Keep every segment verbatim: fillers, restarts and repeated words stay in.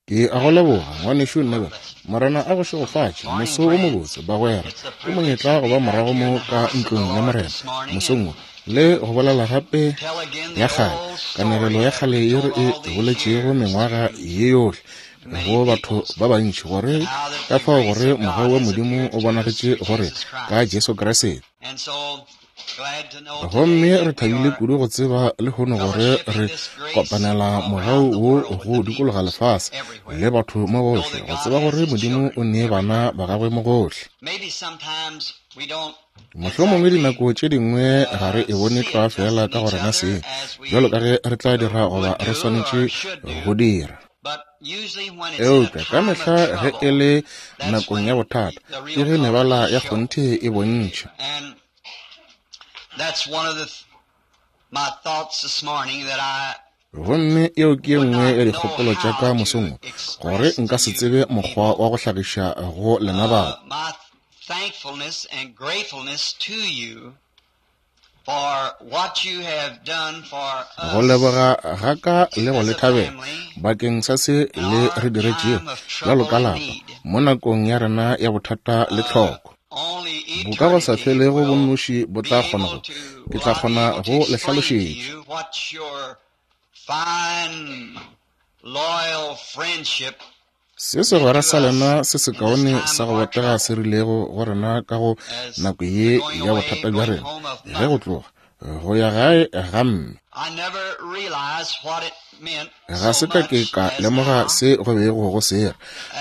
Ke a go leboga, ngwanešu Neville. Morena a go šegofatše. Moso wo mobotse, bagwera. Ke monyetla go ba morago mo ka ntlong ya Morena mosong wo, le go bolela gape ya kgale, kanegelo ya kgale ye re e boletšego mengwaga ye yohle go batho ba bantši, gore ka fao gore mogau wa Modimo o bonagetše gore ka Jesu Kriste. Gomme re thabile kudu go tseba lehono gore re kopanela mogau wo go dikologa lefase le batho mo gohle, go tseba gore Modimo o nee bana ba gagwe mo gohle. Mohlomongwe dinako tše dingwe ga re e bone tlwa fela ka go rena seng, bjalo ka ge re tla dira goba re swanetše go dira. Eupša ka mehla ge e le nakong ya bothata, ke ge mebala ya kgonthe e bontšha. That's one of the th- my thoughts this morning that I Gomme eo ke ye nngwe ya dikgopolo tša ka mosong wo, gore nka se tsebe mokgwa wa go hlagiša go lena batho. uh, my thankfulness and gratefulness to you for what you have done for Go us leboga ga ka le go le thabela bakeng sa se le re diretšego bjalo ka lapa mo nakong ya rena ya bothata le tlhoko. only Bo ka go sa eternity felego will bonnoši bo be tla kgona able go, to ke will tla I be kgona able to go le explain to hlalošetša. you what your fine, loyal friendship Se segwera sa lena se sekaone sa go botega se rilego go rena ka go as nako the ye going ya away, bothata bja going rena, home of ge go mother. tloga go ya gae ga mme. I never realized what it meant Ga so se ka ke much ka as lemoga now, se go bego go se ra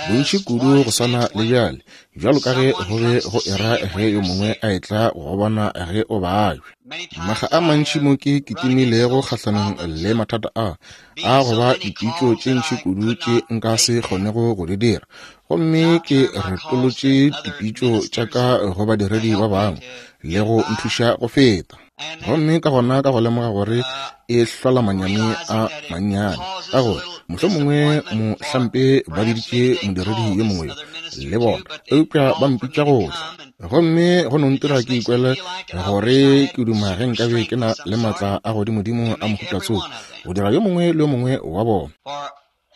bontši as what kudu go it swana meant le when bjale, bjalo ka ge someone go be comes go to see era you ge when yo you're mongwe sick. a etla go bona ge o babja. Many Makga times a I mantši have mo ke run against kitimilego those kgahlanong problems le of mathata a a being go so ba many dipitšo calls tše that ntši I kudu could tše not nka se make them. kgonego go di dira, gomme And I ke turn my calls to retolotše other dipitšo tša ministers ka go to badiredi ba help me bangwe to le get go by. nthuša go feta. And then Gomme ka gona ka go lemoga gore uh, e hlola manyami realizing a that it mannyane, causes ka a gore little mohlomongwe disappointment for mohlampe ba perhaps biditše maybe they modiredi call yo this mongwe yo other minister le too, bona, but they eupša ba call for me mpitša to go tla. come, and Gomme go no it ntira just ke makes me ikwele feel like I wish gore I had ke duma ge super nkabe ke strength na of some le sort maatla a godimodimo to a make mohuta every tsoko one of them. go dira yo mongwe le yo mongwe wa bona. For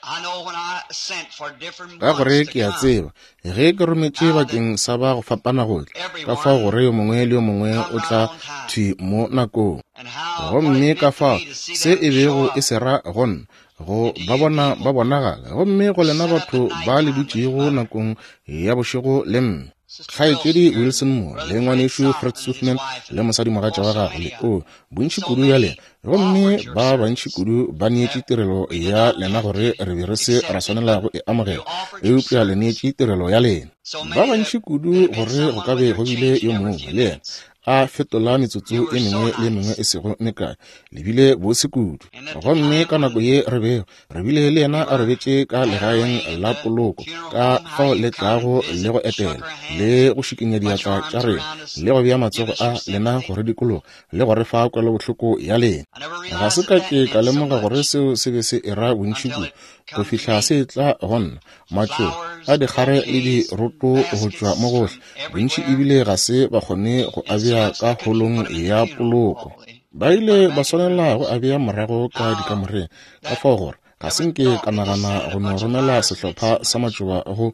I know when I sent for different Ka gore ones to ke a come, tseba ge ke rometše how that bakeng sa ba go fapana go tla, ka fao everyone gore yo mongwe le yo mongwe come o right tla on time, thwi mo nakong. and how what it Gomme ka meant to fao me to see se them e show bego e up se ra go nna, go and to ba you bona ba people bonagala, gomme go who lena sat up at batho ba le nighttime with dutšego mother, nakong ya bošego le mme. Sister Kgaetšedi Wilson here, Wilson and mo le Brother Fred ngwanešu Fred Sothman and his Sothman wife, le and mosadimogatša oh, wa so gagwe le many of o them. bontši So kudu ya many lena, gomme offered your ba bantši service kudu ba neetše that tirelo we did ya not lena have gore to re be re se ra accept it, swanela but go e amogela, you offered your eupša le service. neetše tirelo ya lena. So Ba many that bantši kudu that have been gore go someone ka with be their go bile changing yo every mongwe few le yena minutes. a fetola metsotso You e were so mengwe le e mengwe nice. e sego mekae, le bile bose kudu. And at the Gomme time ka nako when ye re bego re bile le yena you a were robetše ka at her legaeng laying at la the poloko, funeral ka home, how fao you le come and tlago le visit go and shook etela her hand le and go šikinya put your diatla tša arms rena around us le go and bea give matsogo us a your lena sympathy. go re dikologa le go re fa kwelobohloko ya lena. I never Ga realized se that ka that ke ka meant so lemoga gore much seo se be se era bontši until kudu it go come to fihla me. se tla go nna. Matšoba Flowers, a dikgare le bouquets, and diroto go tšwa mo baskets gohle, from bontši everywhere, ebile ga se ba kgone go and so abja much ka they couldn't holong put them in the ya funeral poloko. hall. Ba Put ile them ba back in the swanela go rooms. abja morago ka How dikamoreng, ka that fao gore ga se never nke thought ka that just nagana sending go a no bunch of romela flowers meant sehlopha so sa much matšoba go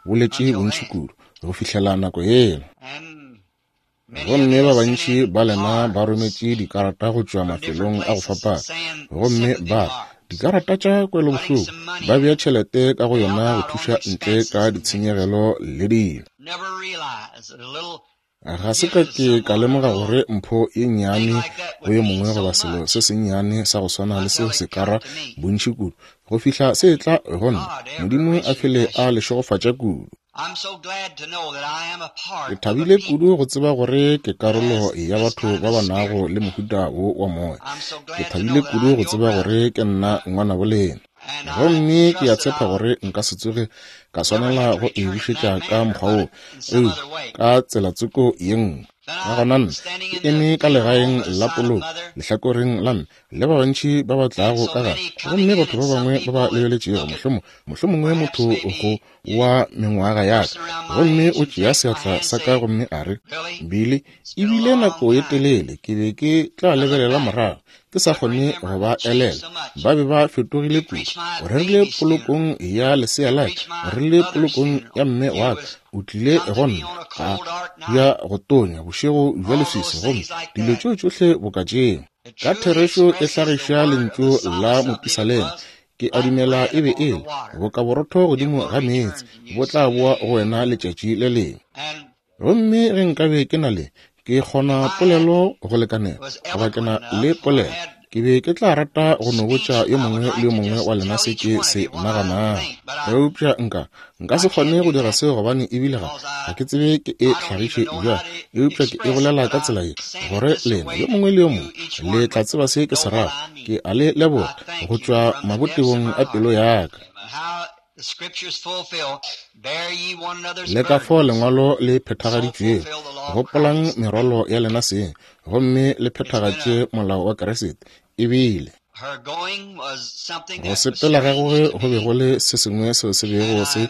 boletše until bontši then. kudu go fihlela nako yela. And many of Gomme you ba have sent bantši in ba lena ba cards rometše dikarata go tšwa from different mafelong a go places fapana, saying gomme sympathy ba re cards, dikarata tša putting kwelobohloko, some money ba in bea them tšhelete ka go to help yona go out on thuša the ntle ka expenses and things. ditshenyegelo le dilo. Never realized that a little Ga se ka gift to ke ka someone, a lemoga little gore mpho ye thing nnyane like that go would yo mean mongwe so goba selo much se sennyane sa go swana le until seo it se ka come ra to me. bontši kudu go fihla se etla go nna. God, ever Modimo a rich and fele bless a you. le šegofatša kudu. I'm so glad to know that I am a Ke part of a thabile people kudu go tseba gore ke that karolo has ya this batho kind of ba a ba nago spirit. le mohuta wo wa moya. I'm so Ke glad to thabile know that kudu I'm go your tseba brother. gore ke nna ngwanabo lena. And I Gomme ke a trust that tshepa I'll gore nka se tsoge ka never swanela have to go e return it in bušetša that ka manner, mokgwa woo, but in some eupša other way. ka tsela tsoko ye nngwe. Then Ka I, gona nna standing ke in the eme ka funeral legaeng home by the la side of poloko mother, lehlakoreng la mme le ba bantši ba ba and tlago so ka gare, many coming gomme in, batho and ba some bangwe ba ba people that lebeletšego, look at mohlomong mohlomongwe perhaps motho go maybe you wa mengwaga ya ka, person around my gomme age o and tšea take my seatla hand and sa ka say, gomme a re, Billy, Billy, it's been a ebile long nako ye time. telele ke be ke tla I look lebelela back morago, ke sa kgone go ba elela. Ba be ba fetogile kudu. O rerile polokong ya lesea la ka, o rerile polokong ya mme wa ka, o tlile go nna a ya go tonya bošego bja leswiswi, gomme dilo tšeo tšohle boka tšeo. Ka therešo e hlagiša lentšu la mopisalema, ke a dumela e be e le boka borotho godimo ga meetse, bo tla boa go wena letšatši le lengwe. Gomme ge nkabe ke na le, ke kgona polelo go lekanela, goba ke na le polelo, ke be ke tla rata go no botša yo mongwe le yo mongwe wa lena se ke se naganago. Eupša nka nka se kgone go dira seo, gobane ebile ga ga ke tsebe ke e hlagiše bjang, eupša ke e bolela ka tsela ye gore lena yo mongwe le yo mongwe le tla tseba se ke se rago. Ke a le leboga go tšwa mabotebong a pelo ya ka. Le ka fao lengwalo le phethagaditšwego, gopolang merwalo ya lena seng, gomme le phethagatše molao wa Kriste. Ebile go sepela ga gagwe go be go le se sengwe seo se bego se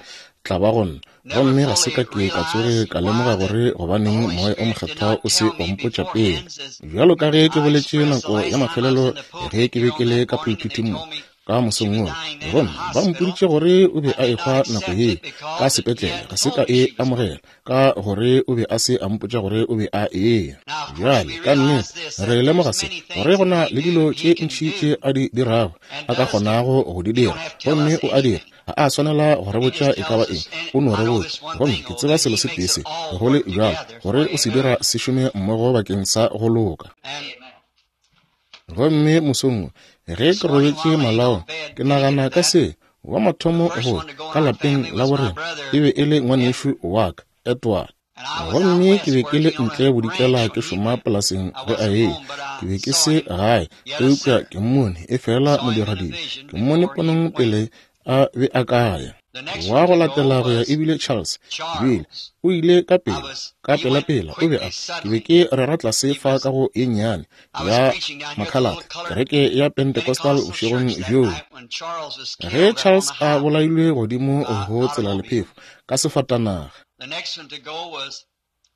tla ba go nna, gomme ga se ka ke ka tsoge ka lemoga gore gobaneng Moya o Mokgethwa o se wa mpotša pele. Bjalo ka ge ke boletše nako ya mafelelo ge ke be ke le ka pulpiting mo ka mosong wo, gomme ba mpoditše gore o be a ehwa nako ye ka sepetlele, ga se ka e amogela ka gore o be a se a mpotša gore o be a eya. Bjale ka nnete re lemoga se, gore go na le dilo tše ntši tše a di dirago, a ka kgonago go di dira, gomme o a dira. Ga a swanela go re botša e ka ba eng, o no re botša. Gomme ke tseba selo se tee se, go le bjalo, gore o se dira se šome mmogo bakeng sa go loka. Gomme mosong wo, ge ke robetše malaong, ke nagana ka se, wa mathomo go ka lapeng la borena e be e le ngwanešu wa ka, Edward. Gomme ke be ke le ntle bodikela ke šoma polaseng ge a eya. Ke be ke se gae, eupša ke mmone e fela modiradibe, ke mmone ponong pele a be a ka ya. Wa go latela go ya ebile Charles, ebile o ile ka pela, ka pela-pela o be a, ke be ke rera tlase fa ka go ye nnyane ya Makhalate, kereke ya Pentecostal bošegong bjoo. Ge Charles a bolailwe godimo go tsela lephefo ka sefatanaga,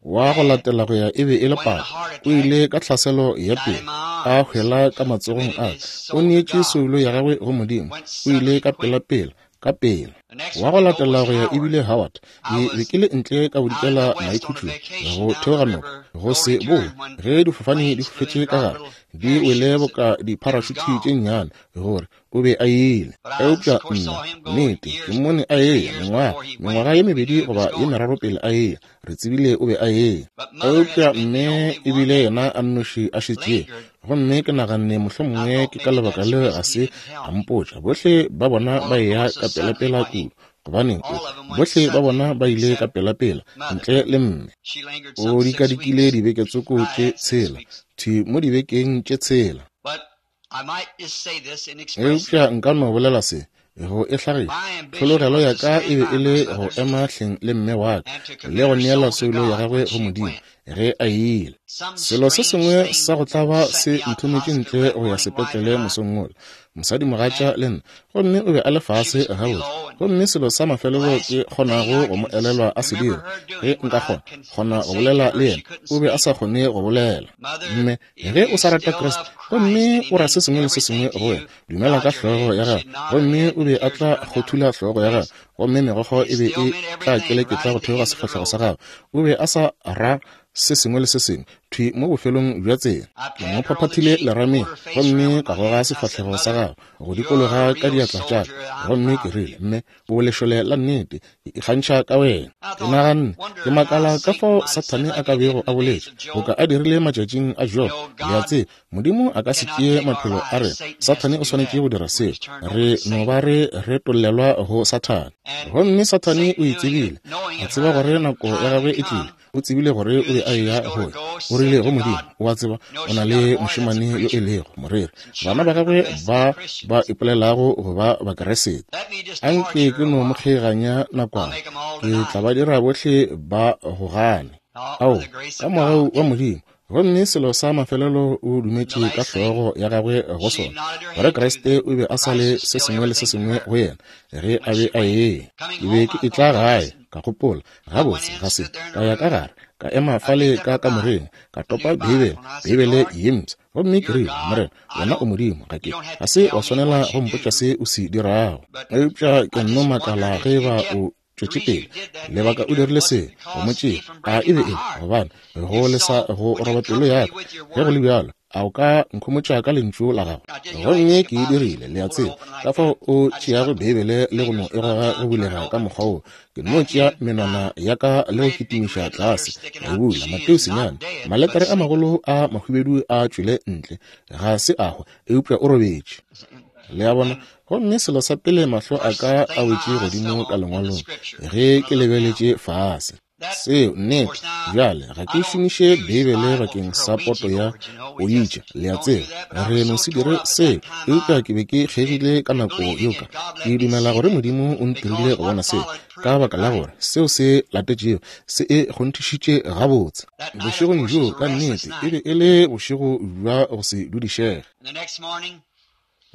wa go latela go ya e be e le papa, o ile ka tlhaselo ya pele, a hwela ka matsogong a ka, o neetše soulo ya gagwe go Modimo, o ile ka pela-pela, ka pela. Wa go latela go ya ebile Howard, ke be ke le ntle ka bodikela maikhutšong go theoga noka, go se boe ge difofane di fofetše ka gare, di wele boka diparašuthi tše nnyane, gore o be a ile. Eupša nna, nnete, ke mmone a eya mengwaga, mengwaga ye mebedi goba ye meraro pele a eya, re tsebile o be a eya. Eupša mme ebile yena a nnoši a šetšego, gomme ke naganne mohlomongwe ke ka lebaka le ga se a mpotša. Bohle ba bona ba eya ka pela-pela kudu, gobaneng bohle ba bona ba ile ka pela-pela ntle le mme. O dikadikile dibeke tsoko tše tshela, thwi mo dibekeng tše tshela. Eupša nka no bolela se go e hlagiša, tlhologelo ya ka e be e le go ema hleng le mme wa ka le go neela soulo ya gagwe go Modimo ge a ile. Selo se sengwe sa go tlaba se nthometše ntle go ya sepetlele mosong wola, mosadimogatša le nna, gomme o be a le fase gabotse. Gomme selo sa mafelelo ke kgonago go mo elelwa a se dira, ge nka kgona kgona go bolela le yena, o be a sa kgone go bolela. Mme ge o sa rata Kriste, gomme o ra se sengwe le se sengwe go wena, dumela ka hlogo ya gagwe, gomme o be a tla kgothula hlogo ya gagwe, gomme megokgo e be e tla keleketla go theoga sefahlego sa gagwe. O be a sa ra se sengwe le se sengwe thwi mo bofelong bja tsela. Ke mo phaphathile lerameng, gomme ka goga sefahlego sa gagwe go dikologa ka diatla tša ka, gomme ke rile, mme o lešole la nnete, ke ikgantšha ka wena. Ke naganne, ke makala ka fao Sathane a ka bego a boletše boka a dirile matšatšing a Job. Le a tseba, Modimo a ka se tšee maphelo a rena, Sathane o swanetše go dira seo. Re no ba re retollelwa go Sathane. Gomme Sathane o e tsebile, a tseba gore nako ya gagwe e tlile. O tsebile gore o be a eya go ya. O rile go Modimo, o a tseba, o na le mošemane yo e lego moreri, bana ba gagwe ba ba ipolelago go ba Bakeresete. Anke ke no mo kgeganya nakwana, ke tla ba dira bohle ba go gane. Ao, ka mogau wa Modimo. Gomme selo sa mafelelo o dumetše ka hlogo ya gagwe go sona, gore Kriste o be a sa le se sengwe le se sengwe go yena ge a be a eya. Ke be ke etla gae Ka gopola, gabotse ga se ka ya ka gare, ka ema fale ka kamoreng, ka topa Beibele, Beibele ye mpsha. Gomme ke rile, Morena, wena o Modimo, ga ke ga se wa swanela go mpotša se o se dirago. Eupša ke nno makala ge ba o tšwetše pele lebaka o dirile se go mo tšea, a e be e gobane go lesa go roba pelo ya ka. Ge go le bjalo, a o ka nkhomotša ka lentšu la gago? Gomme ke e dirile, le a tseba, ka fao o tšeago Beibele le go no e goga go bulega ka mokgwa wo. Ke no tšea menwana ya ka le go kitimiša tlase, ka e bula. Mateo senyane, malekare a magolo a mahubedu a tšwele ntle, ga se a hwa, eupša o robetše. Le a bona? Gomme selo sa pele mahlo a ka a wetše godimo ka lengwalong ge ke lebeletše fase. Seo nnete. Bjale ga ke šomiše Beibele bakeng sa poto ya oitša, le a tseba, re no se dire seo. Eupša ke be ke kgegile ka nako yeo ka ke dumela gore Modimo o ntirile go bona seo, ka baka la gore seo se latetšego se e kgonthišitše gabotse. Bošegong bjoo ka nnete e be e le bošego bja go se dudišege.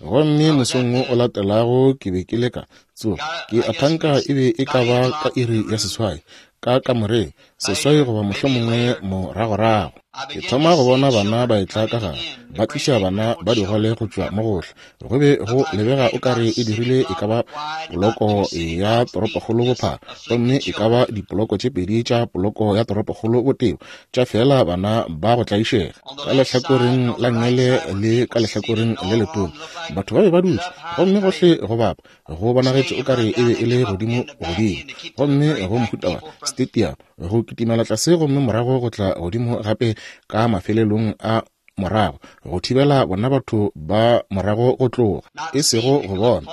Gomme mosong wo o latelago ke be ke leka tsoga, ke a thanka e be e ka ba ka iri ya seswai ka kamoreng, seswai goba mohlomongwe moragorago. Ke thoma go bona bana ba etla ka gare, ba tliša bana ba digole go tšwa mo gohle. Go be go lebega o kare e dirile e ka ba poloko ya toropokgolo bophara, gomme e ka ba dipoloko tše pedi tša poloko ya toropokgolo botebo, tša fela bana ba go tlaišega. Ka lehlakoreng la nngele le ka lehlakoreng le letona batho ba be ba dutše, gomme gohle go bapa go bonagetše o kare e be e le godimo godimo, gomme go mohuta wa stadium go kitimela tlase, gomme morago go tla godimo gape ka mafelelong a morago go thibela bona batho ba morago go tloga, e sego go bona.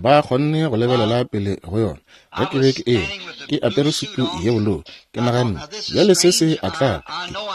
Ba kgonne go lebelela pele go yona. Ge ke be ke eme ke apere sutu ye bolou, ke naganne, bjale se se a tla,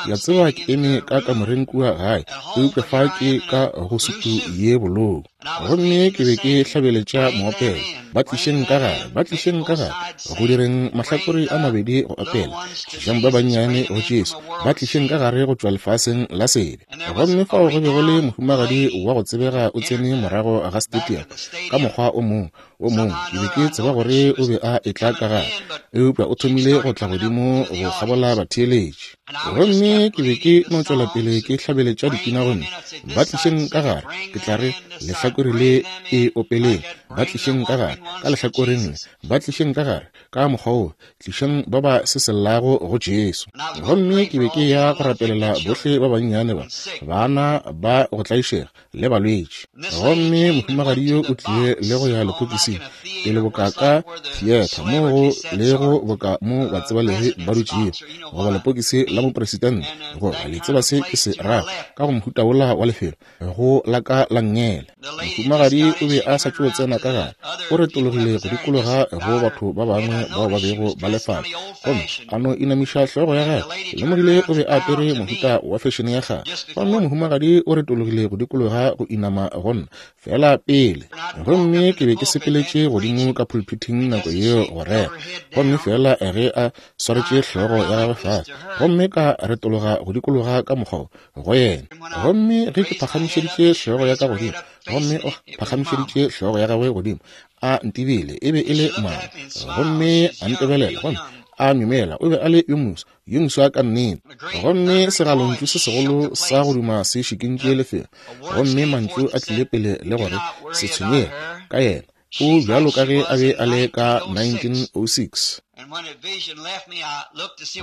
ke a tseba ke eme ka kamoreng kua gae, eupša fa ke ka go sutu ye bolou. Gomme ke be ke hlabeletša moopelo, ba tlišeng ka gare, ba tlišeng ka gare, go direng mahlakore a mabedi go opela, tlišang ba bannyane go Jesu, ba tlišeng ka gare go tšwa lefaseng la sebe. Gomme fao go be go le mohumagadi wa go tsebega o tsene morago ga stadium ka mokgwa o mongwe o mongwe. Ke be ke tseba gore o be a etla ka gare, eupša o thomile go tla godimo go kgabola batheeletši. Gomme ke be ke no tšwela pele ke hlabeletša dipina, gomme ba tlišeng ka gare, ke tla re lehlakore le e opeleng, ba tlišeng ka gare ka lehlakoreng le, ba tlišeng ka gare ka mokgwa wo, tlišeng ba ba se sellago go Jesu. Gomme ke be ke ya go rapelela bohle ba bannyane ba, bana ba go tlaišega le balwetši. Gomme mohumagadi yo o tlile le go ya lepokising pele boka ka theatre mo go lego boka mo batsebalegi ba dutšego, goba lepokisi la mopresidente, goba le tseba se ke se rago, ka go mohuta wola wa lefelo go la ka la nngele. Mohumagadi o be a sa tšo tsena ka gare, o retologile go dikologa go batho ba bangwe bao ba bego ba le fale, gomme a no inamiša hlogo ya gagwe. Ke lemogile o be a apere mohuta wa fešene ya kgale. Gomme mohumagadi o retologile go dikologa go inama go nna fela pele. Gomme ke be ke sepeletše godimo ka pulpiting nako yeo go rera, gomme fela ge a swaretše hlogo ya gagwe fase, gomme ka retologa go dikologa ka mokgwa go yena. Gomme ge ke phagamišeditše hlogo ya ka godimo, gomme o phagamišeditše hlogo ya gagwe godimo, a ntebile, e be e le mama. Gomme a ntebelela, gomme a myemela, o be a le yo moso, yo moswa ka nnete. Gomme segalontšu se segolo sa go duma se šikintše lefelo, gomme mantšu a tlile pele le gore se tshwenyege ka yena, o bjalo ka ge a be a le ka nineteen oh six.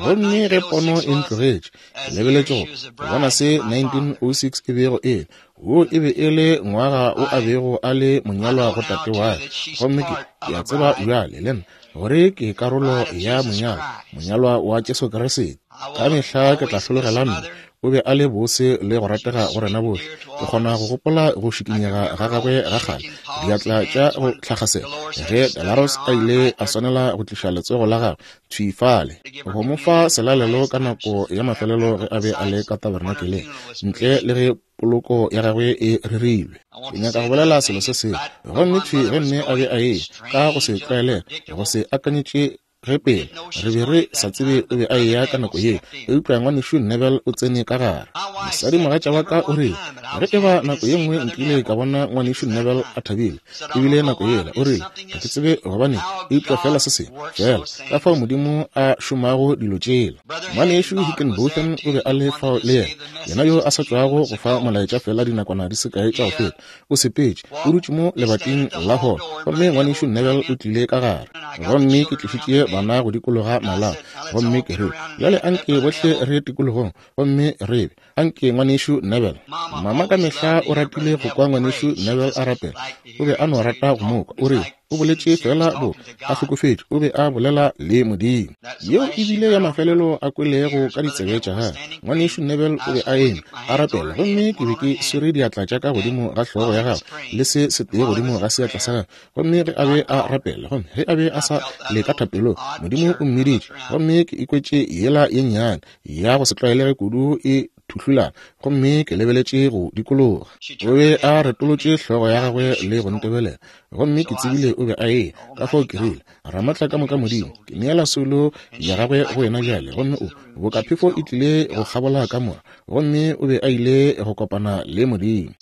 Gomme ge pono e ntlogetše, ke lebeletše go bona se nineteen oh six e bego e le. Wo e be e le ngwaga o a bego a le monyalwa go tate wa ka. Gomme ke ke a tseba bjale le nna gore ke karolo ya monyalwa, monyalwa wa Jesu Kriste. Ka mehla ke tla hlologela nna. O be a le bose le go ratega go rena bohle. Ke kgona go gopola go šikinyega ga gagwe ga kgale, diatla tša go tlhagasela, ge Dalaros a ile a swanela go tliša letsogo la gagwe thwi fale go mo fa selalelo ka nako ya mafelelo ge a be a le ka tabernakeleng, ntle le ge poloko ya gagwe e rerilwe. Ke nyaka go bolela selo se sengwe. Gomme thwi ge mme a be a eya ka go se tlwaelega, go se akanyetše Ge pele re be re sa tsebe o be a eya ka nako ye, eupša ngwanešu Neville o tsene ka gare. Mosadi mogatša wa ka o rile, ge e ba nako ye nngwe nkile ka bona ngwanešu Neville a thabile, ebile nako yela, o rile, ga ke tsebe gobane, eupša fela se sengwe, fela ka fao Modimo a šomago dilo tšela. Ngwanešu Hickenbotham o be a le fao le yena, yena yo a sa tšwago go fa molaetša fela dinakwana di se kae tša go feta. O sepetše, o dutše mo lebating la holo, gomme ngwanešu Neville o tlile ka gare. Gomme ke tlišitše bana go dikologa malao, gomme ke re, bjale anke bohle re tikologong, gomme re be anke ngwanešu Neville. Mama ka mehla o ratile go kwa ngwanešu Neville a rapela, o be a no rata go mo kwa. O re o boletše fela bo a hlokofetše, o be a bolela le Modimo. Yeo e bile ya mafelelo a kwelego ka ditsebe tša gagwe. Ngwanešu Neville o be a eme a rapela, gomme ke be ke swere diatla tša ka godimo ga hlogo ya gagwe le se setee godimo ga seatla sa gagwe. Gomme ge a be a rapela, gomme ge a be a sa le ka thapelong, Modimo o mmiditše, gomme ke ikwetše yela ye nnyane ya go se tlwaelege kudu e thuhlulana, gomme ke lebeletše go dikologa. O be a retolotše hlogo ya gagwe le go ntebelela, gomme ke tsebile o be a eya. Ka fao ke rile, Ramatla ka moka Modimo, ke neela soulo ya gagwe go wena bjale. Gomme o boka phefo e tlile go kgabola ka mora, gomme o be a ile go kopana le Modimo.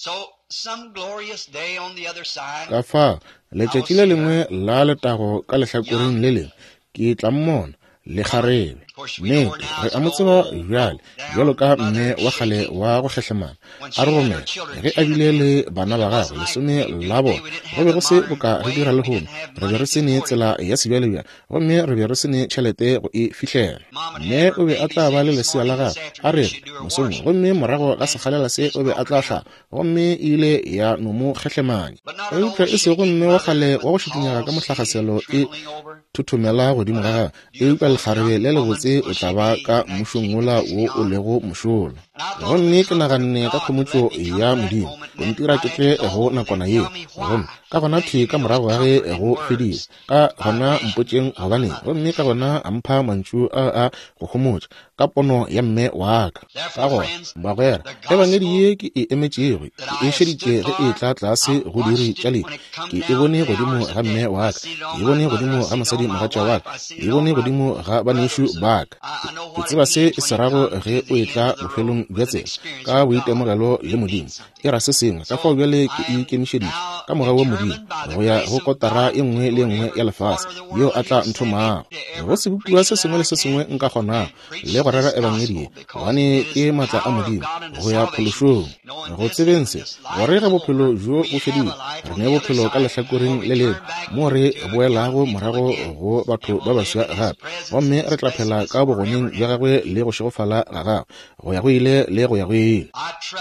Ka fao letšatši le lengwe la letago ka lehlakoreng le lengwe, ke tla mmona le kgarebe. Nnete, re a mo tseba bjale bjalo ka mme wa kgale wa go kgehlemana. A re romela ge a bile le bana ba gagwe lesome la bona, go be go se boka re dira lehono. Re be re se ne tsela ya sebjalebjale, gomme re be re se ne tšhelete go e fihlela. Mme o be a tla ba le lesea la gagwe, a re mosong, gomme morago ga sekgalela se o be a tla hlaba, gomme e ile ya no mo kgehlemanya. Eupša e sego mme wa kgale wa go šikinyega ka mohlagaselo e thothomela godimo ga gagwe, eupša lekgarebe le lebotse o tla ba ka mmušong wola wo o lego mošola. Gomme ke naganne ka khomotšo ya Modimo go ntira ke tle go nakwana yeo. Gomme ka gona thwi ka morago ga ge go fedile, ka gona mpotšeng gobaneng, gomme ka gona a mpha mantšu a a go homotša ka pono ya mme wa ka. Ka gona bagwera, ebangedi ye ke e emetšego, ke e šeditše ge e tla tlase go diiri tša lehu. Ke e bone godimo ga mme wa ka, ke e bone godimo ga mosadi mogatša wa ka, ke e bone godimo ga banešu ba ka. Ke tseba se e se rago ge o etla bofelong bja tsela ka boitemogelo le Modimo. E ra se sengwe. Ka fao bjale ke ikemišeditše ka mogau wa Modimo go ya go kotara e nngwe le e nngwe ya lefase yeo a tla nthomago go sebopiwa se sengwe le se sengwe nka kgonago, le go rera ebangedi ye, gobane ke maatla a Modimo go ya phološong. Go tsebeng se, gore ge bophelo bjo bo fedile, re ne bophelo ka lehlakoreng le lengwe, mo re boelago morago go batho ba baswa gape, gomme re tla phela ka bogoneng bja gagwe le go šegofala ga gagwe go ya go ile le go ya go ile.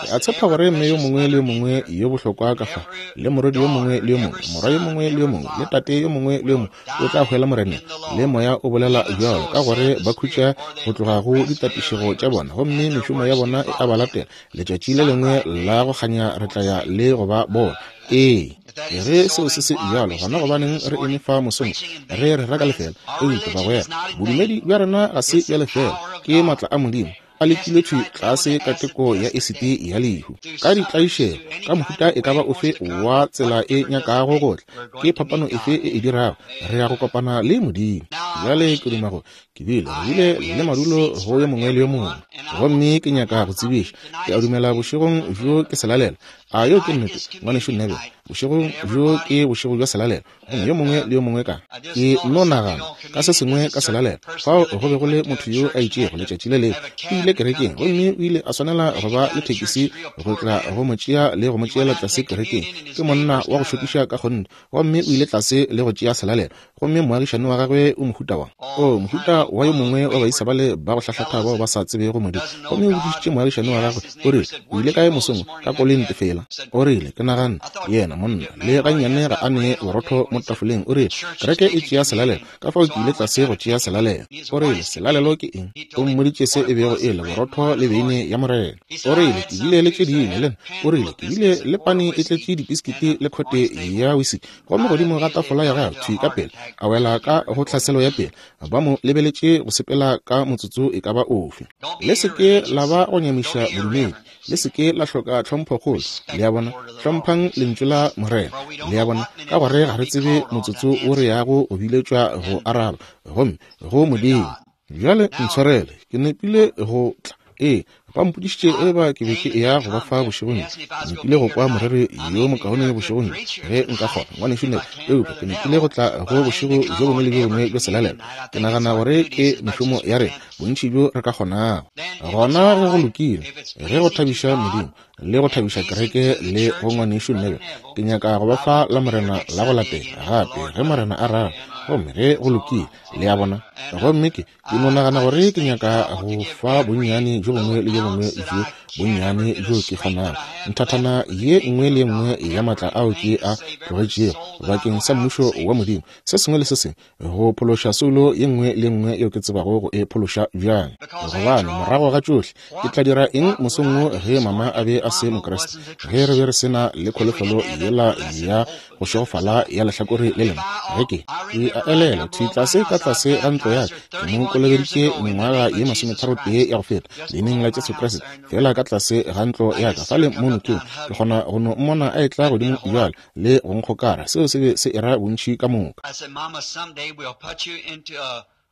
Ke a tshepa gore mme yo mongwe le yo mongwe yo bohlokwa ka fa, le morwedi yo mongwe le yo mongwe, morwa yo mongwe le yo mongwe, le tate yo mongwe le yo mongwe o tla hwela Moreneng, le moya o bolela bjalo, ka gore ba khutša go tloga go ditapišego tša bona, gomme mešomo ya bona e a ba latela. Letšatši le lengwe la go kganya re tla ya le go ba bona. Ee, ge seo se se bjalo, gona gobaneng re eme fa mosong re re raka lefela? Eupša bagwera, bodumedi bja rena ga se bja lefela, ke maatla a Modimo a lekile thwi tlase ka teko ya esiti ya lehu, ka ditlaišego, ka mohuta e ka ba ofe wa tsela e nyakago go tla. Ke phapano efe e e dirago? Re ya go kopana le Modimo. Bjale ke duma go ke bile re bile le madulo go yo mongwe le yo mongwe, gomme ke nyaka go tsebiša, ke a dumela bošegong bjo ke selalelo. A yo ke nnete, ngwanešu Neville? Bošegong bjo ke bošego bja selalelo, gomme yo mongwe le yo mongwe ka ke no nagana ka se sengwe ka selalelo. Fao go be go le motho yo a itšego letšatši le lengwe, o ile kerekeng, gomme o ile a swanela go ba le thekisi go tla go mo tšea le go mo tšeela tlase kerekeng. Ke monna wa go šokiša ka kgonthe, gomme o ile tlase le go tšea selalelo. Gomme moagišane wa gagwe o mohuta wa o mohuta wa yo mongwe wa baisa bale ba go hlahlatha bao ba sa tsebego Modimo. Gomme o botšišitše moagišane wa gagwe, o rile, o ile kae mosong ka koloi ntefela? O rile, ke naganne yena monna le gannyane ga a ne borotho mo tafoleng. O rile, kereke e tšea selalelo, ka fao ke ile tlase go tšea selalelo. O rile, selalelo ke eng? O mmoditše se e bego e le borotho le beine ya Morena. O rile, ke bile le tše dingwe le nna. O rile, ke bile le pane e tletše dipiskiti le khote ya whisky, gomme godimo ga tafola ya gagwe thwi ka pele a wela ka go tlhaselo ya pele. Ba mo lebeletše go sepela ka motsotso e ka ba ofe. Le se ke la ba go nyamiša bodumedi, le se ke la hloka tlhomphokgolo, Le a bona? Hlomphang lentšu la Morena. Le a bona? Ka gore ga re tsebe motsotso o re yago go biletšwa go araba, gomme go Modimo. Bjale ntshwarele, ke nepile go tla. Ee, ba mpodišitše e ba ke be ke eya go ba fa bošegong. Ke nepile go kwa moreri yo mokaone bošegong ge nka kgona, ngwanešu Neville, eupša ke nepile go tla go bošego bjo bongwe le bjo bongwe bja selalelo. Ke nagana gore ke mešomo ya rena, bontši bjo re ka kgonago. Gona ge go lokile, ge go thabiša Modimo le go thabiša kereke le go ngwanešu Neville, ke nyaka go ba fa la Morena la go latela gape ge Morena a rata, gomme ge go lokile. Le a bona? Gomme ke ke no nagana gore ke nyaka go fa bonnyane bjo bongwe le bjo bongwe bjo bonnyane bjo ke kgonago, nthathana ye nngwe le ye nngwe ya maatla ao ke a tlogetšego bakeng sa mmušo wa Modimo, se sengwe le se sengwe, go phološa soulo ye nngwe le nngwe yeo ke tsebago go e phološa bjang. Gobane morago ga tšohle, ke tla dira eng mosong wo ge mama a be a se Mokriste, ge re be re se na le kholofelo yela ya go šegofala ya lehlakore le lengwe? Ge ke ke a elela thwi tlase ka tlase ga ntlo ya ka, ke mo kolobeditše mengwaga ye masometharotee ya go feta leineng la Jesu Kriste, fela ka tlase ga ntlo ya ka fale mo nokeng, ke kgona go no mmona a etla godimo bjale le go nkgokara. Seo se be se era bontši ka moka.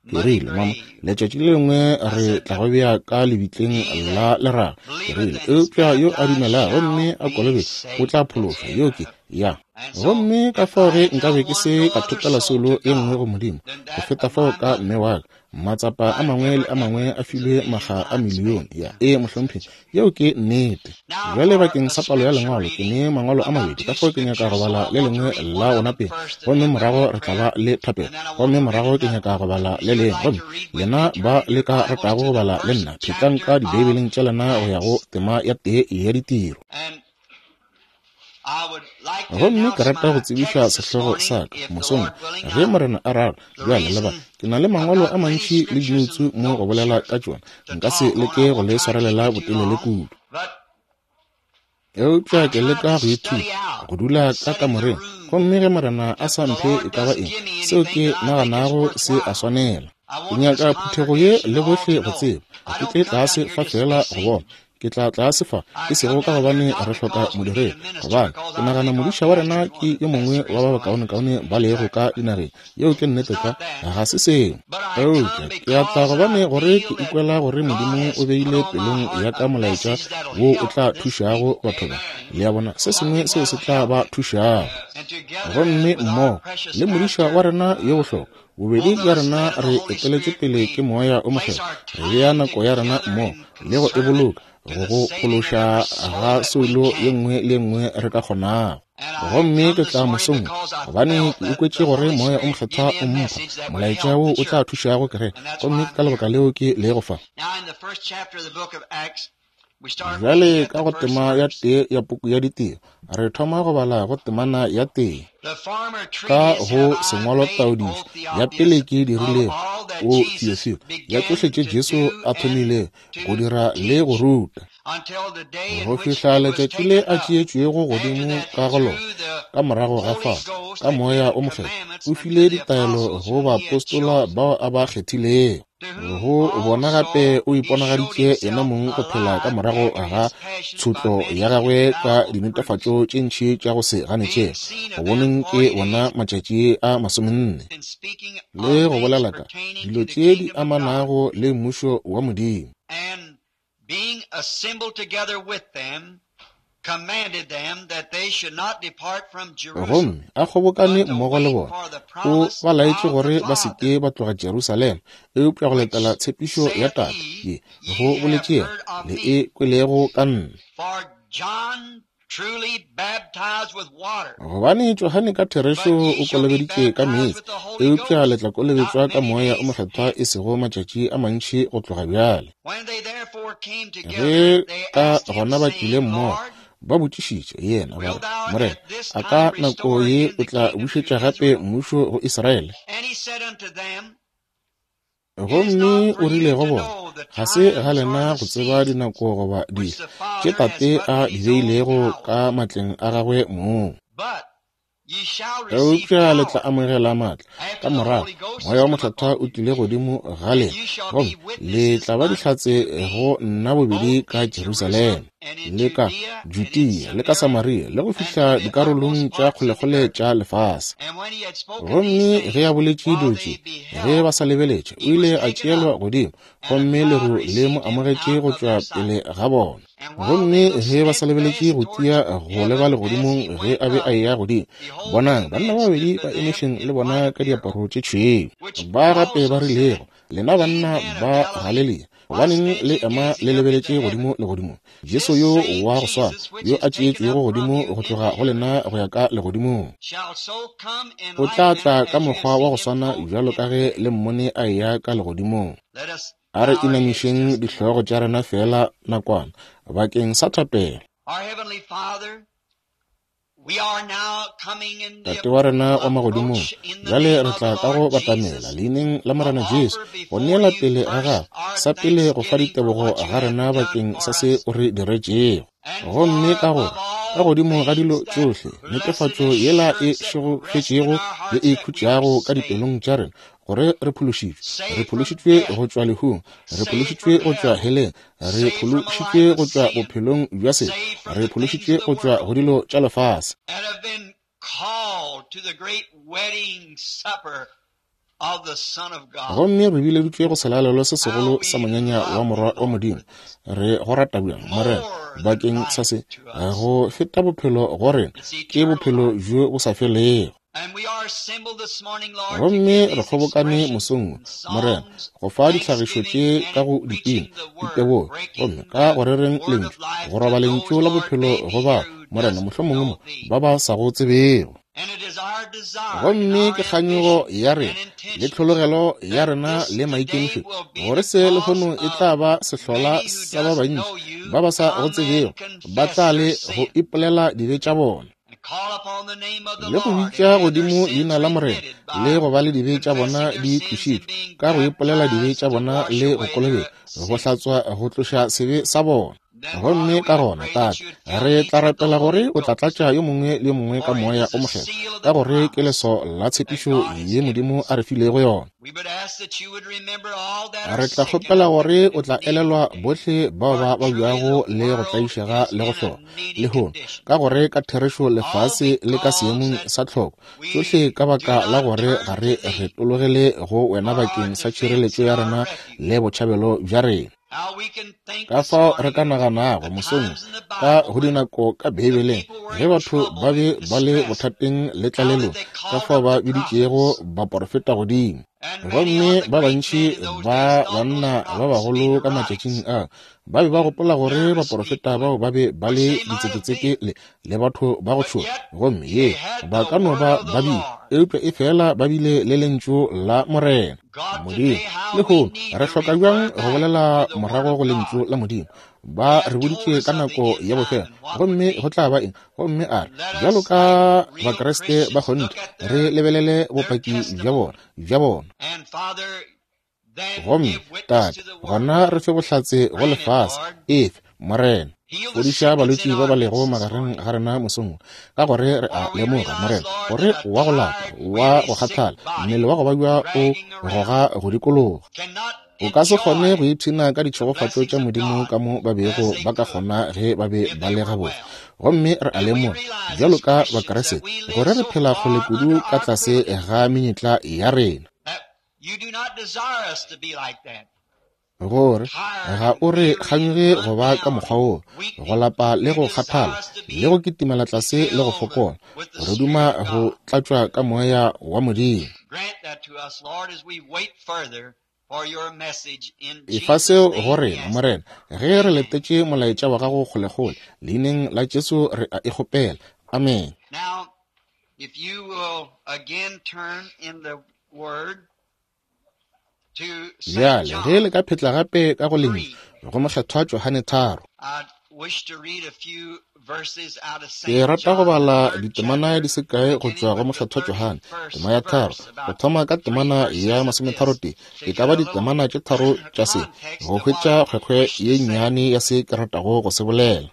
Ke rile, mama, letšatši le lengwe re tla go bea ka lebitleng la leraga. Ke rile, eupša yo a dumelago gomme a kolobetšwa o tla phološwa. Yo ke ya. Gomme ka fao ge nkabe ke se ka thopela soulo ye nngwe go Modimo go feta fao ka mme wa ka, matsapa a mangwe le a mangwe a filwe maga a milione. Ya, ee mohlomphegi, yeo ke nnete. Bjale bakeng sa palo ya lengwalo, ke ne mangwalo a mabedi, ka fao ke nyaka go bala le lengwe la ona pele, gomme morago re tla ba le thapelo, gomme morago ke nyaka go bala le lengwe. Gomme lena ba le ka ratago go bala le nna, phetlang ka dibeibeleng tša lena go ya go tema ya tee ya ditiro. Gomme ke rata go tsebiša sehlogo sa ka mosong ge Morena a rata. Bjale leba, ke na le mangwalo a mantši le dinoutsu mo go bolela ka tšona, nka se leke go le swarelela botelele kudu, eupša ke leka go ithuta go dula ka kamoreng, gomme ge Morena a sa mphe e ka ba eng, seo ke naganago se a swanela. Ke nyaka phuthego ye le bohle go tseba, ga ke tle tlase fa fela go bona. Ke tla tlase fa, e sego ka gobane re hloka modiredi, gobane ke nagana modiša wa rena ke yo mongwe wa ba bakaonekaone ba lego ka dinageng. Yeo ke nnete tlwa, ga se seo. Eupša ke a tla gobane gore ke ikwela gore Modimo o beile pelong ya ka molaetša wo o tla thušago batho ba. Le a bona, se sengwe seo se tla ba thušago. Gomme mmogo le modiša wa rena yo bohlokwa, bobedi bja rena re eteletše pele ke Moya o Mokgethwa, re bea nako ya rena mmogo le go e boloka go go phološa ga soulo ye nngwe le ye nngwe re ka kgonago. Gomme ke tla mosong gobane ke ikwetše gore Moya o Mokgethwa o mpha molaetša wo o tla thušago kereke, gomme ka lebaka leo ke lego fa. Bjale ka go tema ya tee ya puku ya ditiro, re thoma go bala go temana ya tee. Ka go sengwalo taodišo ya pele ke dirilego o Theophilo, ya tšohle tše Jesu a thomilego go dira le go ruta, go fihla letšatši le a tšeetšwego godimo ka go lona. Ka morago ga fao, ka Moya o Mokgethwa o file ditaelo go baapostola bao a ba kgethilego. Go bona gape o iponagaditše yena mong go phela ka morago ga tshotlo ya gagwe ka dinetefatšo tše ntši tša go se ganetšege, go boneng ke bona matšatši a masomenne, le go bolela ka dilo tše di amanago le mmušo wa Modimo. Gomme a kgobokane mmogo le bona, o ba laetše gore ba se ke ba tloga Jerusalema, eupša go letela tshepišo ya Tate ye go boletše yena, le e kwelego ka nna. Gobane Johane ka therešo o kolobeditše ka meetse, eupša le tla kolobetšwa ka Moya o Mokgethwa e sego matšatši a mantši go tloga bjale. Ge ka gona ba tlile mmogo, ba botšišitše yena ba re, Morena, a ka nako ye o tla bušetša gape mmušo go Israele? Gomme o rile go bona, ga se ga lena go tseba dinako goba dihla tše Tate a di beilego ka matleng a gagwe mong. Eupša le tla amogela maatla ka morago Moya wa Mokgethwa o tlile godimo ga lena, gomme le tla ba dihlatse go nna bobedi ka Jerusalema le ka Judea le ka Samaria le go fihla dikarolong tša kgolekgole tša lefase. Gomme ge a boletše dilo tše, ge ba sa lebeletše, o ile a tšeelwa godimo, gomme leru le mo amogetše go tšwa pele ga bona. Gomme ge ba sa lebeletše go tia go leba legodimong ge a be a eya godimo, bonang, banna ba babedi ba emešeng le bona ka diaparo tše tšhweu, ba gape ba rilego, lena banna ba Galilea, gobaneng le ema le lebeletše godimo legodimong? Jesu yo wa go swana, yo a tšeetšwego godimo go tloga go lena go ya ka legodimong, o tla tla ka mokgwa wa go swana bjalo ka ge le mmone a eya ka legodimong. A re inamišeng dihlogo tša rena fela nakwana bakeng sa thapelo. Tate wa rena wa magodimong, bjale re tla ka go batamela leineng la Morena Jesu go neela pele ga gago sa pele go fa ditebogo ga rena bakeng sa se o re diretšego. Gomme ka gore ka godimo ga dilo tšohle, netefatšo yela e šegofetšego ye e khutšago ka dipelong tša rena, gore re phološitšwe, re phološitšwe go tšwa lehung, re phološitšwe go tšwa heleng, re phološitšwe go tšwa bophelong bja sebe, re phološitšwe go tšwa go dilo tša lefase, gomme re bileditšwe go selalelo se segolo sa monyanya wa Morwa wa Modimo. Re go rata bjang, Morena, bakeng sa se, go feta bophelo go rena ke bophelo bjo bo sa felego. Gomme re kgobokane mosong, Morena, go fa ditlhagišo tše ka go dipina, ditebogo, gomme ka go rereng lentšu, go roba lentšu la bophelo go ba, Morena, mohlomongwe mo ba ba sa go tsebego. Gomme ke kganyogo ya rena le tlhologelo ya rena le maikemišetšo gore se lehono e tla ba sehlola sa ba bantši ba ba sa go tsebego, ba tla le go ipolela dibe tša bona le go bitša godimo leina la Morena, le go ba le dibe tša bona di tlošitšwe ka go ipolela dibe tša bona le go kolobetšwa, go hlatswa go tloša sebe sa bona. Gomme ka gona, Tate, re tla rapela gore o tla tlatša yo mongwe le yo mongwe ka Moya o Mokgethwa, ka gore ke leso la tshepišo ye Modimo a re filego yona. Re tla kgopela gore o tla elelwa bohle bao ba babjago le go tlaišega le go hloka lehono, ka gore ka therešo lefase le ka seemong sa tlhoko, tšohle ka baka la gore ga re retologele go wena bakeng sa tšhireletšo ya rena le botšhabelo bja rena. Ka fao re ka naganago mosong ka go dinako ka Beibeleng ge batho ba be ba le bothateng le tlalelong, ka fao ba biditšego baporofeta godimo. Gomme ba bantši ba banna ba bagolo ka matšatšing a ba be ba gopola gore baporofeta bao ba be ba le ditseketseke le, le batho ba go tšhoga, gomme ye ba ka no ba ba bile, eupša e fela ba bile le lentšu la Morena Modimo. Lehono re hloka bjang go bolela morago go lentšu la Modimo? Ba re boditše ka nako ya bofelo, gomme go tla ba eng? Gomme a re bjalo ka Bakriste ba kgonthe re lebelele bopaki bja bona bja bona. Gomme Tate, gona re fe bohlatse go lefase, efe, Morena. Fodiša balwetši ba ba lego magareng ga rena mosong, ka gore re a lemoga, Morena, gore wa go lapa, wa go kgathala, mmele wa go babja o goga go dikologa. O ka se kgone go ipshina ka ditšhegofatšo tša Modimo ka mo ba bego ba ka kgona ge ba be ba le gabotse. Gomme re a lemoga, bjalo ka Bakriste, gore re phela kgole kudu ka tlase ga menyetla ya rena, gore ga o re kganyoge go ba ka mokgwa woo, go lapa le go kgathala le go kitimela tlase le go fokola, re duma go tlatšwa ka Moya wa Modimo. Efa seo go rena, Morena, ge re letetše molaetša wa gago kgolekgole, leineng la Jesu re a e kgopela. Amen. Bjale ge le ka phetla gape ka go lentšu go Mokgethwa Johane tharo, ke rata go bala ditemana di se kae go tšwa go Mokgethwa Johane, tema ya tharo, go thoma ka temana ya masometharotee, e ka ba ditemana tše tharo tša se, go hwetša kgwekgwe ye nnyane ya se ke ratago go se bolela.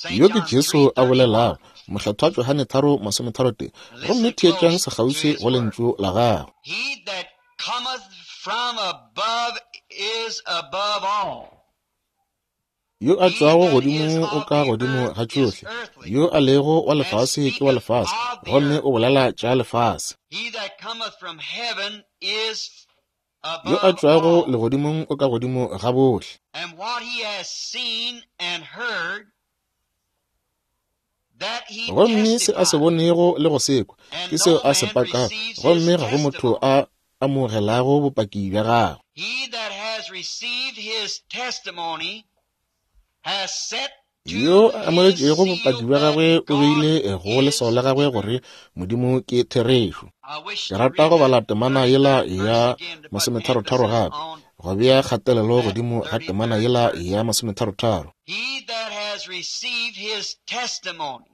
Yo ke Jesu a bolelago, Mohlathwa Johane tharo masometharo tee. Gomme theetšang sekgauswi go lentšu la gagwe. He that cometh from above is above all. Yo a tšwago godimo o ka godimo ga tšohle. Yo a lego wa lefase ke wa lefase, gomme o bolela tša lefase. He that cometh from heaven is Yo a above tšwago all. legodimong o ka godimo ga bohle. And what he has seen and heard, that he Gomme se a se testifieth. bonego le go se kwa, And ke seo no a se man pakago, receives his gomme ga go motho testimony. a amogelago bopaki bja gagwe. He that has received his testimony has set Yo to a his amogetšego seal bopaki bja that gagwe o God beile go leswao is la gagwe true. gore Modimo ke therešo. I wish Ke to rata read go bala that temana yela thirty-third verse ya again to put masometharotharo emphasis gape, on go bea kgatelelo that godimo ga temana thirty-third yela verse. ya masometharotharo. He that has received his testimony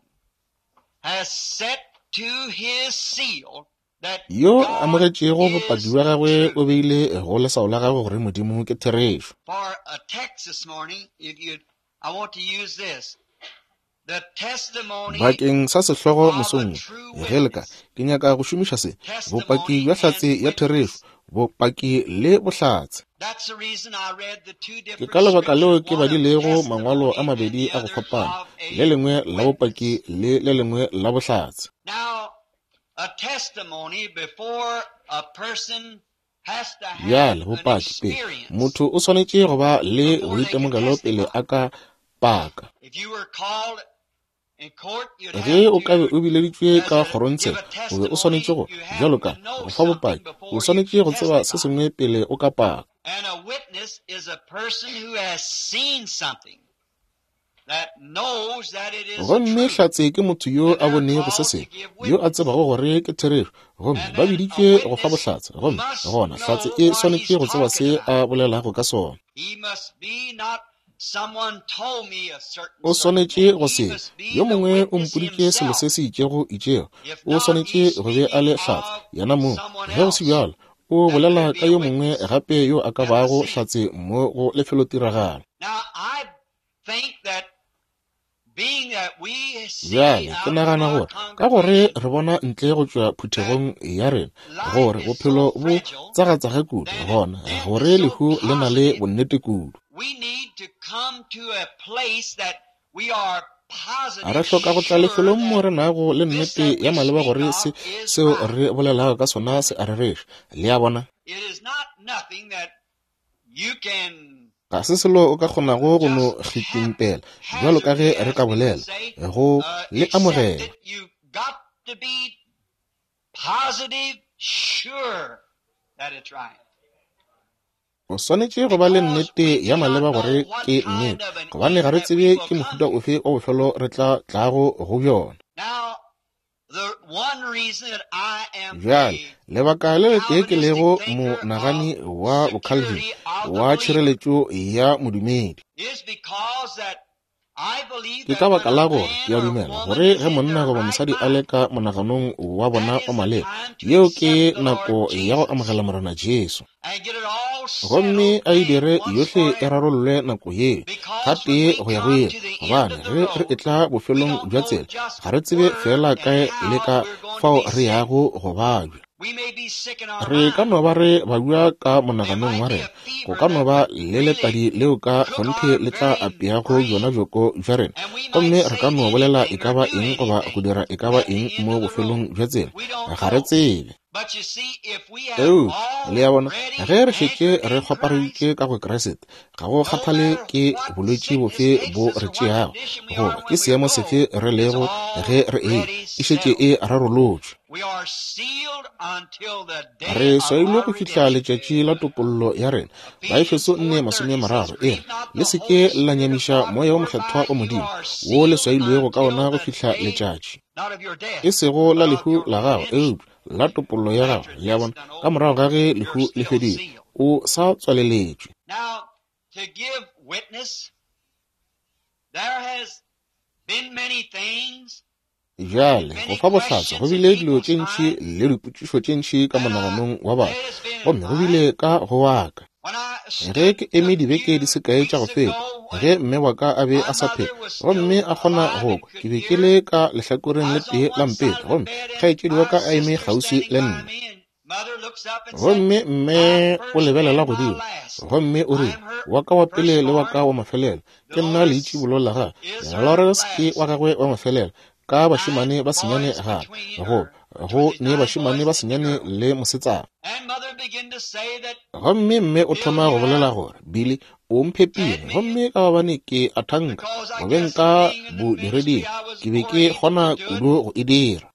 has set to his seal that Yo a God amogetšego bopaki is bja gagwe o true. beile go leswao la gagwe gore Modimo ke therešo. For a text this morning, if you, I want to use this. The testimony Bakeng sa sehlogo of a mosong wo, true ge le ka, witness. ke nyaka go šomiša se, bopaki Testimony bja hlatse and ya therešo, witness. bopaki le bohlatse. That's the reason I read the two Ke different ka lebaka leo scriptures, ke one of badilego mangwalo a testimony and mabedi the a go other fapana, of le a lengwe la bopaki witness. le le lengwe la bohlatse. Now, a testimony before a person has to have Bjale an bopaki pele, experience motho o swanetše go ba le before they can boitemogelo pele testify. a ka paka. If you were called in court, you'd Ge have o ka be to, o bileditšwe as ka a kgorongtsheko, give a o be o swanetše testimony, go, you have bjalo ka, to know go fa something bopaki, o before you swanetše go tseba se testify. sengwe pele o ka paka. And a witness is a person who has seen something that knows that it is the Gomme truth. hlatse ke motho yo And a they're bonego se called to sengwe, give yo a witness. tsebago gore ke therešo, gomme And ba then a biditšwe go fa witness bohlatse. Gomme must gona hlatse know e what swanetše he's go tseba talking se about. a bolelago ka sona. He must be not someone told me a certain O certain swanetše thing. go He se must be yo the mongwe o witness mpoditše selo se himself. se itšego itšego, If o not, swanetše he's go be a le speaking hlatse of yena mong. someone Ge go se else bjalo, o that bolela could ka be a yo mongwe witness gape yo a ka at the bago scene. hlatse mo go lefelotiragalo. Now, I think that being that we see Bjale ke out of nagana our gore ka gore congregation re bona ntle go tšwa that phuthegong ya rena life gore is so bophelo bo fragile tsagatsaga kudu, and gona death gore is so lehu le na le positive, bonnete kudu. we need to come to a place that we are A re positive hloka go tla sure lefelong mo that re nago le this nnete that ya we maleba speak gore of se is seo right. re bolelago ka sona se a rereša. Le a bona? It is not nothing that you can Ga se selo o ka kgonago go no just kgitimpela bjalo ka ge haphazardly, re as ka we would bolela, say, go uh, le accept amogela. it. You've got to be positive, sure that it's right. O swanetše go ba le Because nnete we ya do not maleba know gore what ke kind nnete, of an gobane ga end re that tsebe we will ke come mohuta to. ofe wa bofelo re tla tlago go bjona. Now, the one reason that I am Bjale, a lebaka le letee ke Calvinistic lego thinker of monagani wa boCalvin security of the wa believer tšhireletšo ya modumedi. is because that I believe Ke that ka when baka a la gore man ke a or a dumela woman gore is ge in monna their goba right mosadi a le mind, ka monaganong wa bona that wa is the maleba, time to yeo ke accept the Lord nako ya go Jesus amogela Morena Jesu. and get it all Gomme settled a e then dire once yohle e forever. rarollwe nako yeo, Because when gatee we go ya go come ile. to the end Gobane of the ge re road, etla we bofelong don't bja know tsela, just ga re tsebe where fela and kae le how ka we're going to fao be re sick. yago go babja. We may be sick in our Re ka mind. no ba re babja ka There monaganong wa might be rena, a go fever ka no that ba would le really letadi leo ka cook kgonthe our le tla very apeago bjona brain, bjoko bja rena, and we might gomme re say ka no bolela e anything ka or ba do eng goba go anything dira e ka ba at the eng end mo of the bofelong road. bja tsela. We don't Ga re know. tsebe. But you see, if we have Eupša le a bona, already ge re šetše anchored re in Christ, kgwapareditše ka go Kriste, ga go no kgathale matter ke what bolwetši sickness bofe takes bo us re or what tšeago, condition we are goba when ke we seemo go, sefe re it's lego ge re eya, already e šetše settled. e rarolotšwe. We are sealed until the day Re of swailwe our go fihla redemption. letšatši la topollo ya rena. Ephesians Baefeso nne four thirty says, masomemararo e re, Grieve not le the se ke Holy la Spirit of nyamiša God, moya wo whereby mokgethwa wa you Modimo, are wo le sealed swailwego ka until ona go the fihla day letšatši, not of your death, e sego la but of lehu your la gago, redemption. eupša la topollo ya gago. After Le a death's bona, done ka over, morago ga ge you're lehu le still fedile, sealed. o sa tswaleletšwe. Now, to give witness, there has been many things, Bjale, go many fa bohlatse go questions in bile dilo people's tše ntši minds, le dipotšišo tše ntši ka and uh, monaganong wa batho, it has been in gomme go mine. bile ka go wa ka. When I Ge ke eme dibeke di se kae tša go feta, ge mme wa ka a be a sa phela gomme a kgona go kwa, ke be ke le ka lehlakoreng le tee la mpete gomme kgaetšedi wa ka a eme kgauswi le nna. Gomme mme o lebelela godimo gomme o rile, wa ka wa pele le wa ka wa mafelelo, ke nna leitšibolo la gagwe. Lawrence ke wa gagwe wa mafelelo ka bašemane ba senyane gape, go go ne bašemane ba senyane le mosetsana. Gomme mme o thoma go bolela gore Billy o mphepile, gomme ka gobane ke a thanka go beng ka bodireding ke be ke kgona kudu go e dira.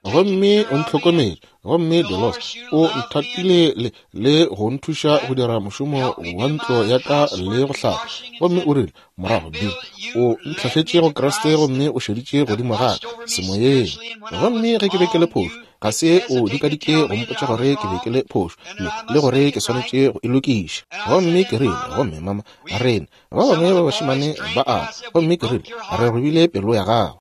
Gomme o ntlhokometše, gomme Dolores o nthatile le, le go nthuša go dira mošomo wa ntlo ya ka le go hlapa. Gomme o rile morago, Bill, o ntlhahletše go Kriste gomme o šeditše godimo ga ka semoyeng. Gomme ge ke be ke le phošo, ga se o dikadike go mpotša gore ke be ke le phošo le, le gore ke swanetše go e lokiša. Gomme ke rile, gomme mama, rena ba bangwe ba bašemane ba a, gomme ke rile, re robile pelo ya gago.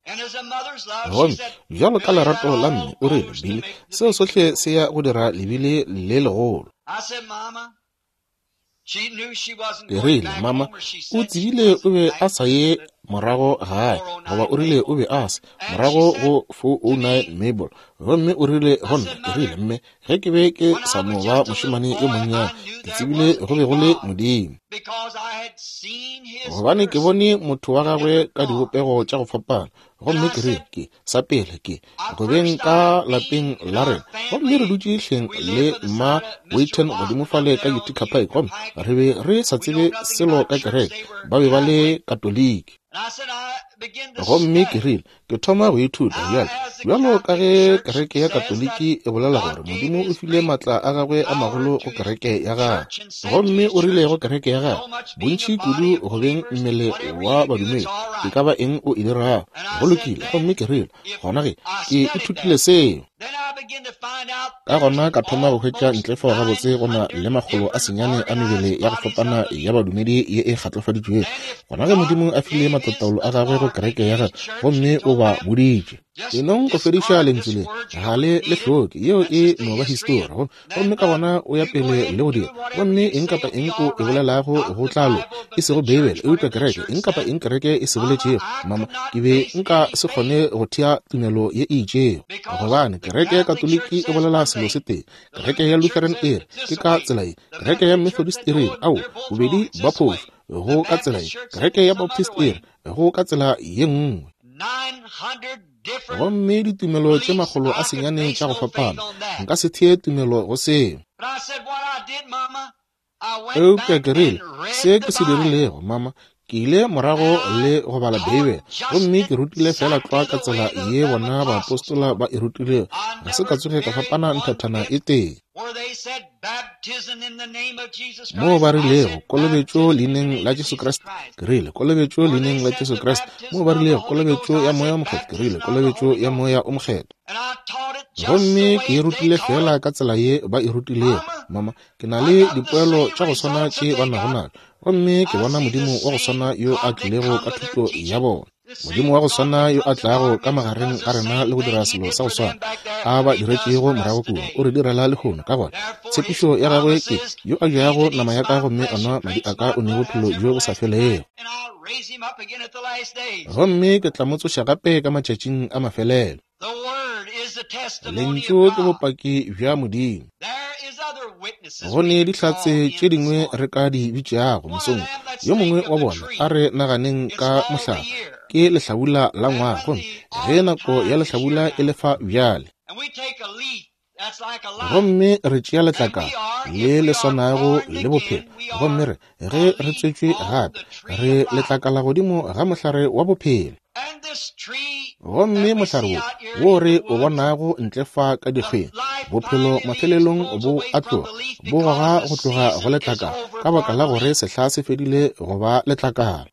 Gomme bjalo ka lerato la mme, o rile, Billy, seo sohle se ya go dira lebile le legolo. Ke rile, mama, o tsebile o be a sa ye morago gae, goba o rile o be a se morago go four oh nine Mabel. Gomme o rile go nna, ke rile, mme, ge ke be ke sa no ba mošemane yo monnyane, ke tsebile go be go le Modimo, gobane ke bone motho wa gagwe ka dibopego tša go fapana. Gomme ke rile, ke sa pele ke go beng ka lapeng la rena, gomme re dutše hleng le mma Waiton godimo fale ka Utica Pike, gomme re be re sa tsebe selo ka kereke, ba be ba le Katoliki. Gomme ke rile, ke thoma go ithuta bjalo bjalo ka ge kereke ya Katoliki e bolela gore Modimo o file maatla a gagwe a magolo go kereke ya gagwe. Gomme o rile go kereke ya gagwe, bontši kudu go beng mmele wa badumedi, e ka ba eng o e dirago, go lokile. Gomme ke rile, gona ge ke ithutile seo. Ka gona ka thoma go hwetša ntle fao gabotse go na le makgolo a senyane a mebele ya go fapana ya badumedi ye e kgatlofaditšwego. Gona ge Modimo a file matlataolo a gagwe go kereke ya gagwe, gomme o ba boditše, enong go fediša lentšu le ga le le hloke, yeo e no ba histori. Gomme ka gona o ya pele le go dira, gomme eng kapa eng o e bolelago go tla loka, e sego Beibele eupša kereke, eng kapa eng kereke e se boletšego. Mama, ke be nka se kgone go thea tumelo ye e itšego, gobane kereke ya Katoliki e bolela selo se tee, kereke ya Lutheran e re ke ka tsela ye, kereke ya Methodist e re ao, bobedi ba phošo go ka tsela ye, kereke ya Baptist e re go ka tsela ye nngwe. Gomme ditumelo tše makgolo a senyane tša go fapana, nka se thee tumelo go seo. Eupša ke rile, se ke se dirilego, mama, ke ile morago le go bala Beibele, gomme ke rutile fela tlwa ka tsela ye bona baapostola ba e rutilego, ga se ka tsoge ka fapana nthathana e tee. Moo ba rilego kolobetšo leineng la Jesu Kriste, ke rile kolobetšo leineng la Jesu Kriste. Moo ba rilego kolobetšo ya Moya o Mokgethwa, ke rile kolobetšo ya Moya o Mokgethwa. Gomme ke e rutile fela ka tsela ye ba e rutilego. Mama, ke na le dipoelo tša go swana tše ba nago najo, gomme ke bona Modimo wa go swana yo a tlilego ka thuto ya bona. Modimo wa go swana yo a tlago ka magareng ga rena le go dira selo sa go swana a ba diretšego morago kua, o re direla lehono. Ka gona tshepišo ya gagwe ke, yo a jago nama ya ka gomme a nwa madi a ka o ne bophelo bjo bo sa felego, gomme ke tla mo tsoša gape ka matšatšing a mafelelo. Lentšu ke bopaki bja Modimo. Go ne dihlatse tše dingwe re ka di bitšago mosong. Yo mongwe wa bona, a re naganeng ka mohlala, ke lehlabula la ngwaga, gomme ge nako ya lehlabula e lefa bjale, gomme re tšea letlakala le le swanago le bophelo, gomme re ge re tswetšwe gape, re letlakala godimo ga mohlare wa bophelo. Gomme mohlare wo wo re o bonago ntle fa ka dikgweng, bophelo mafelelong bo a tloga, bo goga go tloga go letlakala, ka baka la gore sehla se fedile go ba letlakala.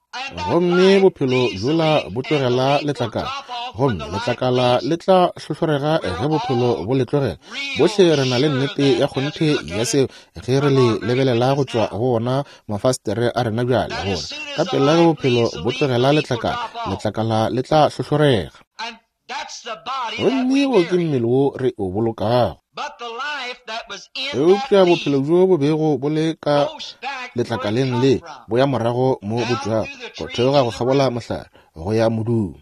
Gomme bophelo bjola bo tlogela letlakala, gomme letlakala le tla hlohlorega ge bophelo bo le tlogela. Bohle re na le nnete ya kgonthe ya seo ge re le lebelela go tšwa go ona mafastere a rena bjale, gore ka pela ge bophelo bo tlogela letlakala, letlakala le tla hlohlorega. Gomme wo ke mmele wo re o bolokago. Eupša bophelo bjo bo bego bo le ka letlakaleng le bo ya morago mo bo tšwago, go theoga go kgabola mohlare go ya modung.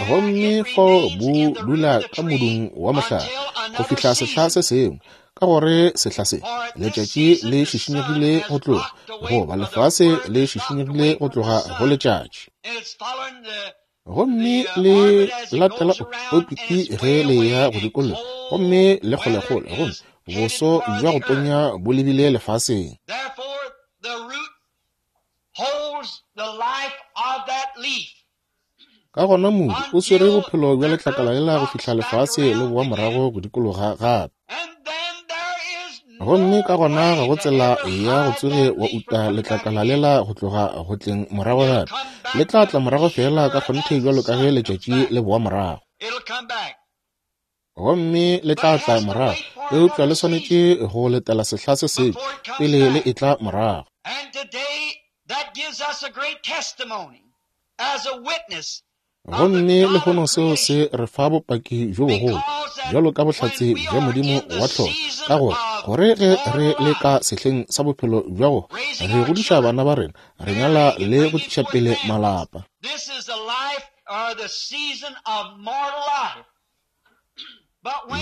Gomme fao bo dula ka modung wa mohlare go fihla sehla se sengwe, ka gore sehla se letšatši le šišinyegile go tloga, goba lefase le šišinyegile go tloga go letšatši. Gomme le latela opiti ge le ya go dikologa, gomme le kgolekgole, gomme boso bja go tonya bo lebile lefaseng. Ka gona modu o swere bophelo bja letlakala lela go fihla lefase le boa morago go dikologa gape. Gomme ka gona ga go tsela ya go tsoge wa uta letlakala lela go tloga go tleng morago gape. Le tla tla morago fela ka kgonthe bjalo ka ge letšatši le boa morago. Gomme le tla tla morago, eupša le swanetše go letela sehla se sengwe pele le etla morago. Gomme lehono seo se re fa bopaki bjo bogolo bjalo ka bohlatse bja Modimo wa tlholo, ka gore gore ge re le ka sehleng sa bophelo bja go re godiša bana ba rena, re nyala le go tliša pele malapa.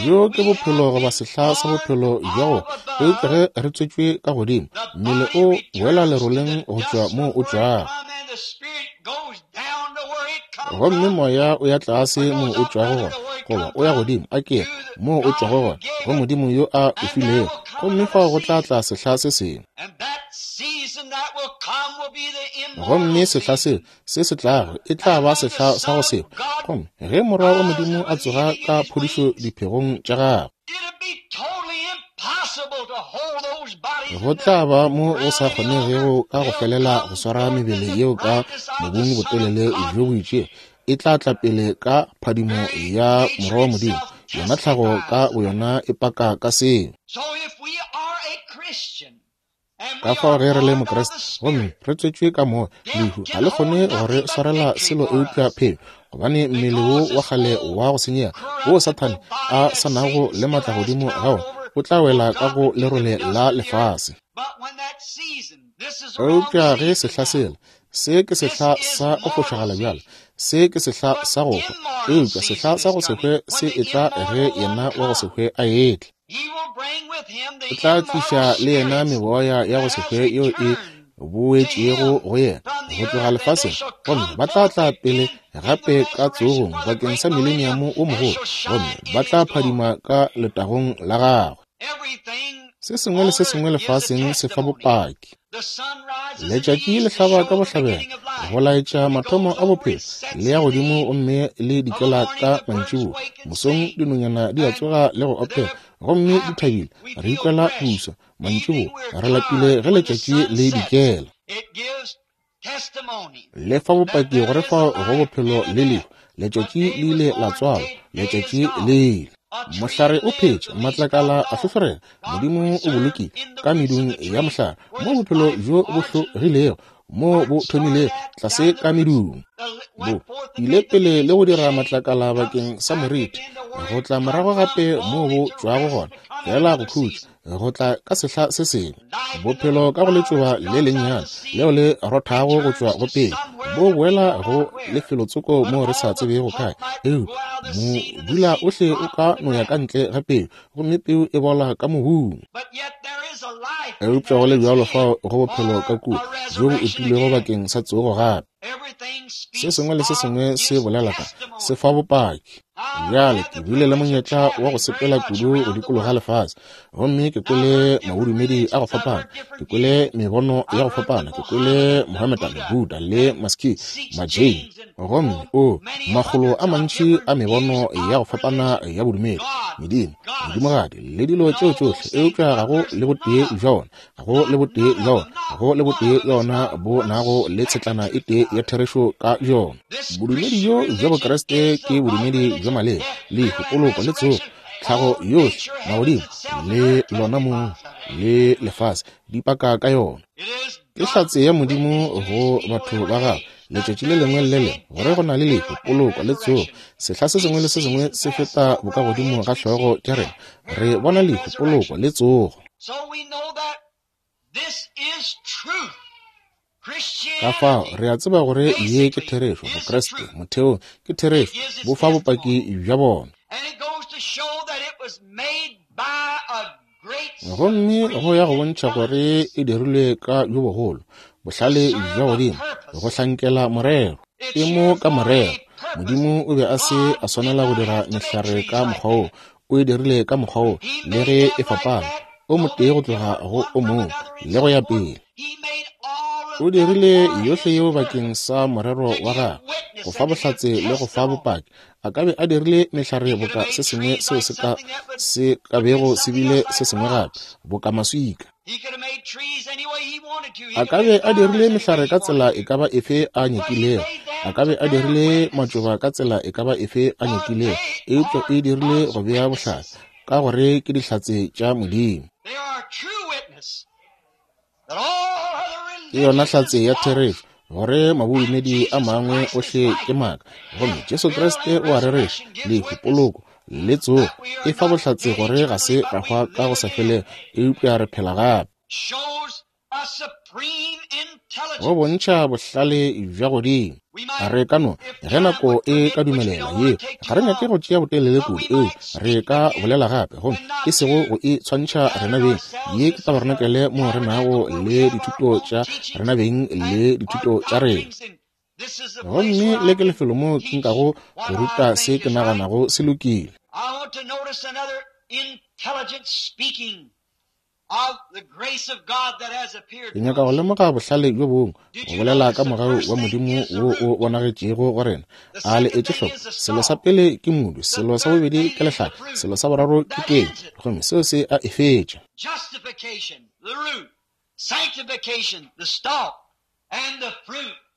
Bjo ke bophelo goba sehla sa bophelo bja go, eupša ge re tswetšwe ka godimo, mmele o boela leroleng go tšwa moo o tšwago. Gomme moya o ya tlase moo o tšwago gona, goba o ya godimo a ke moo o tšwago gona, go Modimo yo a o filego. Gomme fao go tla tla sehla se sengwe. Gomme sehla seo se se tlago e tla ba sehla sa go se hwe. Gomme ge Morwa wa Modimo a tsoga ka phodišo diphegong tša gagwe, go tla ba mo go sa kgonegego ka go felela go swara mebele yeo ka mobung botelele bjo bo itšego. E tla tla pele ka phadimo ya Morwa wa Modimo. Yona tlhago ka boyona e paka ka seo. Ka fao ge re le Mokriste gomme re tswetšwe ka moya, lehu ga le kgone go re swarela selo eupša phelo, gobane mmele wo wa kgale wa go senyega wo Sathane a sa nago le maatla godimo ga wona o tla wela ka go lerole la lefase. Eupša ge sehla sela, se ke sehla sa go fošagala bjale, se ke sehla sa go hwa, eupša sehla sa go se hwe se etla ge yena wa go se hwe a etla. O tla tliša le yena meboya ya go se hwe yeo e boetšego go yena go tloga lefaseng, gomme ba tla tla pele gape ka tsogong bakeng sa mileniamo o mogolo, gomme ba tla phadima ka letagong la gagwe. Se sengwe le se sengwe lefaseng se fa bopaki. Letšatši le hlaba ka bohlabela go laetša mathomo a bophelo, le ya godimo gomme le dikela ka mantšiboa. Mosong dinonyana di a tsoga le go opela, gomme di thabile, re ikwela puso. Mantšiboa re lapile ge letšatši le dikela. Le fa bopaki gore fao go bophelo le lehu. Letšatši le ile la tswalwa, letšatši le ile. Mohlare o phetše, matlakala a hlohlorega. Modimo o bolokile ka medung ya mohlare mo bophelo bjo bo hlogilego, mo bo thomilego tlase ka medung. Bo ile pele le go dira matlakala bakeng sa moriti, go tla morago gape mo bo tšwago gona, fela go khutša, go tla ka sehla se sengwe. Bophelo ka go letšoba le lennyane leo le rothago go tšwa go pele, bo boela go lefelotsoko mo re sa tsebego kae. Eupša modula ohle o ka no ya ka ntle ga peu, gomme peu e bola ka mobung. Eupša go le bjalo fao go bophelo ka kua bjo bo utilwego bakeng sa tsogo gape. Se sengwe le se sengwe se bolela ka se fa bopaki. Bjale ke bile le monyetla wa go sepela kudu go dikologa lefase, gomme ke kwele mabodumedi a go fapana, ke kwele mebono ya go fapana, ke kwele Mohammedan, Buddha le Maski, Majain, gomme o makgolo a mantši a mebono ya go fapana ya bodumedi, medimo, medimogadi le dilo tšeo tšohle. Eupša ga go le botee bja ona, ga go le botee bja ona, ga go le botee bja ona bo nago le tshetlana e tee ya therešo ka bjona. Bodumedi bjo bja Bokriste ke bodumedi bja maleba, lehu, poloko le tsogo, tlhago yohle, magodimo le lona mong le lefase di paka ka yona. Ke hlatse ya Modimo go batho ba gagwe letšatši le lengwe le le lengwe gore go na le lehu, poloko le tsogo. Sehla se sengwe le se sengwe se feta bokagodimo ga hlogo tša rena, re bona lehu, poloko le tsogo. Ka fao re a tseba gore ye ke therešo. Bokreste motheong ke therešo, bo fa bopaki bja bona. Gomme go ya go bontšha gore e dirilwe ka bjo bogolo bohlale bja godimo go hlankela morero. E mo ka morero. Modimo o be a se a swanela go dira mehlare ka mokgwa wo, o e dirile ka mokgwa wo, le ge e fapana o motee go tloga go o mongwe le go ya pele. O dirile yohle yeo bakeng sa morero wa gagwe, go fa bohlatse le go fa bopaki. A ka be a dirile mehlare boka se sengwe seo se ka se ka bego se bile se sengwe gape, boka maswika. A ka be a dirile mehlare ka tsela e ka ba efe a nyakilego, a ka be a dirile matšoba ka tsela e ka ba efe a nyakilego, eupša e dirile go bea bohlatse, ka gore ke dihlatse tša Modimo. Ke yona hlatse ya therešo gore mabodumedi a mangwe ohle ke maaka, gomme Jesu Kriste o a rereša, lehu, poloko le tsogo e fa bohlatse gore ga se ra hwa ka go sa felego, eupša re phela gape. Go bontšha bohlale bja godimo. Re ka no, ge nako e ka dumelela ye, ga re nyake go tšea botelele kudu, eupša re ka bolela gape, gomme e sego go e tshwantšha rena beng. Ye ke tabarenakele mo re nago le dithuto tša rena beng le dithuto tša rena. Gomme le ke lefelo mo ke nkago go ruta se ke naganago se lokile. Ke nyaka go lemoga bohlale bjo bongwe, go bolela ka mogau wa Modimo wo o bonagetšego go rena. A le etše hloko, selo sa pele ke modu, selo sa bobedi ke lehlaka, selo sa boraro ke kenywa, gomme seo se a e fetša.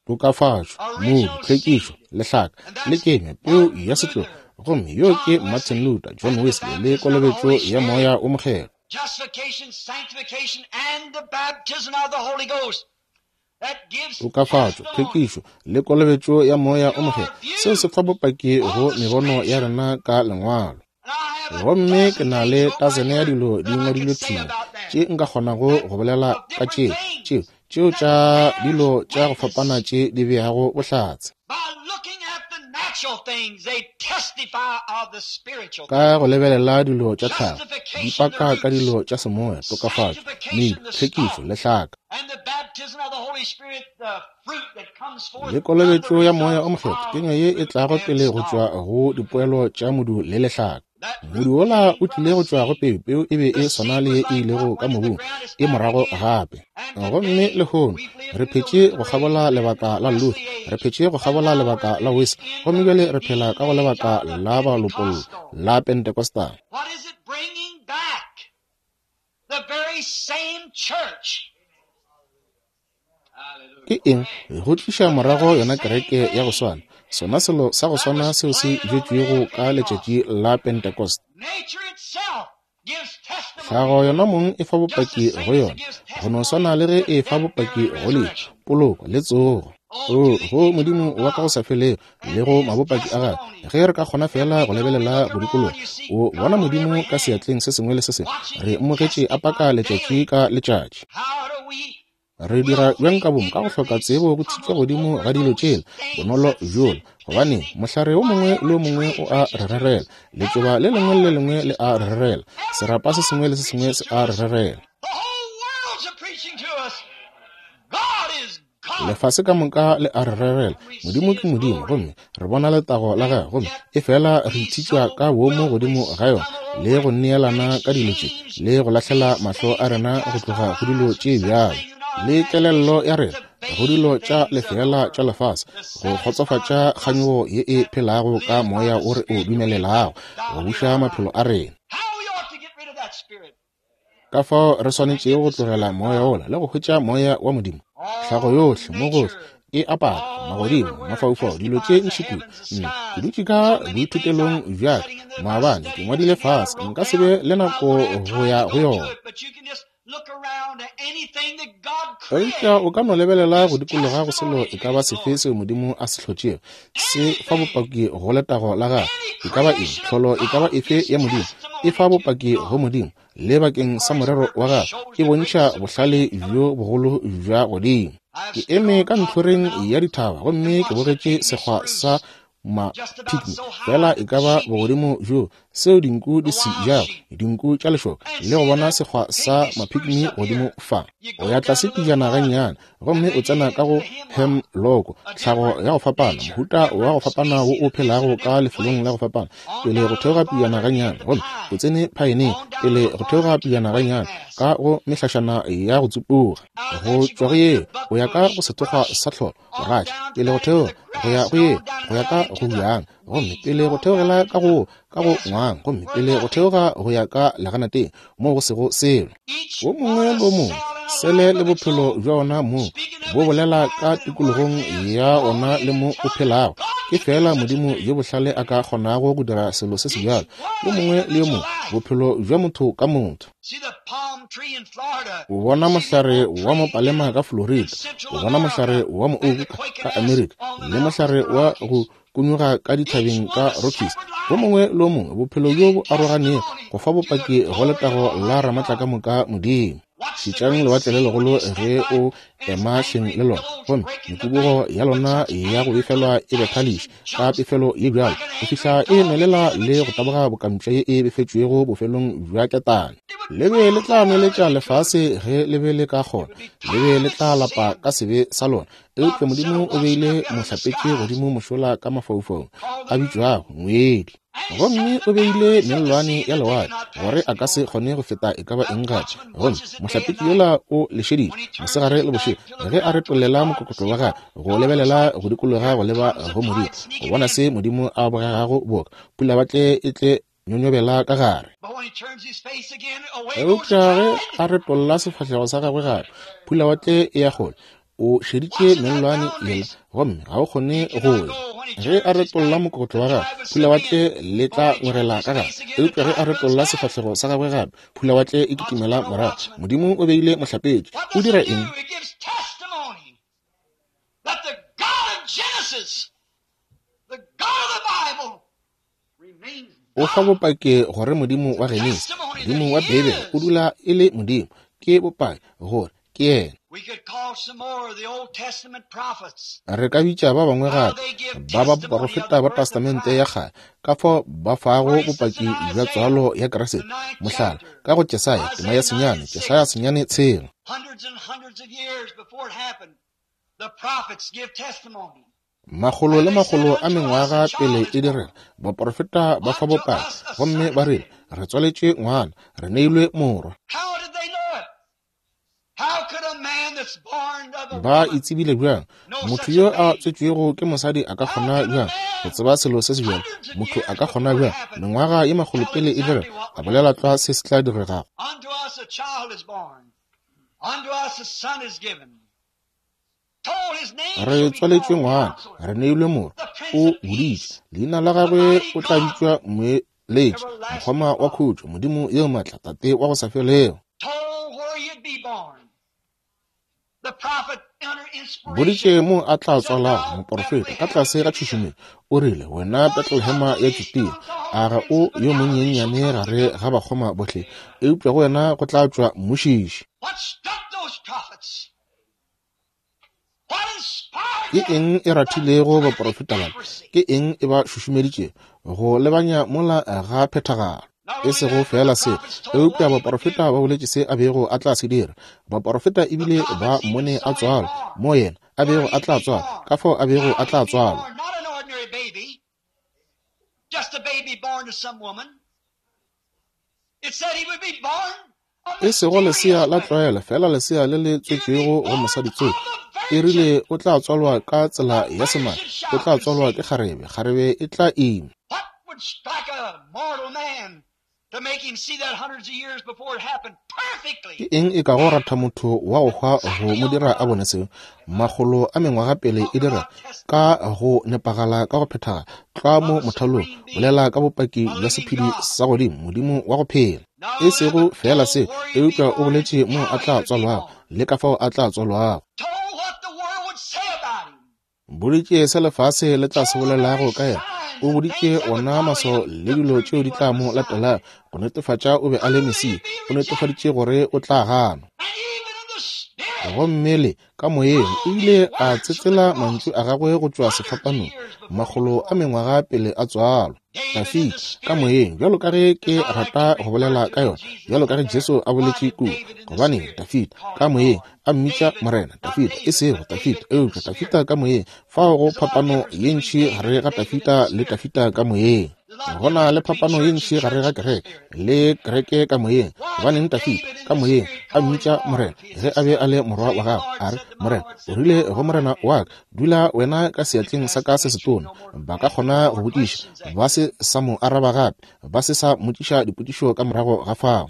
Tokafatšo, modu, tlhwekišo, lehlaka le kenywa, peu ya setlogo. Gomme yo ke Martin Luther, John Wesley le kolobetšo ya Moya o Mokgethwa. Tokafatšo, tlhwekišo le kolobetšo ya Moya o Mokgethwa, seo se fa bopaki go mebono ya rena ka lengwalo. Gomme ke na le tasene ya dilo di ngwadilwe thwi tše nka kgonago go bolela ka tšeo tšeo tšeo tša dilo tša go fapana tše di beago bohlatse. Ka go lebelela dilo tša tlhago, di paka ka dilo tša semoya, tokafatšo, medu, tlhwekišo, lehlaka le kolobetšo ya Moya o Mokgethwa, kenywa ye e tlago pele go tšwa go dipoelo tša modu le lehlaka. Modu wola o tlile go tšwa go peu, peu e be e swana le ye e ilego ka mobung, e morago gape. Gomme lehono re phetše go kgabola lebaka la Luther, re phetše go kgabola lebaka la Wesley, gomme bjale re phela ka go lebaka la balopollo la Pentecostal. Ke eng go tliša morago yona kereke ya go swana, sona selo sa go swana seo se bjetšwego ka letšatši la Pentecost. Tlhago yona mong e fa bopaki go yona, go no swana le ge e fa bopaki go lehu, poloko le tsogo. O go Modimo wa ka go sa felego le go mabopaki a gagwe, ge re ka kgona fela go lebelela go dikologa, o bona Modimo ka seatleng se sengwe le se sengwe. Re mmogetše a paka letšatši ka letšatši. Re dira bjang ka bomo ka go hloka tsebo go thitšwa godimo ga dilo tšela bonolo bjola, gobane mohlare o mongwe le o mongwe o a re rerela, letšoba le lengwe le lengwe le a re rerela, serapa se sengwe le se sengwe se a re rerela. Lefase ka moka le a re rerela, Modimo ke Modimo, gomme re bona letago la gagwe, gomme e fela re ithitšwa ka boomo godimo ga yona le go neelana ka dilo tše le go lahlela mahlo a rena go tloga go dilo tše bjalo le kelello ya rena go dilo tša lefeela tša lefase, go kgotsofatša kganyogo ye e phelago ka moya o re o dumelelago go buša maphelo a rena. Ka fao re swanetšego go tlogela moya wola le go hwetša moya wa Modimo. Tlhago yohle mo gohle e apara magodimo, mafaufau, dilo tše ntši kudu. Nna ke dutše ka boithutelong bja ka maabane, ke ngwadile fase, nka se be le nako go ya go yona. Eupša o ka no lebelela go dikologa go selo e ka ba sefe seo Modimo a se hlotšego, se fa bopaki go letago la gagwe. E ka ba eng, tlholo e ka ba efe ya Modimo, e fa bopaki go Modimo le bakeng sa morero wa gagwe, e bontšha bohlale bjo bogolo bja godimo. Ke eme ka ntlhoreng ya dithaba gomme ke bogetše sekgwa sa mapikmi, fela e ka ba bogodimo bjo seo dinku di se jago, dinku tša lešoka, le go bona sekgwa sa mapikmi godimo fa. O ya tlase pejana gannyane gomme o tsena ka go hemloko, tlhago ya go fapana, mohuta wa go fapana wo o phelago ka lefelong la go fapana, pele go theoga pejana gannyane, gomme o tsene phaeneng, pele go theoga pejana gannyane ka go mehlašana ya go tsupuga. Go tšwa go yeo o ya ka go sethokgwa sa tlholo, boratši, pele go theoga go ya go yeo go ya ka go bjang, gomme pele go theogela ka go ka go ngwang, gomme pele go theoga go ya ka leganateng mo go sego selo. Wo mongwe le wo mongwe sele le bophelo bja ona mo bo bolela ka tikologong ya ona le mo o phelago. Ke fela Modimo yo bohlale a ka kgonago go dira selo se sebjalo. Yo mongwe le yo mongwe, bophelo bja motho ka motho. O bona mohlare wa mopalema ka Florida, o bona mohlare wa moouku ka Amerika, le mohlare wa go kunyuga ka dithabeng ka Rockies. Wo mongwe le wo mongwe, bophelo bjo bo aroganego go fa bopaki go letago la Ramatlakamoka Modimo. Šetšang lewatle le legolo ge o ema hleng le lona, gomme mekubugo ya lona ya go befelwa e bethališe ka pefelo ye bjalo go fihla e nwelela le go taboga bokampša ye e befetšwego bofelong bja ketane. Le be le tla nweletša lefase ge le be le ka kgona, le be le tla lapa ka sebe sa lona. Eupša Modimo o beile mohlapetši godimo mošola ka mafaufaung a bitšwago ngwedi, gomme o beile mellwane ya lewatle gore a ka se kgone go feta e ka ba eng gape. Gomme mohlapetši yola o lešeditše mosegare le bošego ge a retollela mokokotlo wa gagwe go lebelela go dikologa go leba go Modimo, go bona se Modimo a bogegago boka pulawatle e tle nyonyobela ka gare. Eupša ge a retolla sefahlego sa gagwe gape, pulawatle e ya kgole. O šeditše mellwane yela gomme ga o kgone go ya. Ge a retolla mokokotlo wa gagwe, pulawatle le tla ngwegela ka gare. Eupša ge a retolla sefahlego sa gagwe gape, pulawatle e kitimela morago. Modimo o beile mohlapetši. O dira eng? O fa bopaki gore Modimo wa Genesi, Modimo wa Beibele, o dula e le Modimo. Ke bopaki gore ke yena. Re ka bitša ba bangwe gape ba baporofeta ba Testamente ya kgale ka fao ba fago bopaki bja tswalo ya Kriste. Mohlala, ka go Jesaya tema ya senyane, Jesaya senyane tshela. Makgolo le makgolo a mengwaga pele e direga, baporofeta ba fa bopaki gomme ba rile, re tswaletše ngwana, re neilwe morwa. Ba itsebile bjang? Motho yo a tswetšwego ke mosadi a ka kgona bjang go tseba selo se se bjalo? Motho a ka kgona bjang mengwaga ye makgolo pele e direga a bolela tlwa se se tla diregago? Re tswaletšwe ngwana, re neilwe morwa, o boditše leina la gagwe o tla bitšwa Moeletši, Mokgoma wa Khutšo, Modimo yo maatla, Tate wa go sa felego. Boditše mo a tla tswalago moporofeta ka tlase ga tšhušumetšo. O rile, wena Betlehema ya Judea, a ga o yo monyenyane gare ga bakgoma bohle, eupša go wena go tla tšwa mmušiši. Ke eng e rathilego baporofeta bana? Ke eng e ba šušumeditšego go lebanya mola ga phethagalo? E sego fela se, eupša baporofeta ba boletše se a bego a tla se dira. Baporofeta ebile ba mmone a tswalwa, mo yena a bego a tla tswalwa, ka fao a bego a tla tswalwa. E sego lesea la tlwaelo, fela lesea le le tswetšwego go mosadi tsoko. E rile o tla tswalwa ka tsela ya semane, o tla tswalwa ke kgarebe, kgarebe e tla ima. Ke eng e kago ratha motho wa go hwa go mo dira a bone seo? Makgolo a mengwaga pele e dira ka go nepagala ka go phethagala tlwa mo mothalong, bolela ka bopaki bja sephedi sa godimo, Modimo wa go phela. E sego feela se, eupša o boletše mo a tla tswalwago le ka fao a tla tswalwago. Boditše se lefase le tla se bolelago ka yena. O boditše ona maswao le dilo tšeo di tla mo latelago go netefatša o be a le Mesia. O netefaditše gore o tla ganwa. Gomme le ka moyeng o ile a tsetsela mantšu a gagwe go tšwa sefapanong makgolo a mengwaga pele a tswalwa. Dafida ka moyeng, bjalo ka ge ke rata go bolela ka yona, bjalo ka ge Jesu a boletše kua, gobane Dafida ka moyeng a mmitša Morena. Dafida e sego Dafida, eupša Dafida ka moyeng. Fao go phapano ye ntši gare ga Dafida le Dafida ka moyeng. Go na le phapano ye ntši gare ga kereke le kereke ka moyeng. Gobaneng Dafida ka moyeng a mmitša Morena ge a be a le morwa wa gagwe? A re, Morena o rile go Morena wa ka, dula wena ka seatleng sa ka se setona. Ba ka kgona go botšiša, ba se sa mo araba gape, ba se sa mmotšiša dipotšišo ka morago ga fao.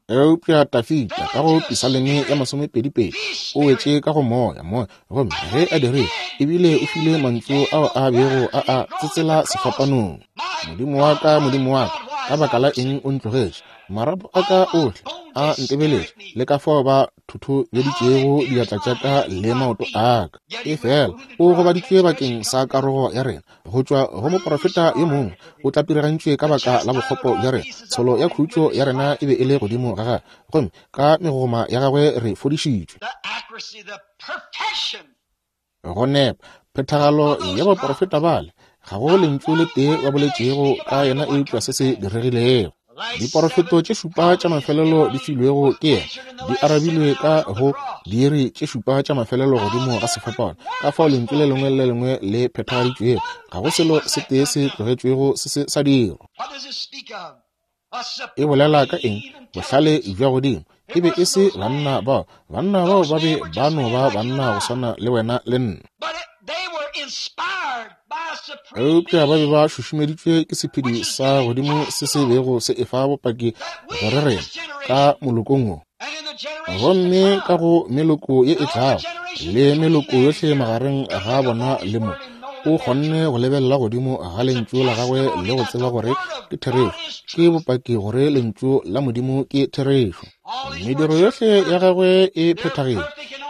Eupša Dafida ka go Pisaleme ya masomepedi-pedi o wetše ka go moya moya, gomme ge a dirile ebile o file mantšu ao a bego a a tsetsela sefapanong. Modimo wa ka, Modimo wa ka, ka baka la eng o ntlogetše? Marapo a ka ohle a ntebeletše, le ka fao ba thothobeditšego diatla tša ka le maoto a ka. Efela o gobaditšwe bakeng sa karogo ya rena, go tšwa go moprofeta yo mongwe o tlapirigantšwe ka baka la bokgopo bja rena. Tsholo ya khutšo ya rena e be e le godimo ga gagwe, gomme ka megogoma ya gagwe re fodišitšwe. Go nepa phethagalo ya baprofeta bale, ga go lentšu le tee ba boletšego ka yena eupša se se diregilego. Diporofeto tše šupa tša mafelelo di filwego ke yena di arabilwe ka go diiri tše šupa tša mafelelo godimo ga sefapano. Ka fao lentšu le lengwe le lengwe le phethagaditšwego, ga go selo se tee se tlogetšwego se se sa dirwa. E bolela ka eng? Bohlale bja godimo. E be e se banna bao. Banna bao ba be ba no ba banna go swana le wena le nna. Eupša ba be ba šušumeditšwe ke sephedi sa godimo se se bego se efa bopaki gore rena ka molokong wo, gomme ka go meloko ye e tlago le meloko yohle magareng ga bona le mo, o kgonne go lebelela godimo ga lentšu la gagwe le go tseba gore ke therešo. Ke bopaki gore lentšu la Modimo ke therešo. Mediro yohle ya gagwe e phethagetše,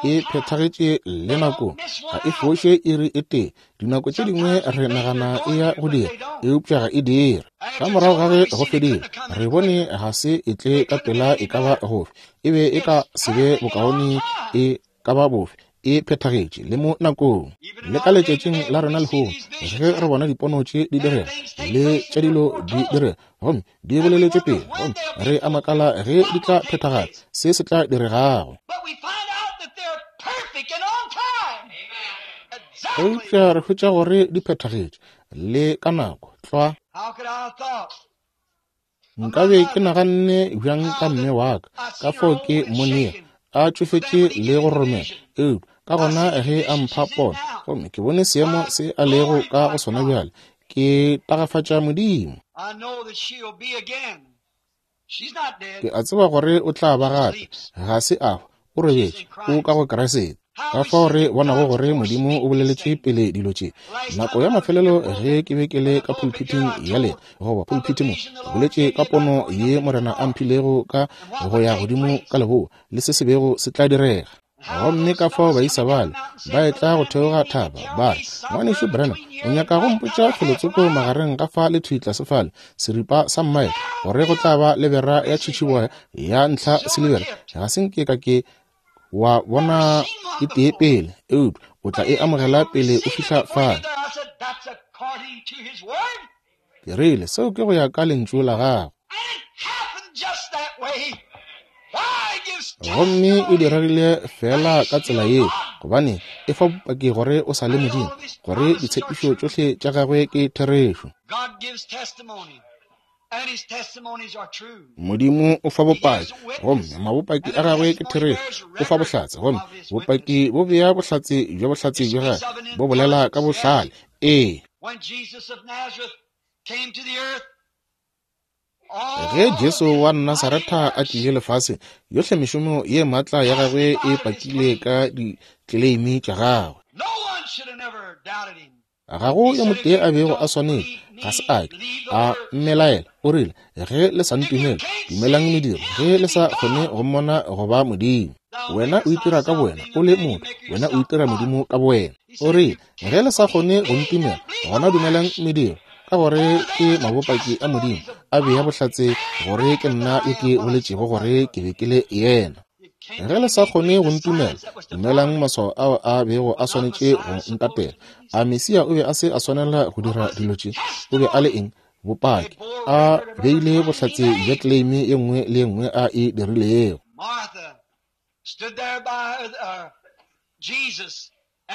e phethagetše le nako, ga e foše iri e tee. Dinako tše dingwe re nagana e ya go dira, eupša ga e dire. Ka morago ga ge go fedile, re bone ga se e tle ka pela e ka ba gofe. E be e ka se be bokaone e ka ba bofe. E phethagetše le mo nakong. Le ka letšatšing la rena lehono, ge re bona dipono tše di direga le tša dilo di direga, gomme di boleletšwe pele, gomme re a makala ge di tla phethagala, se se tla diregago. Eupša re hwetša gore di phethagetše le ka nako tlwa. Nkabe ke naganne bjang ka mme wa ka, ka fao ke monea a tšofetše le go romela, eupša ka gona ge a mpha pono, gomme ke bone seemo se a lego ka go sona bjale, ke tagafatša Modimo. Ke a tseba gore o tla ba gape, ga se a hwa, o robetše, o ka go Kriste. Ka fao re bonago gore Modimo o boleletše pele dilo tše. Nako ya mafelelo ge ke be ke le ka pulpiting ya lena, goba pulpiti mo, ke boletše ka pono ye Morena a mphilego ka go ya godimo ka leboa le se se bego se tla direga. Gomme ka fao baisa bale ba etla go theoga thaba, ba re, Ngwanešu Branham, o nyaka go mpotša felotsoko magareng ga fa le thwi tlase fale, seripa sa mmaele, gore go tla ba le bera ya tšhitšhiboya ya ntlha silibera? Ga se nke ka ke wa bona e tee pele, eupša o tla e amogela pele o fihla fale. Ke rile, seo ke go ya ka lentšu la gago. Gomme e diregile fela ka tsela yeo, gobane e fa bopaki gore o sa le Modimo, gore ditshepišo tšohle tša gagwe ke therešo. Modimo o fa bopaki, gomme mabopaki a gagwe ke therešo. O fa bohlatse, gomme bopaki bo bea bohlatse bja bohlatse bja gagwe, bo bolela ka bohlale. Ee. Ge Jesu wa Nasaretha a tlile lefaseng, yohle mešomo ye maatla ya gagwe e pakile ka ditleleimi tša gagwe. Ga go yo motee a bego a swanetše, ga se a ke a mmelaela. O rile, ge le sa ntumele, dumelang mediro, ge le sa kgone go mmona go ba Modimo. Wena o itira ka bowena o le motho, wena o itira Modimo ka bowena. O rile, ge le sa kgone go ntumela, gona dumelang mediro, ka gore ke mabopaki a Modimo a bea bohlatse gore ke nna yo ke boletšego gore ke be ke le yena. Ge le sa kgone go ntumela, dumelang maswao ao a bego a swanetše go ntatela. A Mesia o be a se a swanela go dira dilo tše? O be a le eng? Bopaki. A beile bohlatse bja claim ye nngwe le ye nngwe a e dirilego.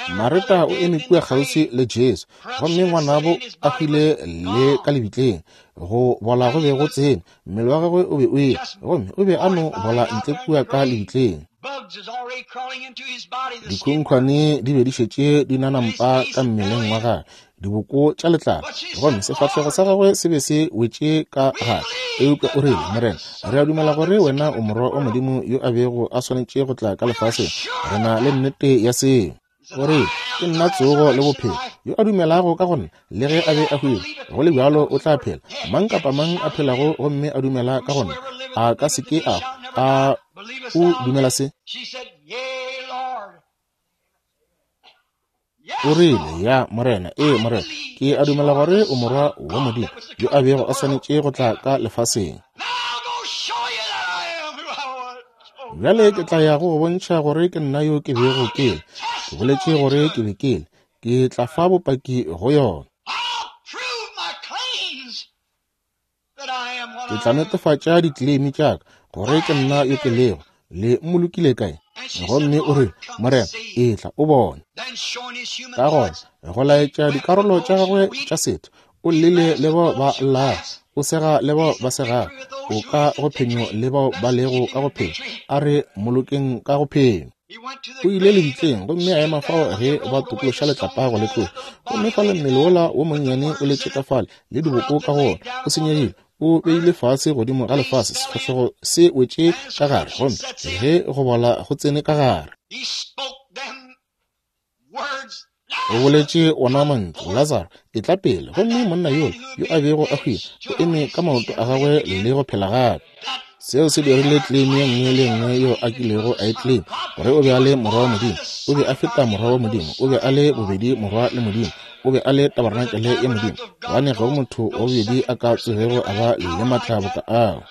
Mareta o eme kua kgauswi le Jesu, gomme ngwanabo a hwile le ka lebitleng. Go bola go be go tsene, mmele wa gagwe o be o eya, gomme o be a no bola ntle kua ka lebitleng. Dikhunkhwane di be di šetše di nanampa ka mmeleng wa gagwe, diboko tša letlalo, gomme sefahlego sa gagwe se be se wetše ka gare. Eupša o rile, Morena, re a dumela gore wena o morwa wa Modimo yo a bego a swanetše go tla ka lefaseng. Re na le nnete ya seo. O rile, ke nna tsogo le bophelo. Yo a dumelago ka go nna, le ge a be a hwile, go le bjalo o tla phela. Mang kapa mang a phelago gomme a dumela ka go nna, a ka se ke a a o dumela se? O rile, ya Morena, ee Morena, ke a dumela gore o morwa wa Modimo yo a bego a swanetše go tla ka lefaseng. Bjale ke tla ya go go bontšha gore ke nna yo ke bego ke le. Ke boletše gore ke be ke le. Ke tla fa bopaki go yona. Ke tla netefatša ditleleimi tša ka gore ke nna yo ke lego. Le mmolokile kae? Gomme o rile, Morena, etla o bone. Ka gona go laetša dikarolo tša gagwe tša setho, o llile le bao ba llago, o sega le bao ba segago, o ka go phenyo le bao ba lego ka go phenyo, a re mmolokeng ka go phenyo. O ile lebitleng gomme a ema fao ge ba tokološa letlapa go le tloša, gomme fale mmele wola wo monnyane o letše ka fale le diboko ka go ona, o senyegile, o beile fase godimo ga lefase, sefahlego se wetše ka gare, gomme ge go bola go tsene ka gare. O boletše ona mantšu, Lazaro, etla pele, gomme monna yola yo a bego a hwile o eme ka maoto a gagwe le go phela gape. Seo se dirile claim ye nngwe le nngwe yeo a kilego a e claim, gore o be a le morwa wa Modimo. O be a feta morwa wa Modimo, o be a le bobedi morwa le Modimo, o be a le tabarenakele ya Modimo, gobane ga go motho wa bobedi a ka tsogego a ba le maatla boka ao.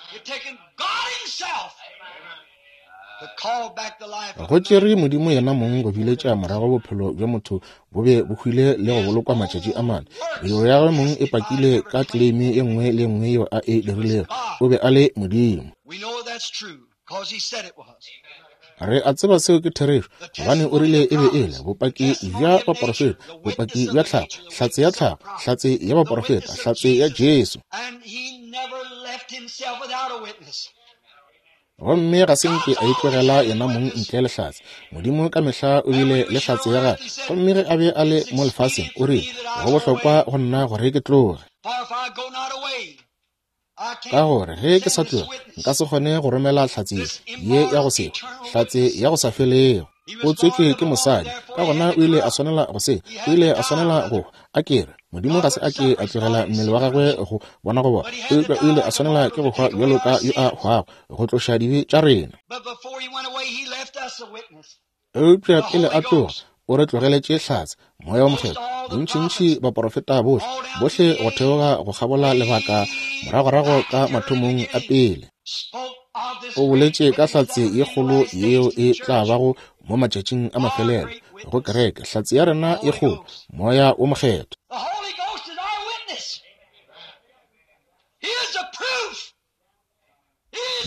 Go tšere Modimo yena mong go biletša morago bophelo bja motho bo be bo hwile le go bolokwa matšatši a mane. Mediro ya gagwe mong e pakile ka claim ye nngwe le nngwe yeo a e dirilego. O be a le Modimo. Re a tseba seo ke therešo, gobane o rile e be e le bopaki bja baporofeta, bopaki bja tlhago, hlatse ya tlhago, hlatse ya baporofeta, hlatse ya Jesu. Gomme ga se nke a itlogela yena mong ntle le hlatse. Modimo ka mehla o bile le hlatse ya gagwe, gomme ge a be a le mo lefaseng o rile, go bohlokwa go nna gore ke tloge, ka gore ge ke sa tloge nka se kgone go romela hlatse ye ya go se hlatse ya go sa felego. O tswetšwe ke mosadi, ka gona o ile a swanela go se, o ile a swanela go a kere. Modimo ga se a ke a tlogela mmele wa gagwe go bona go bona, eupša o ile a swanela ke go hwa bjalo ka yo a hwago go tloša dibe tša rena. Eupša pele a tloga, o re tlogeletše hlatse, Moya wo Mokgethwa. Bontšintši baporofeta bohle, bohle go theoga go kgabola lebaka moragorago ka mathomong a pele. O boletše ka hlatse ye kgolo yeo e tla bago mo matšatšing a mafelelo go kereke, hlatse ya rena ye kgolo, Moya wo Mokgethwa.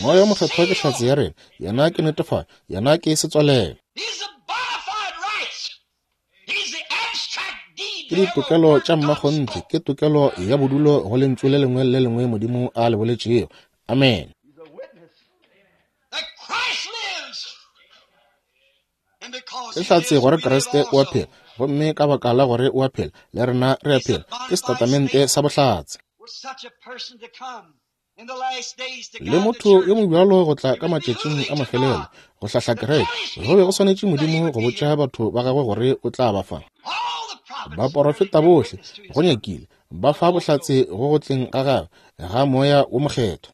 Moya wo Mokgethwa ke hlatse ya rena, yena ke netefatšo, yena ke setswalelo. Ke ditokelo tša mmakgonthe, ke tokelo ya bodulo go lentšu le lengwe le lengwe Modimo a le boletšego. Amen. Ke hlatse gore Kriste o a phela, gomme ka baka la gore o a phela, le rena re a phela. Ke setatamente sa bohlatse. Le motho yo mobjalo go tla ka matšatšing a mafelelo go hlahla kereke, go be go swanetše Modimo go botša batho ba gagwe gore o tla ba fa. Baporofeta bohle go nyakile ba fa bohlatse go go tleng ga gagwe ga Moya wo Mokgethwa.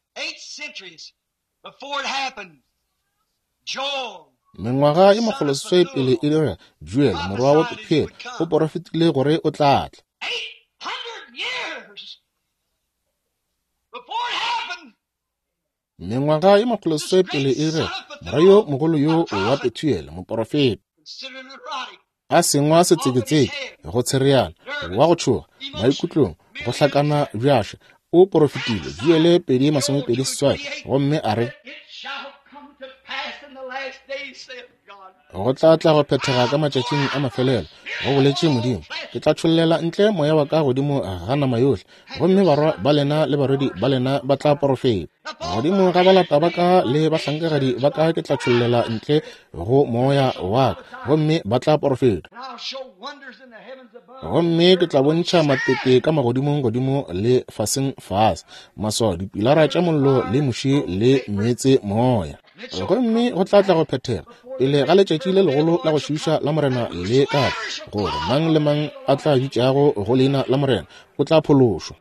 Mengwaga ye makgolo seswai pele e direga, Joel morwa wa Pethuele o porofetile gore o tla tla. Mengwaga ye makgolo seswai pele e direga, morwa yo mogolo yo wa Pethuele moporofeta a sengwa setseketseke go tshereana wa go tšhoga maikutlong go hlakana bjaša o porofetile Joele pedi masomepedi seswai gomme a re go tla tla go phethega ka matšatšing a mafelelo, go boletše Modimo, ke tla tšhollela ntle moya wa ka godimo ga nama yohle, gomme barwa ba lena le barwedi ba lena ba tla porofeta. Godimo ga balata ba ka le bahlankagadi ba ka ke tla tšhollela ntle go moya wa ka, gomme ba tla porofeta. Gomme ke tla bontšha matete ka magodimong godimo le faseng fase, maswao, dipilara tša mollo le muši le meetse moya. Gomme go tla tla go phethega pele ga letšatši le legolo la go šiiša la Morena le ka tla, gore mang le mang a tla bitšago go leina la Morena o tla phološwa.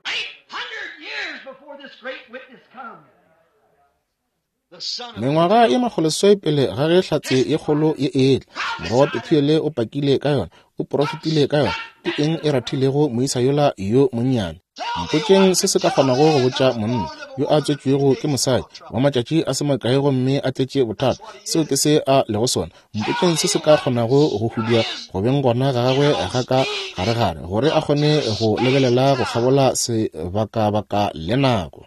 Mengwaga ye makgolo seswai pele ga ge hlatse ye kgolo ye etla, morwa wa Pethuele o pakile ka yona, o porofetile ka yona. Ke eng e rathilego moisa yola yo monnyane? Mpotšeng se se ka kgonago go botša monna yo a tswetšwego ke mosadi wa matšatši a se makae gomme a tletše bothata, seo ke se a lego sona. Mpotšeng se se ka kgonago go hudua go beng gona ga gagwe ga ka garegare gore a kgone go lebelela go kgabola sebakabaka le nako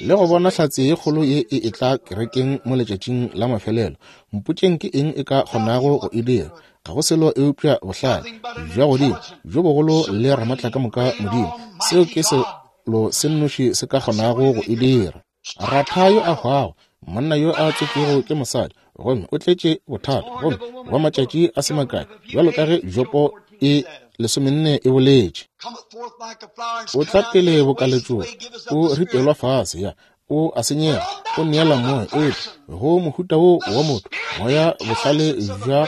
le go bona hlatse ye kgolo ye e etla kerekeng mo letšatšing la mafelelo. Mpotšeng ke eng e ka kgonago go e dira? Ga go selo eupša bohlale bja godimo bjo bogolo le ramatla ka moka Modimo. Seo ke selo se nnoši se ka kgonago go e dira. Ratha yo a hwago, monna yo a tswetšwego ke mosadi, gomme o tletše bothata, gomme wa matšatši a se makae, bjalo ka ge Jopo e lesomenne e boletše. O tla pele bokaletšong, o ripelwa fase, ya o a senyega, o neela moya, eupša go mohuta wo wa motho, moya bohlale bja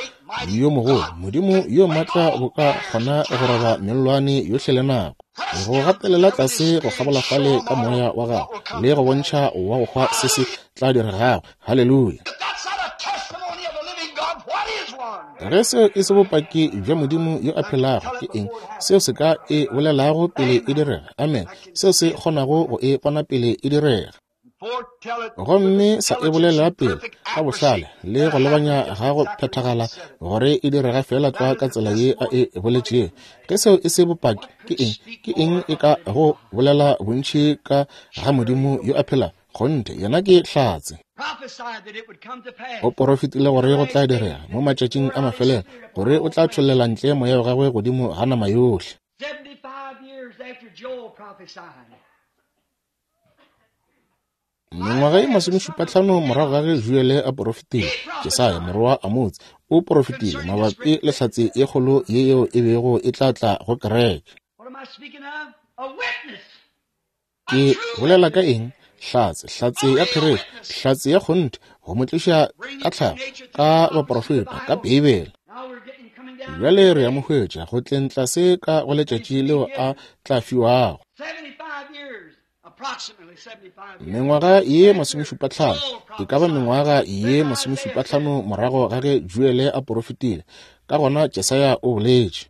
yo mogolo Modimo yo maatla bo ka kgona go roba mellwane yohle le nako, go gatelela tlase go kgabola fale ka moya wa gagwe le go bontšha wa go hwa se se tla diregago. Haleluya! Ge seo e se bopaki bja Modimo yo a phelago, ke eng seo se ka e bolelago pele e direga? Amen. Seo se kgonago go e bona pele e direga, gomme sa e bolela pele ka bohlale le go lebanya ga go phethagala gore e direga fela tlwa ka tsela ye a e boletšego. Ge seo e se bopaki, ke eng? Ke eng e ka go bolela bontši ka ga Modimo yo a phelago? Kgonthe, yena ke hlatse. O porofetile gore go tla direga mo matšatšing a mafelelo, gore o tla tšhollela ntle moya wa gagwe godimo ga nama yohle. Mengwaga ye masomešupatlhano morago ga ge Joele a porofetile, Jesaya morwa wa Amotse o porofetile mabapi le hlatse ye kgolo ye yeo e bego e tla tla go kereke. Ke bolela ka eng? Hlatse, hlatse ya therešo, hlatse ya kgonthe, go mo tliša ka tlhago, ka baporofeta, ka Beibele. Bjale re a mo hwetša go tleng tlase ka go letšatši leo a tla fiwago. Mengwaga ye masomešupatlhano, e ka ba mengwaga ye masomešupatlhano morago ga ge Joele a porofetile. Ka gona Jesaya o boletše,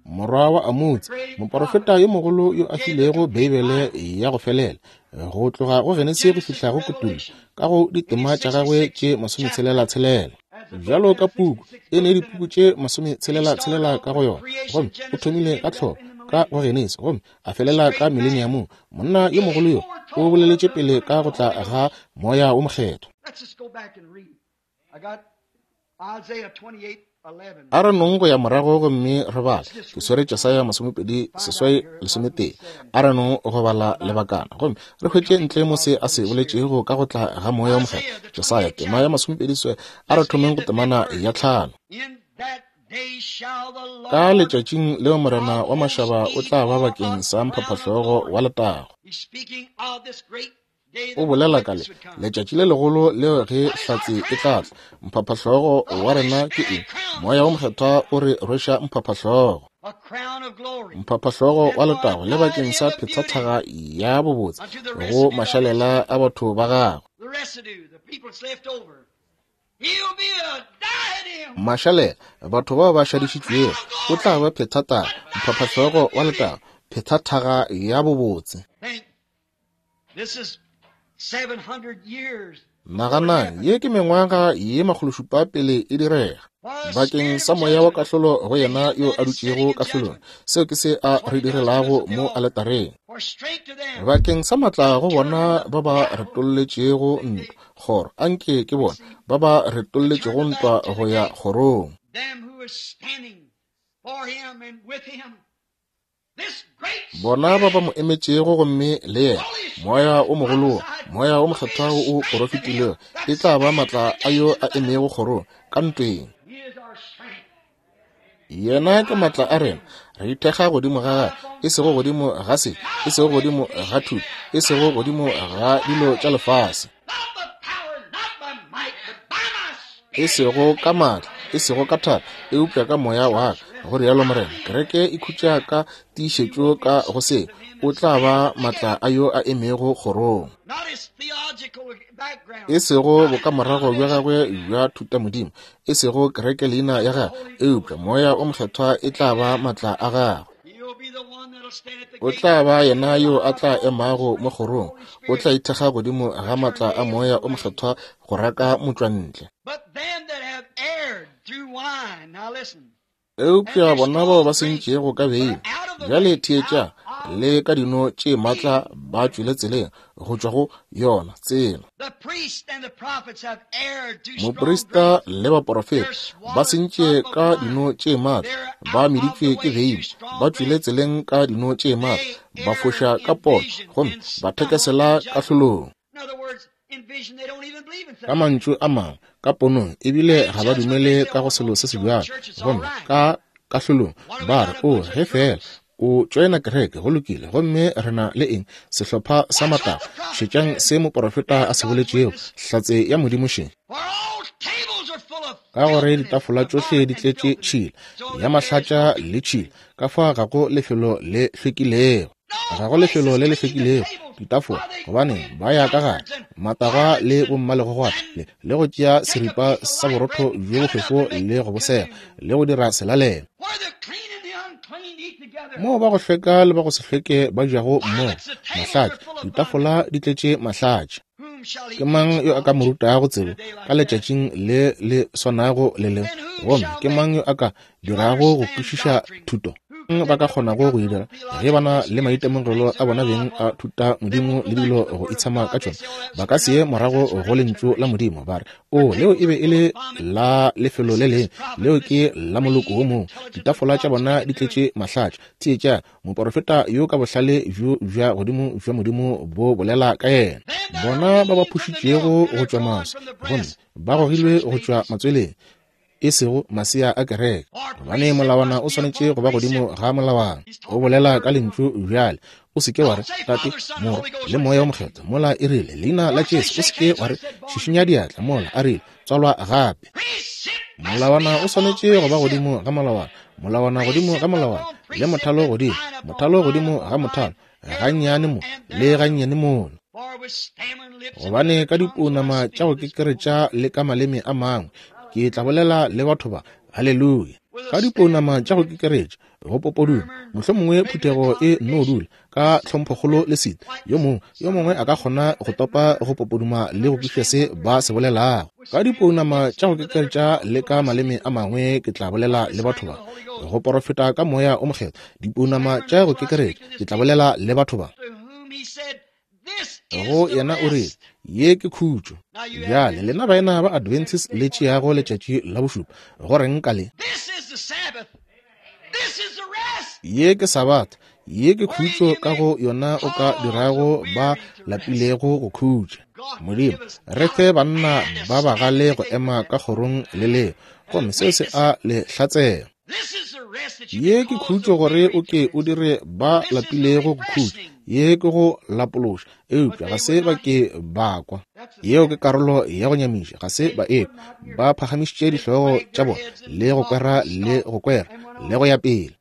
morwa wa Amotse, moporofeta yo mogolo yo a filego Beibele ya go felela, go tloga go Genesi go fihla go Kutullo, ka go ditema tša gagwe tše masometshelela-tshelela. Bjalo ka puku e ne dipuku tše masometshelela-tshelela ka go yona, gomme o thomile ka tlhopho ka go Genesi gomme a felela ka mileniamong. Monna yo mogolo yo o boleletše pele ka go tla ga Moya wo Mokgethwa. A re nong go ya morago gomme re bale. Ke swere Jesaya masomepedi seswai lesometee. A re nong go bala lebakana gomme re hwetše ntle mo se a se boletšego ka go tla ga Moya wo Mokgethwa. Jesaya tema ya masomepedi seswai, a re thomeng go temana ya tlhano. Ka letšatšing leo Morena wa mašaba o tla ba bakeng sa mphaphahlogo wa letago. O bolela ka le letšatši le legolo leo ge hlatse e tla tla. Mphaphahlogo wa rena ke eng? Moya wo Mokgethwa o re rweša mphaphahlogo. Mphaphahlogo wa letago le bakeng sa phethathaga ya bobotse go mašalela a batho ba gagwe. Mašalela, batho bao ba šadišitšwego, o tla ba phethathaga, mphaphahlogo wa letago, phethathaga ya bobotse. Naganang, ye ke mengwaga ye makgološupa pele e direga. Bakeng sa moya wa kahlolo go yena yo a dutšego kahlolong, seo ke se a re direlago mo aletareng. Bakeng sa matla go bona ba ba retolletšego ntwa, kgoro, anke ke bona ba ba retolletšego ntwa go ya kgorong. Bona ba ba mo emetšego gomme le yena, moya o mogolo, moya o mokgethwa o porofetilego, e tla ba matla a yo a emego kgorong ka ntweng. Yena ke matla a rena, re ithekga godimo ga gagwe, e sego godimo ga se, e sego godimo ga thuto, e sego godimo ga dilo tša lefase, e sego ka matla, e sego ka thata, eupša ka moya wa ka, go rialo Morena. Kereke e khutša ka tiišetšo ka go se, o tla ba matla a yo a emego kgorong. E sego bokamorago bja gagwe bja thutamodimo, e sego kereke leina ya gagwe, eupša moya o mokgethwa e tla ba matla a gagwe. O tla ba yena yo a tla emago mo kgorong, o tla ithekga godimo ga matla a moya o mokgethwa go raka motšwantle. Eupša bona bao ba sentšego ka beine, bjale theetša, le ka dino tše matla ba tšwele tseleng go tšwa go yona tsela. Moprista le baporofeta ba sentše ka dino tše matla, ba meditšwe ke beine, ba tšwele tseleng ka dino tše matla, ba foša ka pono gomme ba thekesela kahlolong. Ka mantšu a mangwe, ka ponong ebile ga ba dumele ka go selo se se bjalo, gomme ka kahlolong ba re, o ge fela o tšoena kereke, go lokile, gomme re na le eng? Sehlopha sa matlago. Šetšang se moporofeta a se boletšego, hlatse ya Modimo še. Ka gore ditafola tšohle di tletše tšhila ya mahlatša le tšhila, ka fa ga go lefelo le hlwekilego. Ga go lefelo le le hlwekilego ditafola, gobane ba ya ka gare matagwa le bommalegogwana le, le go tšea seripa sa borotho bjo bofefo le go bosega le go dira selalelo. Moo ba go hlweka le ba go se hlweke ba jago mmogo, mahlatša, ditafola di tletše mahlatša. Ke mang yo a ka mo rutago tsebo ka letšatšing le le swanago le le? Gomme ke mang yo a ka dirago go kwešiša thuto? Ba ka kgonago go e dira ge ba na le maitemogelo a bona beng a thuta modimo le dilo go itshama ka tšona. Ba ka se ye morago go lentšu la Modimo ba re, o leo e be e le la lefelo le leng, leo ke la moloko wo mongwe. Ditafola tša bona di tletše mahlatša. Theetša, moporofeta yo ka bohlale bjo bja godimo bja Modimo bo bolela ka yena. Bona ba ba phušitšego go tšwa maswi, gomme ba gogilwe go tšwa matsweleng, e sego masea a kereke, gobane molawana o swanetše go ba godimo ga molawana. O bolela ka lentšu bjale. O se ke wa re Tate, Morwa le Moya o Mokgethwa, mola e rile leina la Jesu. O se ke wa re šišinya diatla, mola a rile tswalwa gape. Molawana o swanetše go ba godimo ga molawana, molawana godimo ga molawana, le mothalo godimo, mothalo godimo ga mothalo, gannyane mo le gannyane mola. Gobane ka dipounama tša go kekeretša le ka maleme a mangwe ke tla bolela le batho ba. Haleluya. Ka dipounama tša go kekeretša, go popoduma, mohlomongwe phuthego e nno dula ka tlhomphokgolo le sita, yo mongwe yo mongwe a ka kgona go topa go popoduma le go kwešiša se ba se bolelago. Ka dipounama tša go kekeretša le ka maleme a mangwe ke tla bolela le batho ba. Go porofeta ka moya o mokgethwa, dipounama tša go kekeretša, ke tla bolela le batho ba. Go yena o rile, ye ke khutšo. Bjale lena baena ba Adventist le tšeago letšatši la bošupa, go reng ka le? Ye ke Sabatha, ye ke khutšo ka go yona o ka dirago ba lapilego go khutša. Modimo, re fe banna ba bagale go ema ka kgorong le leo, gomme seo se a le hlatsela. Ye ke khutšo gore o ke o dire ba lapilego go khutša, ye ke go lapološa, eupša ga se ba ke ba kwa. Yeo ke karolo ya go nyamiša, ga se ba ekwa. Ba phagamišitše dihlogo tša bona le go kwera le go kwera le go ya pele.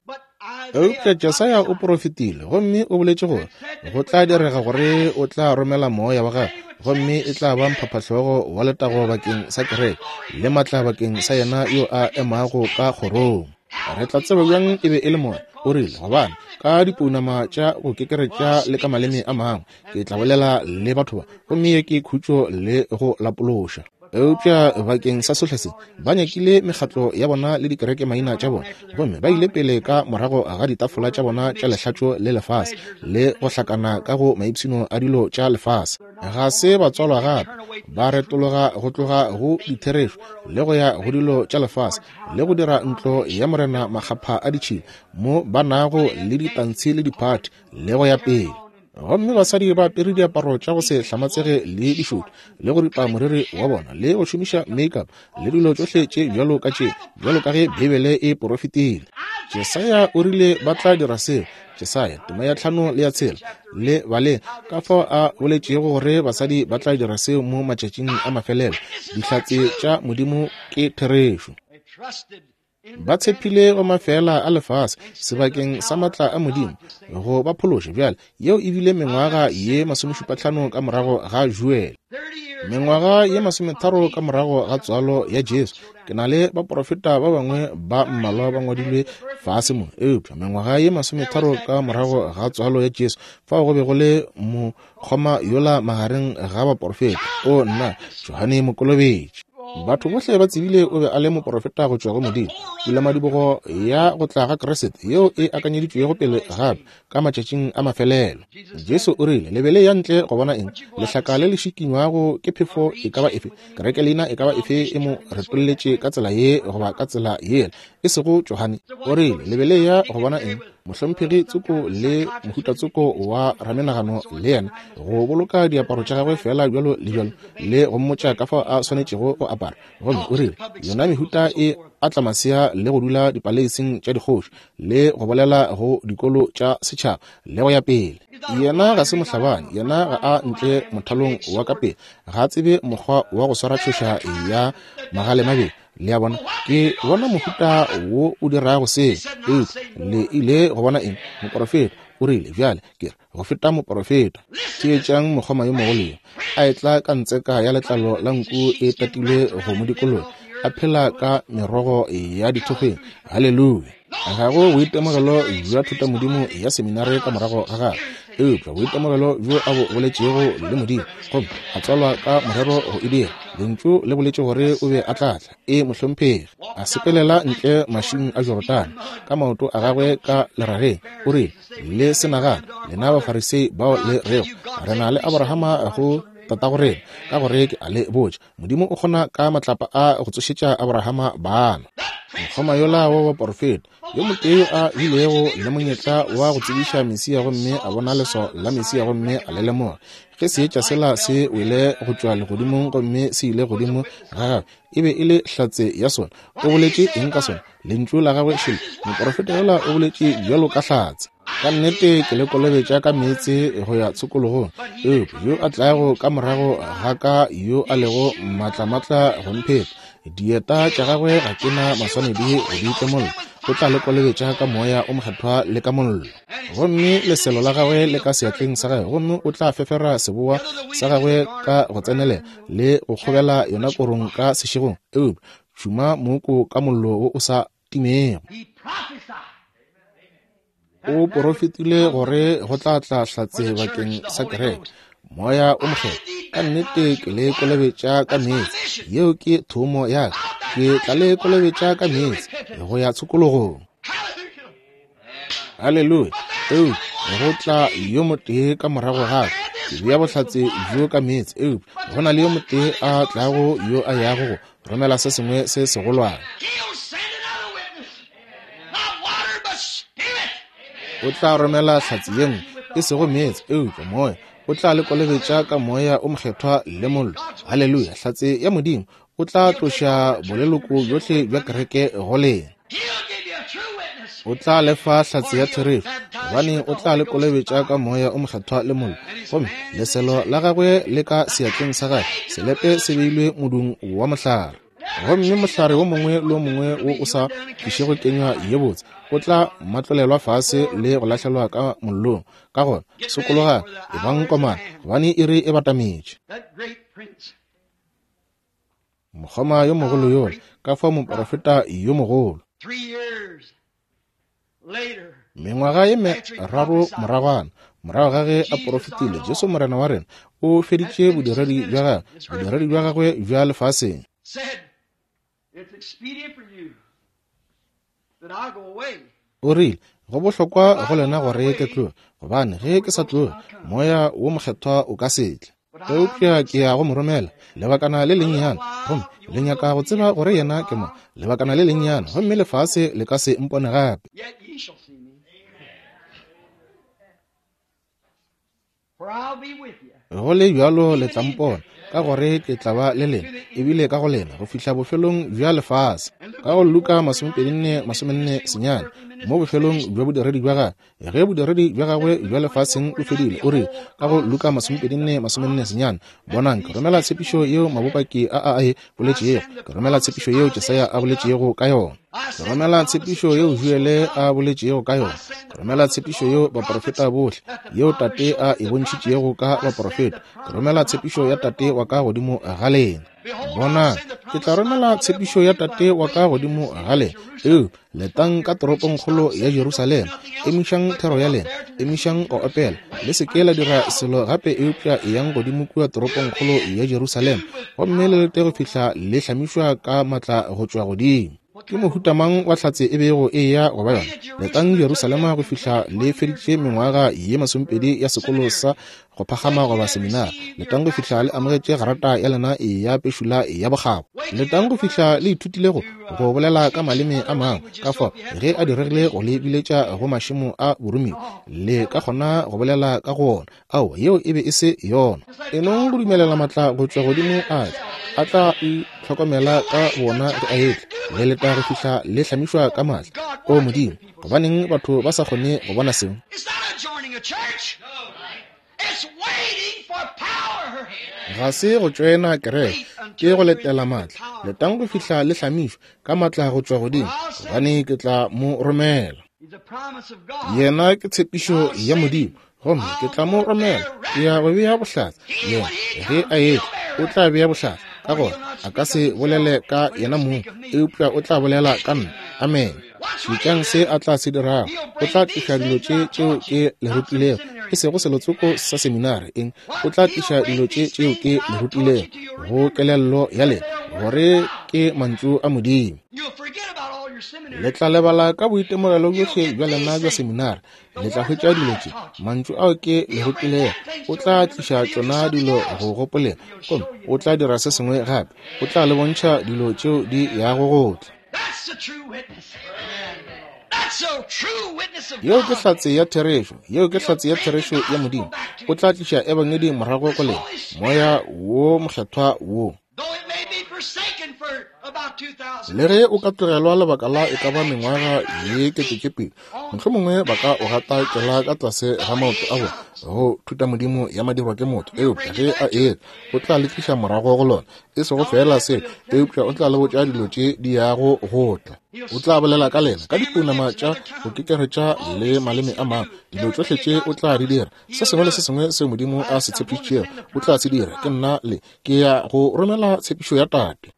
Eupša Jesaya o porofetile gomme o boletše gore go tla direga gore o tla romela moya wa gagwe, gomme e tla ba mphaphahlogo wa letago bakeng sa kereke le matla bakeng sa yena yo a emago ka kgorong. Re tla tseba bjang e be e le moya? O rile, gobane ka dipounama tša go kekeretša le ka maleme a mangwe ke tla bolela le batho ba, gomme ye ke khutšo le go lapološa. Eupša bakeng sa sohle se ba nyakile mekgatlo ya bona le dikereke maina tša bona, gomme ba ile pele ka morago ga ditafola tša bona tša lehlatšo le lefase le go hlakana ka go maipshino a dilo tša lefase. Ga se ba tswalwa gape, ba retologa go tloga go ditherešo le go ya go dilo tša lefase le go dira ntlo ya Morena makgapha a ditšhila mo ba nago le ditantshi le diphathi le go ya pele. Gomme basadi ba apere diaparo tša go se hlamatsege le dišoto le go ripa moriri wa bona le go šomiša makeup le dilo tšohle tše bjalo ka tše, bjalo ka ge Beibele e porofetile. Jesaya o rile ba tla dira seo. Jesaya tema ya tlhano le ya tshela le baleng ka fao a boletšego gore basadi ba tla dira seo mo matšatšing a mafelelo. Dihlatse tša Modimo ke therešo. Ba tshepile go mafela a lefase sebakeng sa matla a Modimo go ba phološa. Bjale yeo e bile mengwaga ye masomešupatlhano ka morago ga Joel, mengwaga ye masometharo ka morago ga tswalo ya Jesu. Ke na le baporofeta ba bangwe ba mmalwa ba ngwadilwe fase mo, eupša mengwaga ye masometharo ka morago ga tswalo ya Jesu, fao go be go le mokgoma yola magareng ga baporofeta, o nna Johane Mokolobetši. Batho bohle ba tsebile o be a le moporofeta go tšwa go Modimo. Pulamadibogo ya go tla ga Kriste yeo e akanyeditšwego pele gape ka matšatšing a mafelelo. Jesu o rile, le be le ya ntle go bona eng? Lehlaka le le šikinywago ke phefo e ka ba efe, kereke leina e ka ba efe e mo retolletše ka tsela ye goba ka tsela yela, e sego Johane. O rile, le be le ya go bona eng? Mohlomphegi tsoko le mohuta tsoko wa ramenagano le yena go boloka diaparo tša gagwe fela bjalo le bjalo le go mmotša ka fao a swanetšego go apara. Gomme o rile, yona mehuta e atla masea le go dula dipaleising tša dikgoši le go bolela go dikolo tša setšhaba le go ya pele. Yena ga se mohlabani, yena ga a ntle mothalong wa ka pele, ga a tsebe mokgwa wa go swara tšhoša ya magale mabedi. Le a bona, ke bona mohuta wo o dirago se. Eupša le ile go bona eng? Moporofeta. O rile, bjale ke re go feta moporofeta. Theetšang mokgoma yo mogolo yo a etla ka ntseka ya letlalo la nku e tatilwe go mo dikologa, a phela ka merogo ya dithokgweng. Haleluya! Ga go boitemogelo bja thutamodimo ya seminare ka morago ga gagwe, eupša boitemogelo bjo a bo boletšego le Modimo, gomme a tswalwa ka morero go e dira. Lentšu le boletše gore o be a tla tla, e mohlomphegi. A sepelela ntle mašing a Jorodane ka maoto a gagwe ka lerageng. O rile, le se nagane lena Bafarisei bao le rego re na le Abrahama go tatago rena, ka gore ke a le botša, Modimo o kgona ka matlapa a go tsošetša Abrahama bana. Mokgoma yola wa baporofeta yo motee yo a bilego le monyetla wa go tsebiša Mesia, gomme a bona leswao la Mesia gomme a le lemoga. Ge seetša sela se wele go tšwa legodimong gomme se ile godimo ga gagwe, e be e le hlatse ya sona. O boletše eng ka sona? Lentšu la gagwe šele. Moporofeta yola o boletše bjalo ka hlatse. Ka nnete ke le kolobetša ka meetse go ya tshokologong, eupša yo a tlago ka morago ga ka yo a lego matlamatla go mpheta, dieta tša gagwe ga ke na maswanedi go di tlemolla, o tla le kolobetša ka moya o mokgethwa le ka mollo. Gomme leselo la gagwe le ka seatleng sa gagwe, gomme o tla fefera seboa sa gagwe ka go tsenelela le go kgobela yona korong ka sešegong, eupša tšhuma mooko ka mollo wo o sa timego. O porofetile gore go tla tla hlatse bakeng sa kereke, moya o mokgethwa. Ka nnete ke le kolobetša ka meetse, yeo ke thomo ya ka. Ke tla le kolobetša ka meetse go ya tshokologong. Haleluya! Eupša go tla yo motee ka morago ga ka, ke bea bohlatse bjo ka meetse, eupša go na le yo motee a tlago yo a yago go romela se sengwe se segolwane. O tla romela hlatse ye nngwe, e sego meetse, eupša moya. O tla le kolobetša ka moya o mokgethwa le mollo. Haleluya! Hlatse ya Modimo. O tla tloša boleloko bjohle bja kereke go lena. O tla lefa hlatse ya therešo, gobane o tla le kolobetša ka moya o mokgethwa le mollo. Gomme leselo la gagwe le ka seatleng sa gagwe, selepe se beilwe modung wa mohlare. Gomme mohlare wo mongwe le wo mongwe wo o sa tlišego kenywa ye botse o tla matlolelwa fase le go lahlelwa ka mollong. Ka gona sokologang, ebang komana, gobane iri e batametše. Mokgoma yo mogolo yola, ka fao moprofeta yo mogolo. Mengwaga ye meraro moragwana, morago ga ge a porofetile, Jesu Morena wa rena o feditše bodiredi bja gagwe, bodiredi bja gagwe bja lefaseng. O rile, go bohlokwa go lena gore ke tloge, gobane ge ke sa tloge, Moya wo Mokgethwa o ka se tle. Eupša ke ya go mo romela lebakana le lennyane, gomme le nyaka go tseba gore yena ke mo lebakana le lennyane, gomme lefase le ka se mpone gape. Go le bjalo le tla mpona, ka gore ke tla ba le lena, ebile ka go lena, go fihla bofelong bja lefase. Ka go Luka masomepedi nne masomenne senyane, mo bofelong bja bodiredi bja gagwe, ge bodiredi bja gagwe bja lefaseng bo fedile, o rile ka go Luka masomepedi nne masomenne senyane, bonang, ke romela tshepišo yeo mabopaki a a e boletšego, ke romela tshepišo yeo Jesaya a boletšego ka yona, ke romela tshepišo yeo Joele a boletšego ka yona, ke romela tshepišo yeo baprofeta bohle, yeo Tate a e bontšhitšego ka baprofeta, ke romela tshepišo ya Tate wa ka godimo ga lena. Bonang, ke tla romela tshepišo ya Tate wa ka godimo ga lena. Eo, letang ka toropongkgolo ya Jerusalema, emišang thero ya lena, emišang go opela, le se ke la dira selo gape eupša eyang godimo kua toropongkgolo ya Jerusalema, gomme le lete go fihla le hlamišwa ka matla go tšwa godimo. Ke mohuta mang wa hlatse e bego e ya go ba yona? Letang Jerusalema go fihla le feditše mengwaga ye masomepedi ya sekolo sa go phagama goba seminari. Letang go fihla le amogetše grata ya lena ya pešula ya bokgabo. Letang go fihla le ithutilego go bolela ka maleme a mangwe, ka fao ge a diregile go le biletša go mašemo a boromiwa, le ka kgona go bolela ka go ona. Ao, yeo e be e se yona. E nong go dumelela matla go tšwa godimo a tla, a tla itlhokomela ka bona ge a etla. Le leta go fihla le hlamišwa ka matla. O Modimo, gobaneng batho ba sa kgone go bona seo? Ga se go tšoena kereke, ke go letela matla. Letang go fihla le hlamišwa ka matla go tšwa godimo, gobane ke tla mo romela. Yena ke tshepišo ya Modimo, gomme ke tla mo romela. Ke ya go bea bohlatse. Yena ge a etla, o tla bea bohlatse. Ka gona a ka se bolele ka yena mong, eupša o tla bolela ka nna. Amen. Šetšang se a tla se dirago. O tla tliša dilo tše tšeo ke le rutilego, e sego selotsoko sa seminari eng. O tla tliša dilo tše tšeo ke le rutilego go kelello ya lena, gore ke mantšu a Modimo. Le tla lebala ka boitemogelo bjohle bja lena bja seminari. Le tla hwetša dilo tše, mantšu ao ke le rutilego. O tla tliša tšona dilo go gopoleng, gomme o tla dira se sengwe gape. O tla le bontšha dilo tšeo di yago go tla. Yeo ke hlatse ya therešo, yeo ke hlatse ya therešo ya Modimo. O tla tliša ebangedi morago go lena, Moya wo Mokgethwa wo. Le ge o ka tlogelwa lebaka la e ka ba mengwaga ye ketepedi, mohlomongwe ba ka o gata kela ka tlase ga maoto a bona go thuta Modimo ya madirwa ke motho. Eupša ge a etla, o tla le tliša morago go lona, e sego fela seo, eupša o tla le botša dilo tše di yago go tla. O tla bolela ka lena ka dipounama tša go kekeretša le maleme a mangwe. Dilo tšohle tše o tla di dira, se sengwe le se sengwe seo Modimo a se tshepišitšego o tla se dira. Ke nna le ke ya go romela tshepišo ya Tate.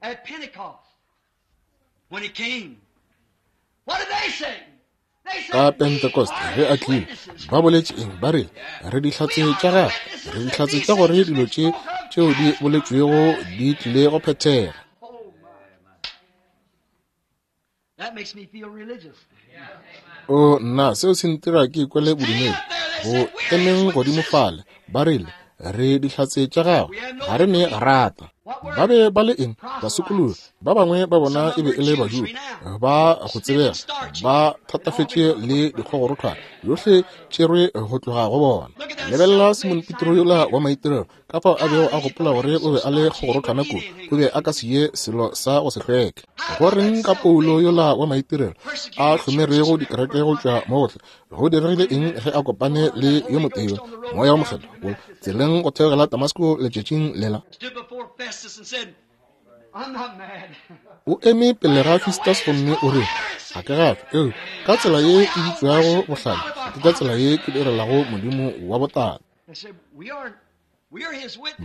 Ka Pentecost ge a tlile, ba boletše eng? Ba rile, re dihlatse tša gagwe, re dihlatse tša gore dilo tše tšeo di boletšwego di tlile go phethega. O nna, seo se ntira ke ikwele bodumedi. Go emeng godimo fale, ba rile, re dihlatse tša gagwe, ga re ne rata. Ba be ba le eng? Basokologi. Ba bangwe ba bona e be e le Bajuda ba go tsebega, ba thatafetše le dikgogorothwana yohle tšerwe go tloga go bona. Lebelela Simon Petro yola wa maitirelo, ka fao a bego a gopola gore o be a le kgogorothwana kudu, o be a ka se ye selo sa go se hlweke. Go reng ka Paulo yola wa maitirelo a hlomerego dikereke go tšwa mo gohle? Go diregile eng ge a kopane le yo motee, Moya wo Mokgethwa, tseleng go theogela Damasko letšatšing lela? O eme pele ga Festus gomme o re, ga ke gafe, eo ka tsela ye e bitšwago bohlale, ke ka tsela ye ke direlago Modimo wa botate.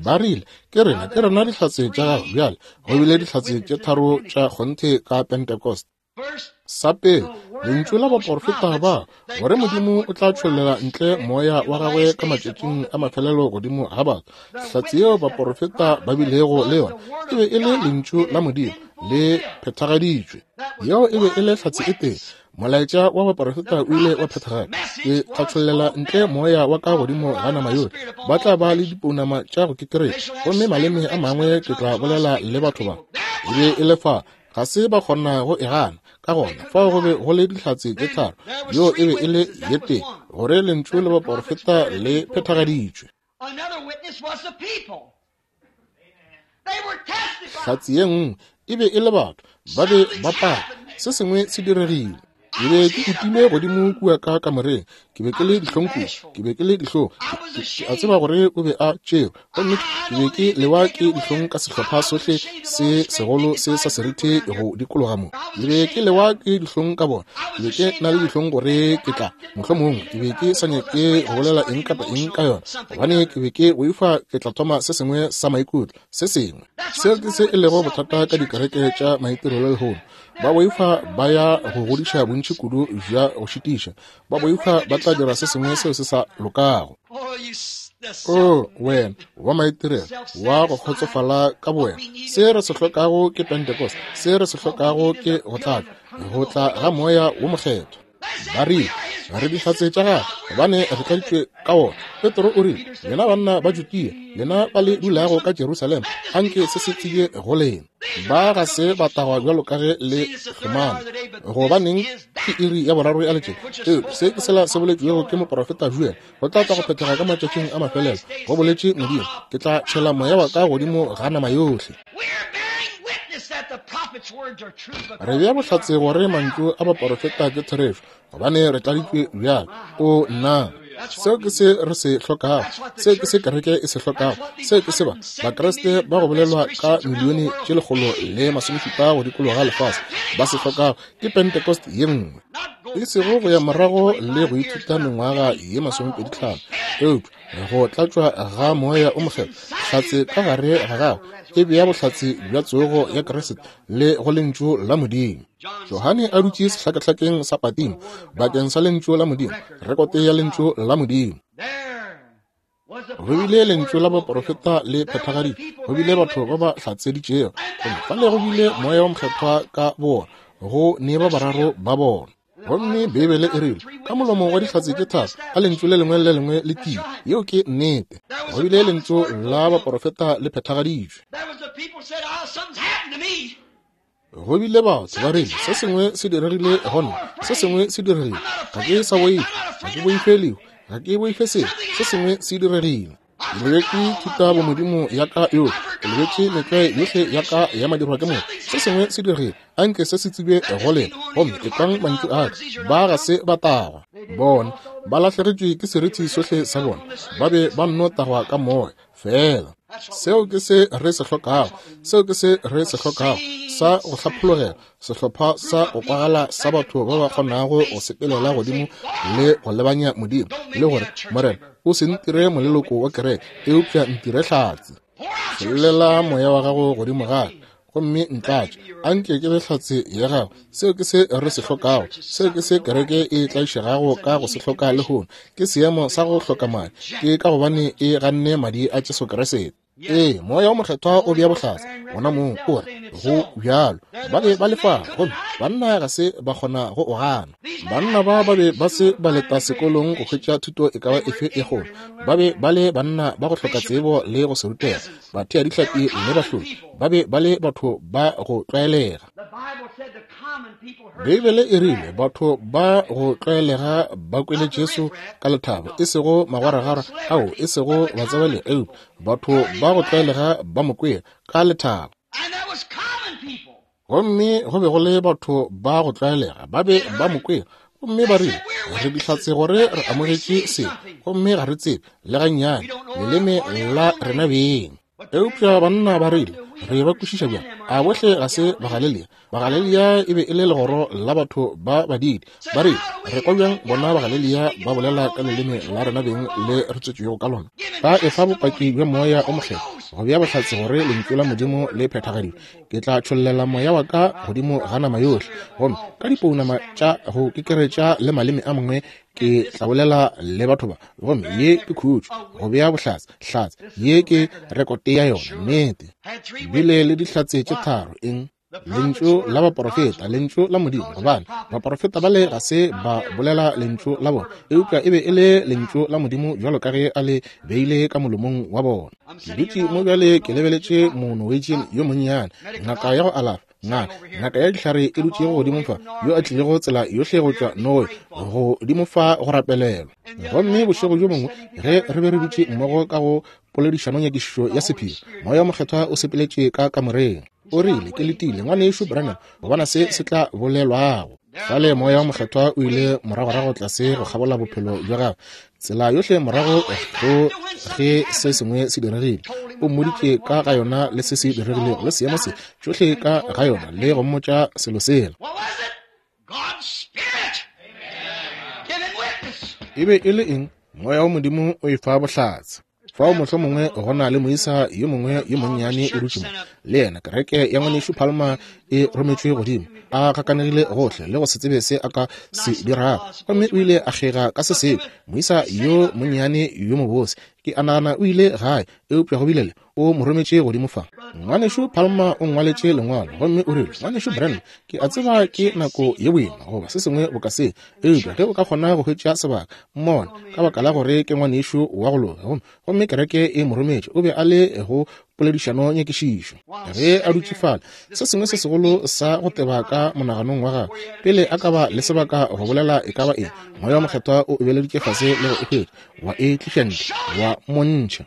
Ba rile, ke rena, ke rena dihlatse tša gago. Bjale, go bile dihlatse tše tharo tša kgonthe ka Pentecost. Sa pele, lentšu la baporofeta ba, gore Modimo o tla tšhollela ntle moya wa gagwe ka matšatšing a mafelelo godimo ga batho. Hlatse yeo baporofeta ba bilego le yona e be e le lentšu la Modimo le phethagaditšwe. Yeo e be e le hlatse e tee. Molaetša wa baporofeta o ile wa phethagala. Ke tla tšhollela ntle moya wa ka godimo ga nama yohle. Ba tla ba le dipounama tša go kekeretša, gomme maleme a mangwe ke tla bolela le batho ba. E be e le fa, ga se ba kgona go e gana. Ka gona fao go be go le dihlatse tše tharo, yo e be e le ye tee, gore lentšu le baporofeta le phethagaditšwe. Hlatse ye nngwe e be e le batho, ba be ba paka, se sengwe se diregile. Ke be ke utilwe godimo kua ka kamoreng, ke be ke le dihlong kudu, ke be ke le dihlong. Ke a tseba gore o be a tšerwe, gomme ke be ke lewa ke dihlong ka sehlopha sohle se segolo se sa seriti go dikologa mo. Ke be ke lewa ke dihlong ka bona, ke be ke na le dihlong gore ke tla, mohlomongwe ke be ke sa nyake go bolela eng kapa eng ka yona, gobane ke be ke boifa ke tla thoma se sengwe sa maikutlo, se sengwe. Seo ke se e lego bothata ka dikereke tša maitirelo lehono. Ba boifa ba ya go godiša bontši kudu bja go šitiša. Ba boifa ba tla dira se sengwe seo se sa lokago. O wena wa maitirelo wa go kgotsofala ka bowena. Se re se hlokago ke Pentecost. Se re se hlokago ke go tlatšwa, go tla ga moya wo mokgethwa. Ba rile, re dihlatse tša gagwe, gobane re tladitšwe ka wona. Petro o rile, lena banna ba Judea, lena ba le dulago ka Jerusalema, anke se se tsebje go lena. Ba ga se ba tagwa bjalo ka ge le hlomana. Gobaneng ke iri ya boraro ya letšatši. Eo se ke sela se boletšwego ke moporofeta Joel, go tla tla go phethega ka matšatšing a mafelelo. Go boletše Modimo, ke tla tšhela moya wa ka godimo ga nama yohle. Re bea bohlatse gore mantšu a baporofeta ke therešo, gobane re tladitšwe bjalo. O nna, seo ke se re se hlokago, seo ke se kereke e se hlokago, seo ke se ba Bakreste ba go bolelwa ka milione tše lekgolo le masomešupa go dikologa lefase ba se hlokago ke Pentecost ye nngwe. E sego go ya morago le go ithuta mengwaga ye masomepedi tlhano, eupša go tlatšwa ga moya o mokgethwa, hlatse ka gare ga gago e bea bohlatse bja tsogo ya Kriste le go lentšu la Modimo. Johane a dutše sehlakahlakeng sa Patimo bakeng sa lentšu la Modimo, rekote ya lentšu la Modimo. Go bile lentšu la baporofeta le phethagaditšwe, go bile batho ba ba hlatseditšego, gomme fale go bile moya wo mokgethwa ka bona, go ne ba bararo ba bona. Gomme Beibele e rile, ka molomo wa dihlatse tše tharo, ka lentšu le lengwe le lengwe le tiile. Yeo ke nnete. Go bile lentšu la baporofeta le phethagaditšwe. Go bile batho ba rile, se sengwe se diregile go nna, se sengwe se diregile. Ga ke sa boifa, ga ke boife lehu, ga ke boife selo, se sengwe se diregile. Ke lebetše thutabomodimo ya ka yohle, ke lebetše metlwae yohle ya ka ya madirwa ke motho. Se sengwe se diregile, anke se se tsebje go lena, gomme ekwang mantšu a ka. Ba ga se ba tagwa. Bona ba lahlegetšwe ke seriti sohle sa bona, ba be ba nno tagwa ka moya fela. Seo ke se re se hlokago, seo ke se re se hlokago, sa go hlaphologela, sehlopha sa go kwagala sa batho ba ba kgonago go sepelela godimo le go lebanya Modimo, le gore, Morena, o se ntire moleloko wa kereke, eupša ntire hlatse. Tšhollela moya wa gago godimo ga ka, gomme ntlatše, anke ke be hlatse ya gago. Seo ke se re se hlokago, seo ke se kereke e tlaišegago ka go se hloka lehono, ke seemo sa go hloka madi, ke ka gobane e ganne madi a Jesu Kriste. Ee, moya wo mokgethwa o bea bohlatse gona moo, o re go bjalo. Ba be ba le fa, gomme banna ga se ba kgona go o gana. Banna ba ba be ba se ba leta sekolong go hwetša thuto e ka ba efe e kgolo. Ba be ba le banna ba go hloka tsebo le go se rutega, batheadihlapi le bahlodi. Ba be ba le batho ba go tlwaelega. Beibele e rile batho ba go tlwaelega ba kwele Jesu ka lethabo, e sego magwaragwara ao, e sego batsebale, eupša batho ba go tlwaelega ba mo kwele ka lethabo. Gomme go be go le batho ba go tlwaelega ba be ba mo kwele, gomme ba rile, re dihlatse gore re amogetše se, gomme ga re tsebe le gannyane leleme la rena beng. Eupša banna ba rile, Re ba kwešiša bjang? A bohle ga se Bagalelia? Bagalelia e be e le legoro la batho ba badidi. Ba re, re kwa bjang bona Bagalelia ba bolela ka leleme la rena beng le re tswetšwego ka lona? Ba efa bopaki bja Moya o Mokgethwa go bea bohlatse gore lentšu la Modimo le phethagaditšwe. Ke tla tšhollela moya wa ka godimo ga nama yohle, gomme ka dipounama tša go kekeretša le maleme a mangwe ke tla bolela le batho ba. Gomme ye ke khutšo, go bea bohlatse, hlatse. Ye ke rekote ya yona, nnete. Bile le dihlatse tše tharo, eng? Lentšu la baporofeta, lentšu la Modimo, gobane baporofeta bale ga se ba bolela lentšu la bona, eupša e be e le lentšu la Modimo bjalo ka ge a le beile ka molomong wa bona. Ke dutše mo bjale ke lebeletše Monorwegian yo monnyane, ngaka ya go alafa, ngaka ngaka ya dihlare e dutšego godimo fa, yo a tlilego tsela yohle go tšwa Norway godimo fa go rapelelwa. Gomme bošego bjo bongwe ge re be re dutše mmogo ka go poledišanonyakišišo ya sephiri, Moya o Mokgethwa o sepeletše ka kamoreng. O rile, ke letile ngwanešu Branham go bona se se tla bolelwago. Fale Moya o Mokgethwa o ile moragorago tlase go kgabola bophelo bja gagwe, tsela yohle morago go ge se sengwe se diregile. O mmoditše ka ga yona le se se diregilego le seemo se tšohle ka ga yona, le go mmotša selo sela. E be e le eng? Moya wa Modimo o e fa bohlatse. Fao mohlomongwe go na le moisa yo mongwe yo monnyane o dutše mo le yena. Kereke ya ngwanešu Palmer e rometšwe godimo, a gakanegile gohle le go se tsebe se a ka se dirago, gomme o ile a kgega ka se sengwe. Moisa yo monnyane yo mobose, ke a nagana o ile gae, eupša go bile le o mo rometše godimo fa. Ngwanešu Palmer o ngwaletše lengwalo gomme o rile, ngwanešu Branham, ke a tseba ke nako ye boima goba se sengwe boka se, eupša ge o ka kgona go hwetša sebaka, mmone, ka baka la gore ke ngwanešu wa go loka. Gomme gomme kereke e mo rometše, o be a le go poledišano nyakišišo. Ge a dutše fale, se sengwe se segolo sa go teba ka monaganong wa gagwe, pele a ka ba le sebaka go bolela e ka ba eng, Moya o Mokgethwa o ebeleditše fase le go e hwetša, wa e tliša ntle, wa montšha.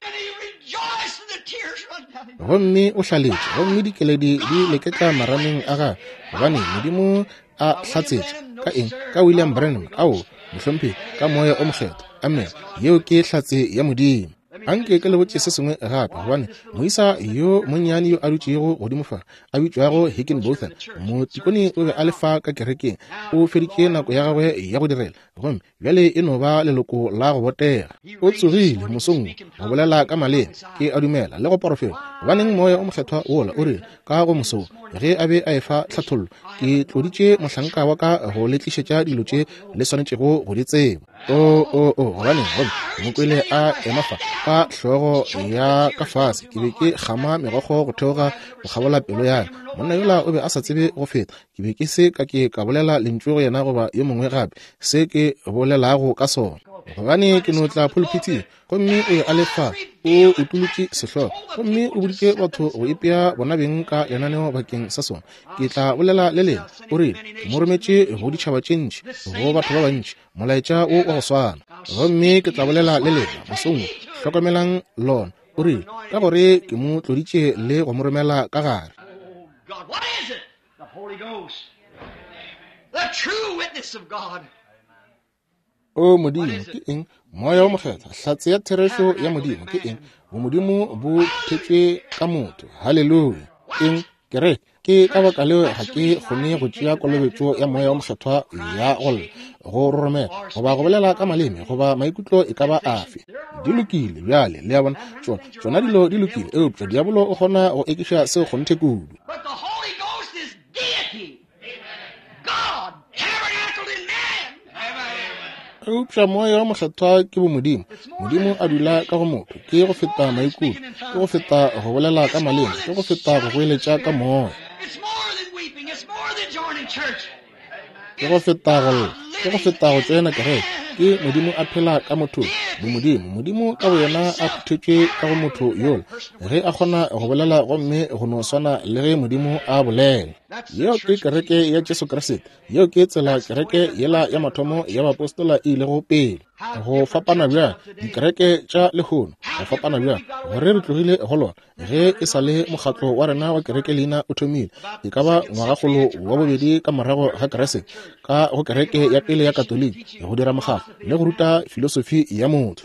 Gomme o hlaletše, gomme dikeledi di leketla marameng a gagwe, gobane Modimo a hlatsetše ka eng? Ka William Branham, ao mohlomphegi, ka Moya o Mokgethwa. Amen. Yeo ke hlatse ya Modimo. Anke ke le botše se sengwe gape, gobane moisa yo monnyane yo a dutšego godimo fa, a bitšwago Higginbotham, motikone o be a le fa ka kerekeng, o feditše nako ya gagwe ya go direla, gomme bjale e no ba leloko la go botega. O tsogile mosong go bolela ka maleme, ke a dumela, le go porofeta. Gobaneng Moya o Mokgethwa wola o rile ka go moso ge a be a efa tlhathollo, ke tloditše mohlanka wa ka go le tlišetša dilo tše le swanetšego go di tseba. O o o gobaneng gomme mo kwele a ema fa ka hlogo ya ka fase, ke be ke kgama megokgo go theoga go kgabola pelo ya ka. Monna yola o be a sa tsebe go feta, ke be ke se ka ke ka bolela lentšu go yena goba yo mongwe gape se ke bolelago ka sona, gobane ke no tla pulpithing. Gomme o be a le fa, o utolotše sehlogo, gomme o boditše batho go ipea bona beng ka lenaneo bakeng sa sona. Ke tla bolela le lena, o rile, ke mo rometše go ditšhaba tše ntši, go batho ba bantši, molaetša wo wa go swana. Gomme ke tla bolela le lena mosong wo, hlokomelang lona. O rile, ka gore ke mo tloditše le go mo romela ka gare. O Modimo, ke eng? Moya o Mokgethwa, hlatse ya therešo ya Modimo. Ke eng? Bomodimo bo thetšwe ka motho. Haleluya. Eng? Kereke. Ke ka baka leo ga ke kgone go tšea kolobetšo ya Moya o Mokgethwa ya go lla, go roromela, goba go bolela ka maleme, goba maikutlo e ka ba afe. Di lokile bjale, le a bona, tšona tšona dilo di lokile, eupša diabolo o kgona go ekiša seo kgonthe kudu. Eupša Moya wa Mokgethwa ke bomodimo. Modimo a dula ka go motho. Ke go feta maikutlo, ke go feta go bolela ka maleme, ke go feta go goeletša ka moya, ke go feta go lla, ke go feta go tsena kereke. Ke Modimo a phela ka mothong, bomodimo. Modimo ka boyena a phuthetšwe ka go motho yola, ge a kgona go bolela gomme go no swana le ge Modimo a bolela. Yeo ke kereke ya Jesu Kriste. Yeo ke tsela kereke yela ya mathomo ya baapostola e ilego pele. Go fapana bjang dikereke tša lehono, go fapana bjang gore re tlogile go lona ge e sa le mokgatlo wa rena wa kereke leina o thomile, e ka ba ngwagakgolo wa bobedi ka morago ga Kriste, ka go kereke ya pele ya Katoliki, go dira mokgatlo le go ruta filosofi ya motho.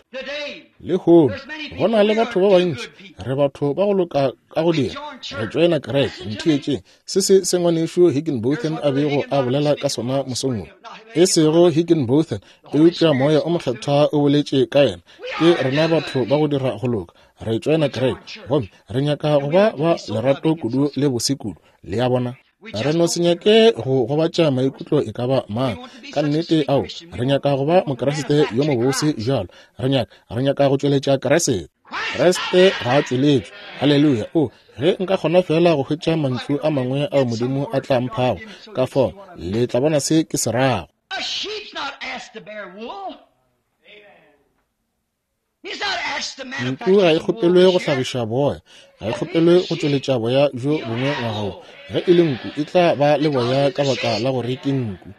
Lehono go na le batho ba bantši, re batho ba go loka ka go dira, re tšoena kereke. Ntheetšeng, se se se ngwanešu Higginbotham a bego a bolela ka sona mosong wo, e sego Higginbotham, eupša Moya o Mokgethwa o boletše ka yena. Ke rena batho ba go dira go loka, re tšoena kereke, gomme re nyaka go ba ba lerato kudu le bose kudu. Le a bona? Re no se nyake go gobatša maikutlo e ka ba mang. Ka nnete, ao, re nyaka go ba Mokriste yo mobose jalo. Re nyaka, re nyaka go tšweletša Kriste. Kriste ga a tšweletšwe. Haleluya. O, ge nka kgona fela go hwetša mantšu a mangwe ao Modimo a tla mphago, ka fao le tla bona se ke se rago. Nku ga e kgopelwe go hlagiša boya, ga e kgopelwe go tšweletša boya bjo bongwe ngwaga wo. Ge e le nku, e tla ba le boya ka baka la gore ke nku.